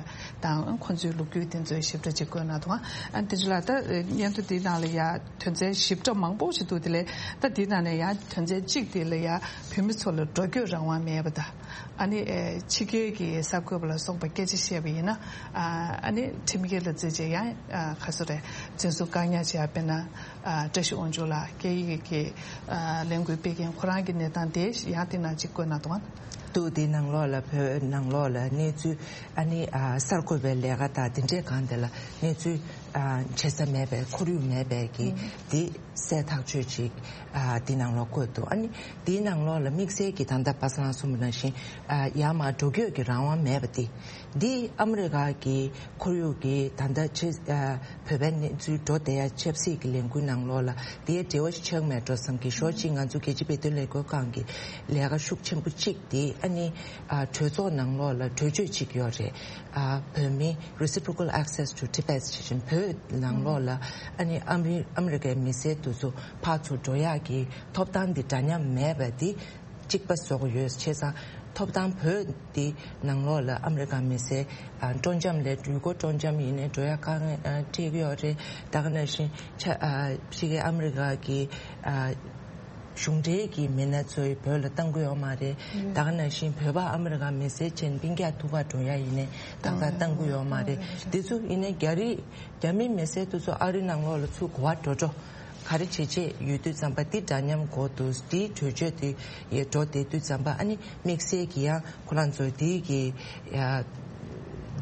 དང་ཁོང་ཚོའི་ལོ་རྒྱུས་དེ་ཚོའི་ཞིབ་ཕྲ་ཅིག་བཀོད་གནང་འདུག་ཨ་དེ་ཚོ་ལ་ད་སྙན་ཐོ་དེའི་ནང་ལ་ཡ་དོན་ཚན་ཞིབ་ཕྲ་མང་པོ་ཞིག་འདུག་དེ་ལས་ད་དེའི་ནང་ནས་ཡ་དོན་ཚན་གཅིག་དེ་ལ་ཡ་བོད་མི་ཚོ་ལ་འགྲོ་སྐྱོད་རང་དབང་མེད་པ་དང་། ཨ་ནི་ཨེ་ཕྱི་རྒྱལ་གྱི་གསར་འགོད་པ་ལ་སོགས་པ་སྐད་ཆ་བཤད་པ་ཡིན་ན། ཨ་ཨ་ནི་ཁྲིམས་འགལ་ལ་བརྩིས་བྱས་ཡང་ཨ་ག་སོ་རེད། འཛིན་བཟུང་བཀག་ཉར་བྱས་པ་ཡིན་ན། ཨ་བཀྲ་ཤིས་དབང་ཕྱུག་ལགས་སྐད་ཡིག་གི་ཨ་ལས་འགུལ་སྤེལ་མཁན་ཁོ་རང་གི་གནས་སྟངས་དེ་ཡང་དེ་ནང་གཅིག་བཀོད་གནང་འདུག་ཨ། འདུག་དེ་ནང་ལོགས་ལ་བོད་ནང་ལོགས་ལ་གནས་ཚུལ་ཨ་ནི་ཨ་གསར་འགོད་པའི་ལས་ཀ་དང་དེ་འདྲས་གང་དེ་ལ་གནས་ཚུལ་ཨ་བྱེད་ས་མེད་པའི་ཁོར་ཡུག་མེད་པའི་གི་དེ་གསལ་ཐག་ཆོད་ཅིག་ཨ་དེ་ནང་ལོགས་བཀོད་འདུག་ཨ་ནི་དེའི་ནང་ལོགས་ལ་དམིགས་བསལ་གྱི་ད་ལྟ་པ་སངས་གསུངས་པ་ནང་བཞིན་ཨ་ཡར་མར་འགྲོ་སྐྱོད་ཀྱི་རང་དབང་མེད་པ་དེ། འདི་ཨ་མི་རི་ཀ་གི་ཁོར་ཡུག་གི་ད་ལྟ་ཆེ་ཨ་བོད་པའི་གནས་ཚུལ་འགྲོ་བསྡད་ཡ་ཆབ་སྲིད་ཀྱི་ལས་འགུལ་ནང་ལོགས་ལ་དེའི་འབྲེལ་བ་ཞིག་ཆགས་མེད་འགྲོ་བསམ་གི། ཞོར་གཅིག་ང་ཚོ་རྒྱལ་སྤྱིའི་བོད་དོན་ལས་འགུལ་ཁང་གི་ལས་ཀ་ཤུགས་ཆེན་པོ་གཅིག་དེ་ཨ་ནི་ཨ་གྲོས་ཚོགས་ནང་ལོགས་ལ་གྲོས་ཆོད་གཅིག་ཡོད་རེད། ཨ་བོད་མི་Reciprocal Access to Tibet ཞེས་བཞིན་བོད་ནང་ལོགས་ལ་ཨ་ནི་ཨ་མི་ཨ་མི་རི་ཀའི་མི་སེར་དེ་ཚོ་ཕར་ཚུར་འགྲོ་ཡག་གི་ཐོབ་ཐང་འདི་འདྲ་མཉམ་མེད་པ་འདི། གཅིག་པ་བཟོ་དགོས་ཡོད། བྱས་ཙང་ཐོབ་ཐང་བོད་འདི་ནང་ལོགས་ལ་ཨ་མི་རི་ཀ་མི་སེར་ཨ་སྤྲོ་འཆམ་ལས་ཡུལ་སྐོར་སྤྲོ་འཆམ་ཡིན་ནའི་འགྲོ་ཡ་དཀའ་ངལ་ཨ་འཕྲད་ཀྱི་ཡོད་རེད། ད་ག་ནང་བཞིན་ཆ་ཨ་ཕྱི་རྒྱལ་ཨ་མི་རི་ཀ་གི་ཨ་གཞུང་འབྲེལ་གྱི་མི་སྣ་ཚོའི་བོད་ལ་གཏང་གི་ཡོད་མ་རེད། ད་ག་ནང་བཞིན་བོད་པ་ཨ་མི་རི་ཀ་མི་སེར་ཅན་སྤུན་ཀྱག་ཐུག་ག་འགྲོ་ཡ་ཡིན་ནའི་ཏག་ཏག་གཏང་གི་ཡོད་མ་རེད། འདི་ཚོ་ཡིན་ནའི་རྒྱ་རིགས་རྒྱ་མི་མི་སེར་དེ་ཚོ་ཨ་རི་ནང་ལོགས་ལ་ཚུར་གོ་བ་འགྲོ་འགྲོ། ག་རེ་བྱེད་ཆེད་ཡོད་དུས་ཙམ་པ་འདི་འདྲ་མཉམ་གོ་འདུག་འདིའི་གྲོས་ཆོད་དེ་ཡས་འགྲོ་བསྡད་དུས་ཙམ་པ་ཨ་ནི་དམིགས་བསལ་གྱི་ཡང་ཁོ་རང་ཚོ་འདི་གི་ཡ་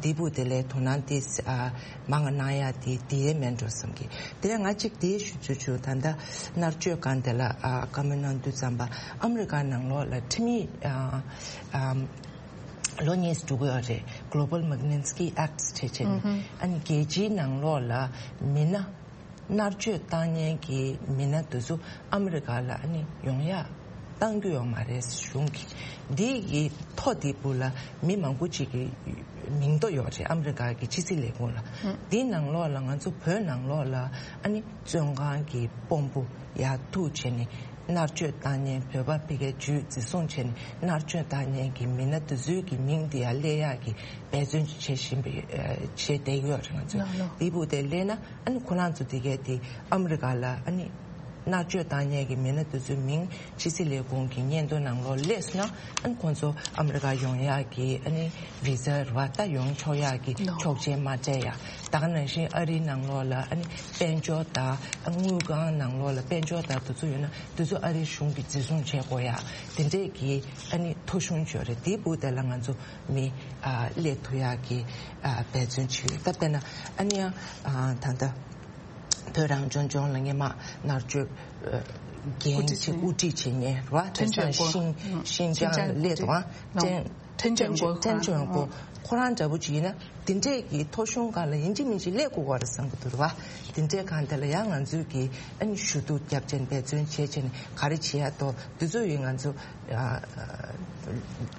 འདི་བུ་དེ་ལས་དོ་སྣང་དེ་ཨ་མང་གནང་ཡ་དེ་དེ་མེད་འགྲོ་བསམ་གི། དེ་ང་གཅིག་དེ་ཞུ་ཆོག་ཆོག་ད་ལྟ་མནར་གཅོད་སྒང་དེ་ལ་ཨ་བཀའ་མོལ་གནང་དུས་ཙམ་པ་ཨ་མི་རི་ཀ་ནང་ལོགས་ལ་ཁྲིམས་ཡིག་ཨ་ཨ་ལོ་གཉིས་འགྲོ་གི་ཡོད་རེད། Global Magnitsky Act བྱས་བྱས་ནས་ཨ་ནི་རྒྱལ་སྤྱིའི་ནང་ལོགས་ལ་མི་སྣ། མནར་གཅོད་བཏང་མཁན་གྱི་མི་སྣ་དེ་ཚོ་ཨ་མི་རི་ཀ་ལ་ཨ་ནི་ཡོང་ཡག་བཏང་རྒྱུ་ཡོད་མ་རེད་གཞུང་གིས། འདི་གི་ཐོ་འདི་བུ་ལ་མི་མང་པོ་ཅིག་གི་མིང་ཐོ་ཡོད་རེད་ཨ་མི་རི་ཀ་གི་ཕྱི་སྲིད་ལས་ཁུངས་ལ། འདི་ནང་ལོགས་ལ་ང་ཚོ་བོད་ནང་ལོགས་ལ་ཨ་ནི་བཙོན་ཁང་གི་དཔོན་པོ་ཡར་ཐུག་བྱས་ནས་མནར་གཅོད་བཏང་མཁན་བོད་པ་ཕ་གིའི་ཇུས་འཛིན་བཟུང་བྱས་ནས་མནར་གཅོད་བཏང་མཁན་གྱི་མི་སྣ་དེ་ཚོའི་གི་མིང་འདི་ཡར་སླེབས་ཡག་གི་འབད་བརྩོན་བྱེད་བཞིན་པའི་བྱས་བསྡད་ཡོད་རེད་ང་ཚོས། འདི་བུ་དེ་སླེབས་ན། ཨ་ནི་ཁོ་རང་ཚོ་དེ་གས་དེ་ཨ་མི་རི་ཀ་ལ་ཨ་ནི་མནར་གཅོད་བཏང་མཁན་གྱི་མི་སྣ་དེ་ཚོའི་མིང་ཕྱི་སྲིད་ལས་ཁུངས་ཀྱི་སྙན་ཐོ་ནང་ལོགས་སླེབས་སོང་ན་ཨ་ནི་ཁོང་ཚོ་ཨ་མི་རི་ཀ་ཡོང་ཡག་གི་ཨ་ནི་བི་ཟ་རེད་བ། ད་ཡོང་ཆོག་ཡག་གི་ཆོག་མཆན་མ་སྤྲད་ཡ། ད་ག་ནང་བཞིན་ཨ་རིའི་ནང་ལོགས་ལ་ཨ་ནི་དཔལ་འབྱོར་དང་དངུལ་ཁང་ནང་ལོགས་ལ་དཔལ་འབྱོར་དང་དེ་ཚོ་ཡོད་ན་དེ་ཚོ་ཨ་རིའི་གཞུང་གིས་འཛིན་བཟུང་བྱེད་དགོས་ཡ་དེ་འདྲས་ཀྱི་ཨ་ནི་ཐོ་གཞུང་ཅིག་ཡོད་རེད། དེའི་སྦུག་དེ་ལ་ང་ཚོ་མི་ཨ་སླེབས་ཐུབ་ཡག་གི་ཨ་འབད་བརྩོན་བྱེད་ཡོད། ད་དཔེར་ན་ཨ་ནི་ཡང་ཨ་ད་ལྟ་བོད་རང་སྐྱོང་ལྗོངས་ལ་སྔོན་མ་མནར་གཅོད་ཨ་འགན་ཅིག་དབུ་ཁྲིད་བྱེད་མཁན་རེད་བ། དེང་སང་ཤིང་ཤིན་ཅང་ལ་སླེབས་འདུག་ཨ། ཁྲེན་ཁྲེན་ཅོན་ཀོ་ཁྲེན་ཅོན་ཀོ་ཁོ་རང་འདྲ་པོ་ཅིག་ཡིན་ན་དེ་འདྲས་ཀྱི་ཐོ་གཞུང་སྒང་ལ་ཡིན་གཅིག་མིན་གཅིག་སླེབས་དགོས་པ་རེད་བསམ་གྱི་འདུག་རེད་བ། དེ་འདྲས་སྒང་དེ་ལ་ཡང་ང་ཚོས་ཀྱི་ཨ་ནི་ཞུ་གཏུག་རྒྱབ་བྱས་ནས་འབད་བརྩོན་བྱས་བྱས་ནས་ག་རེ་བྱེད་ཡ་ཐོག་དེ་ཚོ་ཡིན་ང་ཚོ།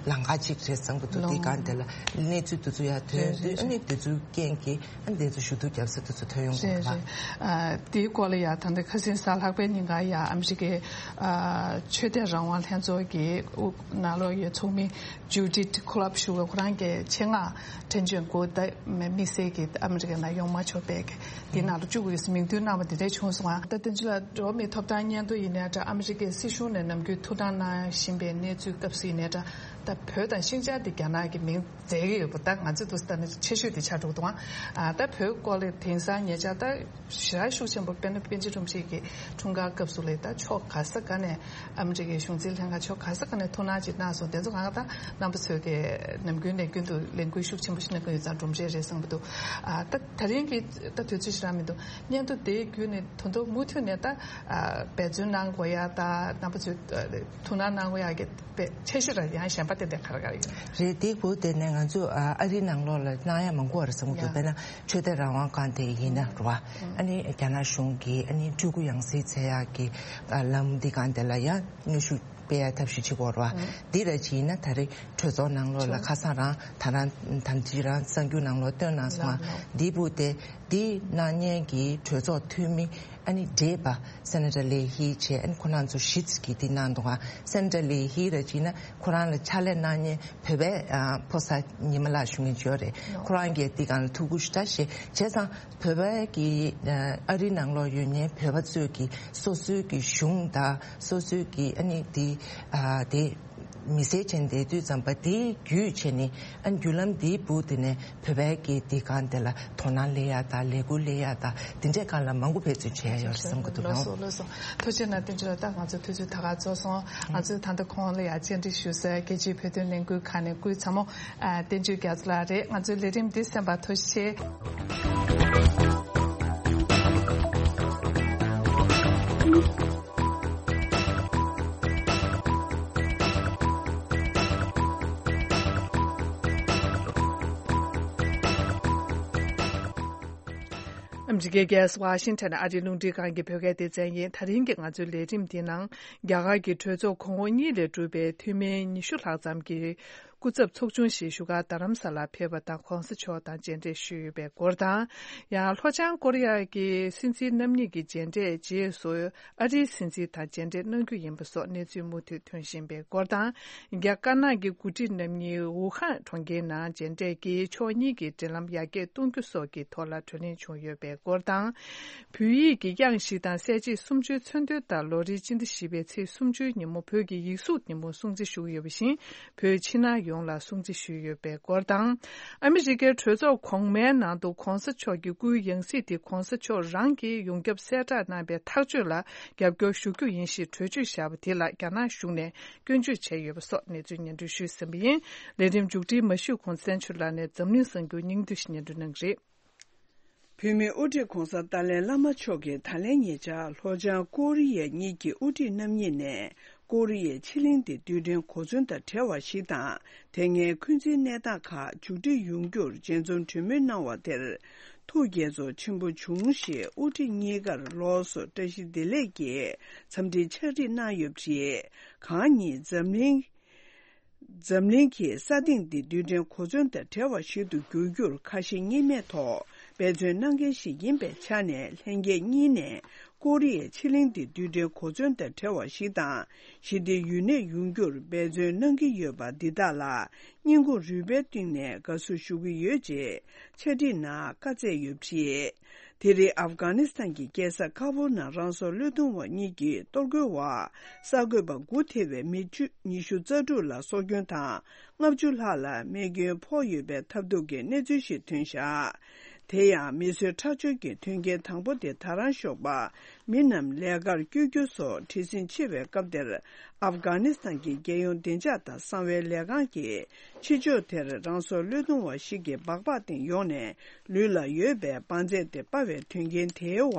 ལམ་ཁ་གཅིག་རེད་བསམ་གྱི་འདུག་དེ་སྒང་དེ་ལ་གནས་ཚུལ་དེ་ཚོ་ཡར་ཐོན་དུས་ཨ་ནི་དེ་ཚོའི་རྐྱེན་གྱིས་ཨ་ནི་དེ་ཚོ་ཞུ་གཏུག་རྒྱབ་ས་དེ་ཚོ་ཐོན་ཡོང་གི་རེད་བ། དེའི་སྐོར་ལ་ཡང་ད་ལྟ་ཁ་སང་གཟའ་ལྷག་པའི་ཉིན་ཀ་ཡང་ཨ་མི་རི་ཀའི་ཆོས་དད་རང་དབང་ལྷན་ཚོགས་ཀྱི་དབུ་ནང་ལོགས་ཡོད་ཚོགས་མི་ཇུ་ཌིཐ་ཁོ་ལབ་ཞུ་བ་ཁོ་རང་གིས་ཆེད་མངགས་ཁྲེན་ཅོན་ཀོ་ད་དམིགས་བསལ་གྱིས་ཨ་མི་རི་ཀའི་ནང་ཡོང་མ་ཆོག་པའི་དེ་ནང་ལ་བཅུག་དགོས་ཟེར་མིང་འདོན་གནང་བ་དེ་འདྲ་བྱུང་སོང་ང་། ད་དེ་ཚོ་ལ་འགྲོ་བ་མིའི་ཐོབ་ཐང་སྙན་ཐོ་ཡིན་ནའི་འདྲ་ཨ་མི་རི་ཀའི་སྲིད་གཞུང་ནས་ནམ་རྒྱུན་ཐུགས་སྣང་གནང་བཞིན་པའི་གནས་ཚུལ་སྐབས་སུ་ཡིན་ནའི་འདྲ། ད་ ད་བོད་དང་ཤིན་ཅང་དེ་རྒྱ་ནག་གི་མིང་མཛད་ཀྱི་ཡོད་པ་ད་ང་ཚོ་འདུག་ལྟ་ན་ཆེ་ཤོས་དེ་ཆགས་འགྲོ་འདུག་ཨ་ད་བོད་སྐོར་ལ་དེང་སང་ཉེ་ཆར་ད་ཞེ་དྲག་ཤུགས་ཆེན་པོ་དཔེར་ན་པཎ་ཆེན་བཀྲ་ཤིས་ཀྱི་འཁྲུངས་སྐར་སྐབས་སུ་ལ་ད་ཕྱོགས་ག་ས་ག་ནས་ཨ་མི་རི་ཀའི་གཞུང་འཛིན་ལྷན་ཁང་ཕྱོགས་ག་ས་ག་ནས་ཐུགས་སྣང་ཅིག་གནང་སོང་། དེ་ཚོ་གང་ག་ད་རྣམ་པ་ཚོས་ཀྱི་ནམ་རྒྱུན་ནས་རྒྱུན་དུ་ལས་འགུལ་ཤུགས་ཆེན་པོ་ཞིག་གནང་གི་ཡོད་ཙང་གྲུབ་འབྲས་རེད་བསམ་གྱི་འདུག་ཨ་ད་ད་རིང་གི་ད་དུས་ཚོད་ཞེ་དྲག་མི་འདུག་སྙན་ཐོ་དེའི་བརྒྱུད་ནས་ད་དུང་མུ་མཐུད་ནས་ད་ཨ་འབད་བརྩོན་གནང་དགོས་ཡ་ད་རྣམ་པ་ཚོས་ཐུགས་སྣང་གནང་དགོས་ཡ་གི་དཔེ་ཆེ་ཤོས་ར་ཡང་གཞན་པ་ཏན་ཏན་ག་རེ་ག་རེ་ཡོད། རེད། དེ་བོད་དེ་ནས་ང་ཚོ་ཨ་ཨ་རིའི་ནང་ལོགས་ལ་གནང་ཡ་མང་པོ་རེད་བསམ་གྱི་འདུག་ཡ། དཔེར་ན་ཆོས་དད་རང་དབང་ཁང་དེ་ཡིན་ན་རེད་བ། ཨ་ནི་རྒྱ་ནག་གཞུང་གིས་ཨ་ནི་སྤྲུལ་སྐུ་ཡང་སྲིད་འཚོལ་ཡག་གི་ཨ་ལམ་འདི་སྒང་དེ་ལ་ཡང་གནོན་ཤུགས་སྤེལ་ཡ་ཐབས་ཤེས་བྱེད་དགོས་རེད་བ། འདི་ར་ཅིག་ཡིན་ན་ད་རེས་གྲོས་ཚོགས་ནང་ལོགས་ལ་ཁ་སང་རང་ད་རང་ད་ཅི་རང་གསར་འགྱུར་ནང་ལོགས་བཏོན་གནང་སོང་བ། འདི་བུ་དེ་འདི་གནང་མཁན་གྱི་གྲོས་ཚོགས་འཐུས་མི་ཨ་ནི་བགྲེས་པ་སེ་ནེ་ཊར་ལེ་ཧི་བྱས། ཨ་ནི་ཁོ་རང་ཚོ་བཞི་ཙམ་གྱིས་འདི་གནང་འདུག་ག་སེ་ནེ་ཊར་ལེ་ཧི་ར་ཅིག་ན་ཁོ་རང་ལ་ཕྱག་ལས་གནང་མཁན་བོད་པའི་ཨ་ཕོ་གསར་ཉི་མ་ལགས་ཞུ་མཁན་ཅིག་ཡོད་རེད། ཁོ་རང་གིས་འདི་སྒང་ལ་ཐུགས་ཁུར་ཞེ་དྲག་བཞེས། བྱས་ཙང་བོད་པའི་གི་ཨ་ཨ་རི་ནང་ལོགས་ཡོད་མཁན་བོད་པ་ཚོས་ཀྱི་སོ་སོའི་གི་གཞུང་དང་སོ་སོའི་གི་ཨ་ནི་འདི་ཨ་དེ། མི་སེར་བྱས་ནས་བསྡད་དུས་ཙམ་པ་དེའི་བརྒྱུད་བྱས་ནས་ཨ་བརྒྱུད་ལམ་འདིའི་བུ་དེ་ནས་བོད་པའི་གི་དེ་གང་དེ་ལ་དོ་སྣང་སླེབས་ཡ་དང་ལས་འགུལ་སླེབས་ཡ་དང་དེ་འདྲའི་སྒང་ལ་མང་པོ་འབད་བརྩོན་བྱས་ཡ་ཡོད་རེད་བསམ་གྱི་འདུག་ལགས་སོ། ལགས་སོ། ཐུགས་རྗེ་གནང་། བསྟན་ཆོས་ལགས། ད་ང་ཚོའི་དུས་ཚོད་ད་ག་རྫོགས་སོང་། ང་ཚོས་ད་ལྟ་ཁོང་ལ་ཡ་བཅར་འདྲི་ཞུ་སའི་རྒྱལ་སྤྱིའི་བོད་དོན་ལས་འགུལ་ཁང་ནས་སྐུའི་ཚ་མོ་ཨ་བསྟན་ཆོས་རྒྱ་མཚོ་ལགས་རེད། ང་ཚོའི་ལས་རིམ་འདི་གསན་པར་ཐུགས་རྗེ་ཆེ། ཨ་མི་རི་ཀའི་རྒྱལ་ས་ཝ་ཤིང་ཊོན་ཨ་རིའི་རླུང་འཕྲིན་ཁང་གི་བོད་སྐད་སྡེ་ཚན་ཡིན། ད་རིང་གི་ང་ཚོའི་ལས་རིམ་འདིའི་ནང་རྒྱ་གར་གྱི་གྲོས་ཚོགས་གོང་འོག་གཉིས་ལས་གྲུབ་པའི་འཐུས་མི་ཉི་ཤུ་ལྷག་ཙམ་གྱི་སྐུ་ཚབ་ཚོགས་ཆུང་ཞིག་བཞུགས་སྒར་རྡ་རམ་ས་ལར་ཕེབས་པ་དང་གོང་ས་མཆོག་དང་མཇལ་འཕྲད་ཞུས་ཡོད་པའི་སྐོར་དང་། ཡང་ལྷོ་བྱང་ཀོ་རི་ཡ་གི་སྲིད་འཛིན་རྣམ་གཉིས་ཀྱི་མཇལ་འཕྲད་རྗེས་སུ། ཨ་རིའི་སྲིད་འཛིན་དང་མཇལ་འཕྲད་གནང་རྒྱུ་ཡིན་པ་སོགས་གནས་ཚུལ་མུ་མཐུད་ཐོན་བཞིན་པའི་སྐོར་དང་། རྒྱ་དཀར་ནག་གི་འགོ་ཁྲིད་རྣམ་གཉིས་ཝུ་ཧན་གྲོང་ཁྱེར་ནང་མཇལ་འཕྲད་ཀྱིས་ཕྱོགས་གཉིས་ཀྱི་འབྲེལ་ལམ་ཡར་རྒྱས་གཏོང་རྒྱུ་སོགས་ཀྱི་ཐོག་ལ་གྲོས་གླེང་བྱུང་ཡོད་པའི་སྐོར་དང་། བོད་ཡིག་གི་དབྱངས་བཞི་དང་གསལ་བྱེད་སུམ་ཅུའི་མཚོན་དོན་ལྟར་ལོ་རེའི་སྤྱི་ཟླ་བཞི་པའི་ཚེས་སུམ་ཅུའི་ཉིན་མོ་བོད་ཀྱི་ཡིག་གཟུགས་ཉིན་མོ་སྲུང་བརྩི་ཞུ་གི་ཡོད་པ་བཞིན། བོད་ཕྱི་ནང་ཡོངས་ལ་སྲུང་བརྩི་ཞུས་ཡོད་པའི་སྐོར་དང་། ཨ་མི་རི་ཀའི་གྲོས་ཚོགས་གོང་མའི་ནང་དུ་གོང་ས་མཆོག་གི་སྐུའི་ཡང་སྲིད་དེ་གོང་ས་མཆོག་རང་གིས་ཡོངས་ཁྱབ་གསལ་བསྒྲགས་གནང་པའི་ཐག་གཅོད་ལ་རྒྱབ་སྐྱོར་ཞུ་རྒྱུ་ཡིན་ཞེས་གྲོས་ཆོད་བཞག་པ་དེ་ལ་རྒྱ་ནག་གཞུང་ནས་སྐྱོན་བརྗོད་བྱས་ཡོད་པ་སོགས་གནས་ཚུལ་སྙན་སྒྲོན་ཞུས་ཟིན་པ་ཡིན། ལས་རིམ་མཇུག་སྒྲིལ་མ་ཞུས་གོང་བཙན་ཆོས་ལགས་ནས་འཛམ་གླིང་གསར་འགྱུར་སྙིང་བསྡུས་ཤིག་སྙན་སྒྲོན་གནང་གི་རེད། བོད་མིའི་དབུ་ཁྲིད་༧གོང་ས་ཏཱ་ལའི་བླ་མ་མཆོག་གིས་ད་ལན་ཉེ་ཆར་ལྷོ་བྱང་ཀོ་རི་ཡ་གཉིས་ཀྱི་དབུ་ཁྲིད་རྣམ་གཉིས་ནས་ཀོ་རི་ཡའི་ཕྱེད་གླིང་དེ་རྡུལ་ཕྲན་གོ་མཚོན་དང་བྲལ་བ་ཞིག་དང་། དེ་སྔའི་འཁོན་འཛིན་གནས་སྟངས་ཁག་མཇུག་སྒྲིལ་ཡོང་རྒྱུར་མཇལ་འཛོམས་གྲོས་མོལ་གནང་བ་དེར་ཐུགས་དགྱེས་ཚོར་ཆེན་པོ་བྱུང་ཞེས་དབུ་ཁྲིད་གཉིས་ཀར་ལོགས་སུ་བཀྲ་ཤིས་བདེ་ལེགས་ཀྱི་འཚམས་འདྲི་ཕྱག་བྲིས་གནང་ཡོད་པ་རེད། གང་ཉིད་འཛམ་གླིང་། འཛམ་གླིང་གི་ས་སྟེང་འདི་རྡུལ་ཕྲན་གོ་མཚོན་དང་བྲལ་བ་ཞིག་ཏུ་འགྱུར་རྒྱུར་ཁ་ཞེ་གཉིས་མེད་ཐོག་འབད་བརྩོན་གནང་མཁན་ཞིག་ཡིན་པའི་ཆ་ནས། ལྷན་རྒྱས་གཉིས་ནས་ཀོ་རི་ཡའི་ཕྱེད་གླིང་འདི་རྡུལ་ཕྲན་གོ་མཚོན་དང་བྲལ་བ་ཞིག་དང་། ཞི་བདེ་ཡུན་གནས་ཡོང་རྒྱུར་འབད་བརྩོན་གནང་གི་ཡོད་པ་འདི་དག་ལ་སྙིང་ཁོང་རུས་པའི་གཏིང་ནས་དགའ་བསུ་ཞུ་གི་ཡོད་ཅེས་ཕྱག་བྲིས་ནང་བཀའ་སྩལ་ཡོད་པ་རེད། དེ་རིང་ཨབ་གྷ་ནི་སི་ཐན་གྱི་རྒྱལ་ས་ཁ་བུལ་ནང་རང་སྲོག་བློས་གཏོང་བ་གཉིས་ཀྱིས་གཏོར་རྒོལ་འོག་གསར་འགོད་པ་དགུ་ཐེ་བའི་མི་བཅུ་ཉི་ཤུ་རྩ་དྲུག་ལ་སྲོག་སྐྱོན་དང་ལྔ་བཅུ་ལྷག་ལ་རྨས་སྐྱོན་ཕོག་ཡོད་པའི་ཐབས་སྡུག་གི་གནས་ཚུལ་ཞིག་ཐོན་བཞག་དེ་ཡང་མི་གསོད་ཁྲག་སྦྱོར་གྱི་མཐུན་རྐྱེན་དང་པོ་དེ་ད་རང་ཞོགས་པ་མི་རྣམས་ལས་ཀར་བསྐྱོད་རྒྱུ་སོགས་བྲེལ་ཟིང་ཆེ་བའི་སྐབས་དེར། ཨབ་གྷ་ནི་སི་ཐན་གྱི་རྒྱལ་ཡོངས་བདེ་འཇགས་དང་གསང་བའི་ལས་ཁང་གིས་ཕྱི་ཕྱོགས་དེར་རང་སྲོག་བློས་གཏོང་བ་ཞིག་གི་སྦག་སྦག་སྟེང་ཡོང་ནས་ལུས་ལ་ཡོད་པའི་བང་རྩལ་དེ་སྤར་བའི་དོན་རྐྱེན་དེའི་འོག་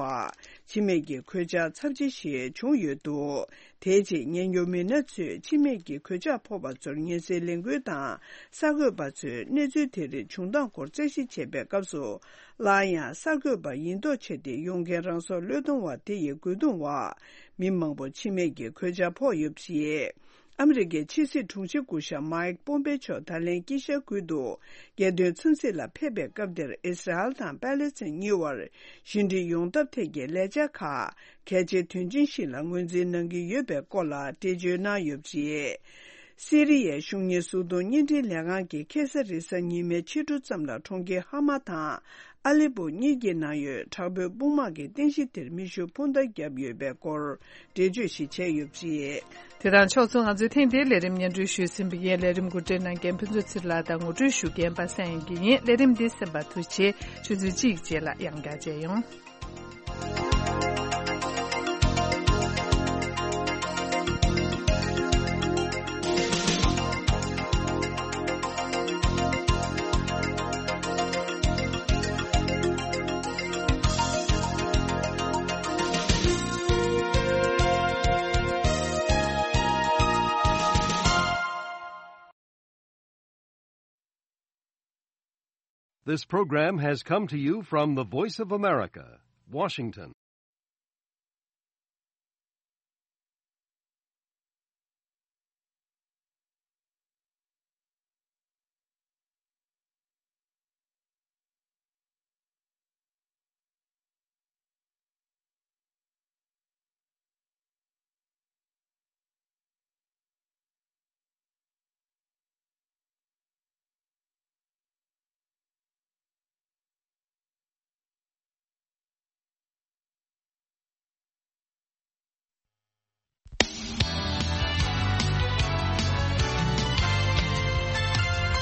འཆི་རྨས་ཀྱི་གོད་ཆག་ཚབས་ཆེ་ཞིག་བྱུང་ཡོད་འདུག་དེའི་རྗེས་ཉེན་སྐྱོབ་མི་སྣ་ཚོས་འཆི་རྨས་ཀྱི་གོད་ཆག་ཕོག་པ་ཚོར་ཉེན་སེལ་ལས་འགུལ་དང་། གསར་འགོད་པ་ཚོས་གནས་ཚུལ་དེ་རིགས་བྱུང་སྟངས་སྐོར་རྩད་ཞིབ་བྱེད་པའི་སྐབས་སུ། སླར་ཡང་གསར་འགོད་པ་ཡིན་མདོག་བྱས་ཏེ་ཡོང་མཁན་རང་སྲོག་བློས་གཏོང་བ་དེ་ཡི་རྒོལ་རྡུང་འོག་མི་མང་པོ་འཆི་རྨས་ཀྱི་གོད་ཆག་ཕོག་ཡོད་པ་རེད། ཨ་མི་རི་ཀའི་ཕྱི་སྲིད་དྲུང་ཆེ་སྐུ་ཞབས་མཱིག་པོམ་པེ་མཆོག་ད་ལན་དཀྱིལ་ཤར་ཁུལ་དུ་རྒྱལ་དོན་འཚམས་གཟིགས་ལ་ཕེབས་པའི་སྐབས་དེར། ཨི་སི་རལ་དང་པེ་ལེ་སི་ཐན་གཉིས་བར་ཞི་འགྲིག་ཡོང་ཐབས་ཐད་ཀྱི་ལས་འཆར་ཁག་གལ་ཆེ་དོན་ཆེན་ཞིག་ལ་ངོས་འཛིན་གནང་གི་ཡོད་པའི་སྐོར་ལ་འགྲེལ་བརྗོད་གནང་ཡོད་པ་རེད། སི་རི་ཡའི་གཞུང་གཉེར་གཟུགས་མཐོང་བརྙན་འཕྲིན་ལས་ཁང་གིས་ཁ་སང་རེས་གཟའ་ཉི་མའི་ཕྱི་དྲོ་ཙམ་ལ་གྲོང་ཁྱེར་ཧ་མ་དང་ཨ་ལེ་པོ་གཉིས་ཀྱི་ནང་ཡོད་དྲག་པོའི་དཔུང་དམག་གི་རྟེན་གཞི་དེར་མེ་ཤུགས་འཕུར་མདའ་བརྒྱབ་ཡོད་པའི་སྐོར་འགྲེལ་བརྗོད་ཞིག་བྱས་ཡོད་པ་རེད། དེ་དང་ཕྱོགས་མཚུངས། ང་ཚོའི་ཐེངས་འདིའི་ལས་རིམ་སྙན་སྒྲོན་ཞུས་ཟིན་པ་ཡིན། ལས་རིམ་གོ་སྒྲིག་གནང་མཁན་ཕུན་ཚོགས་ཚེ་རིང་ལགས་དང་ངོ་སྤྲོད་ཞུ་མཁན་པ་སངས་དབྱངས་སྐྱིད་ཡིན། ལས་རིམ་འདི་གསན་པར་ཐུགས་རྗེ་ཆེ། ཆུ་ཚོད་གཅིག་རྗེས་ལ་ཡང་བསྐྱར་མཇལ་ཡོང་། This program has come to you from the Voice of America, Washington.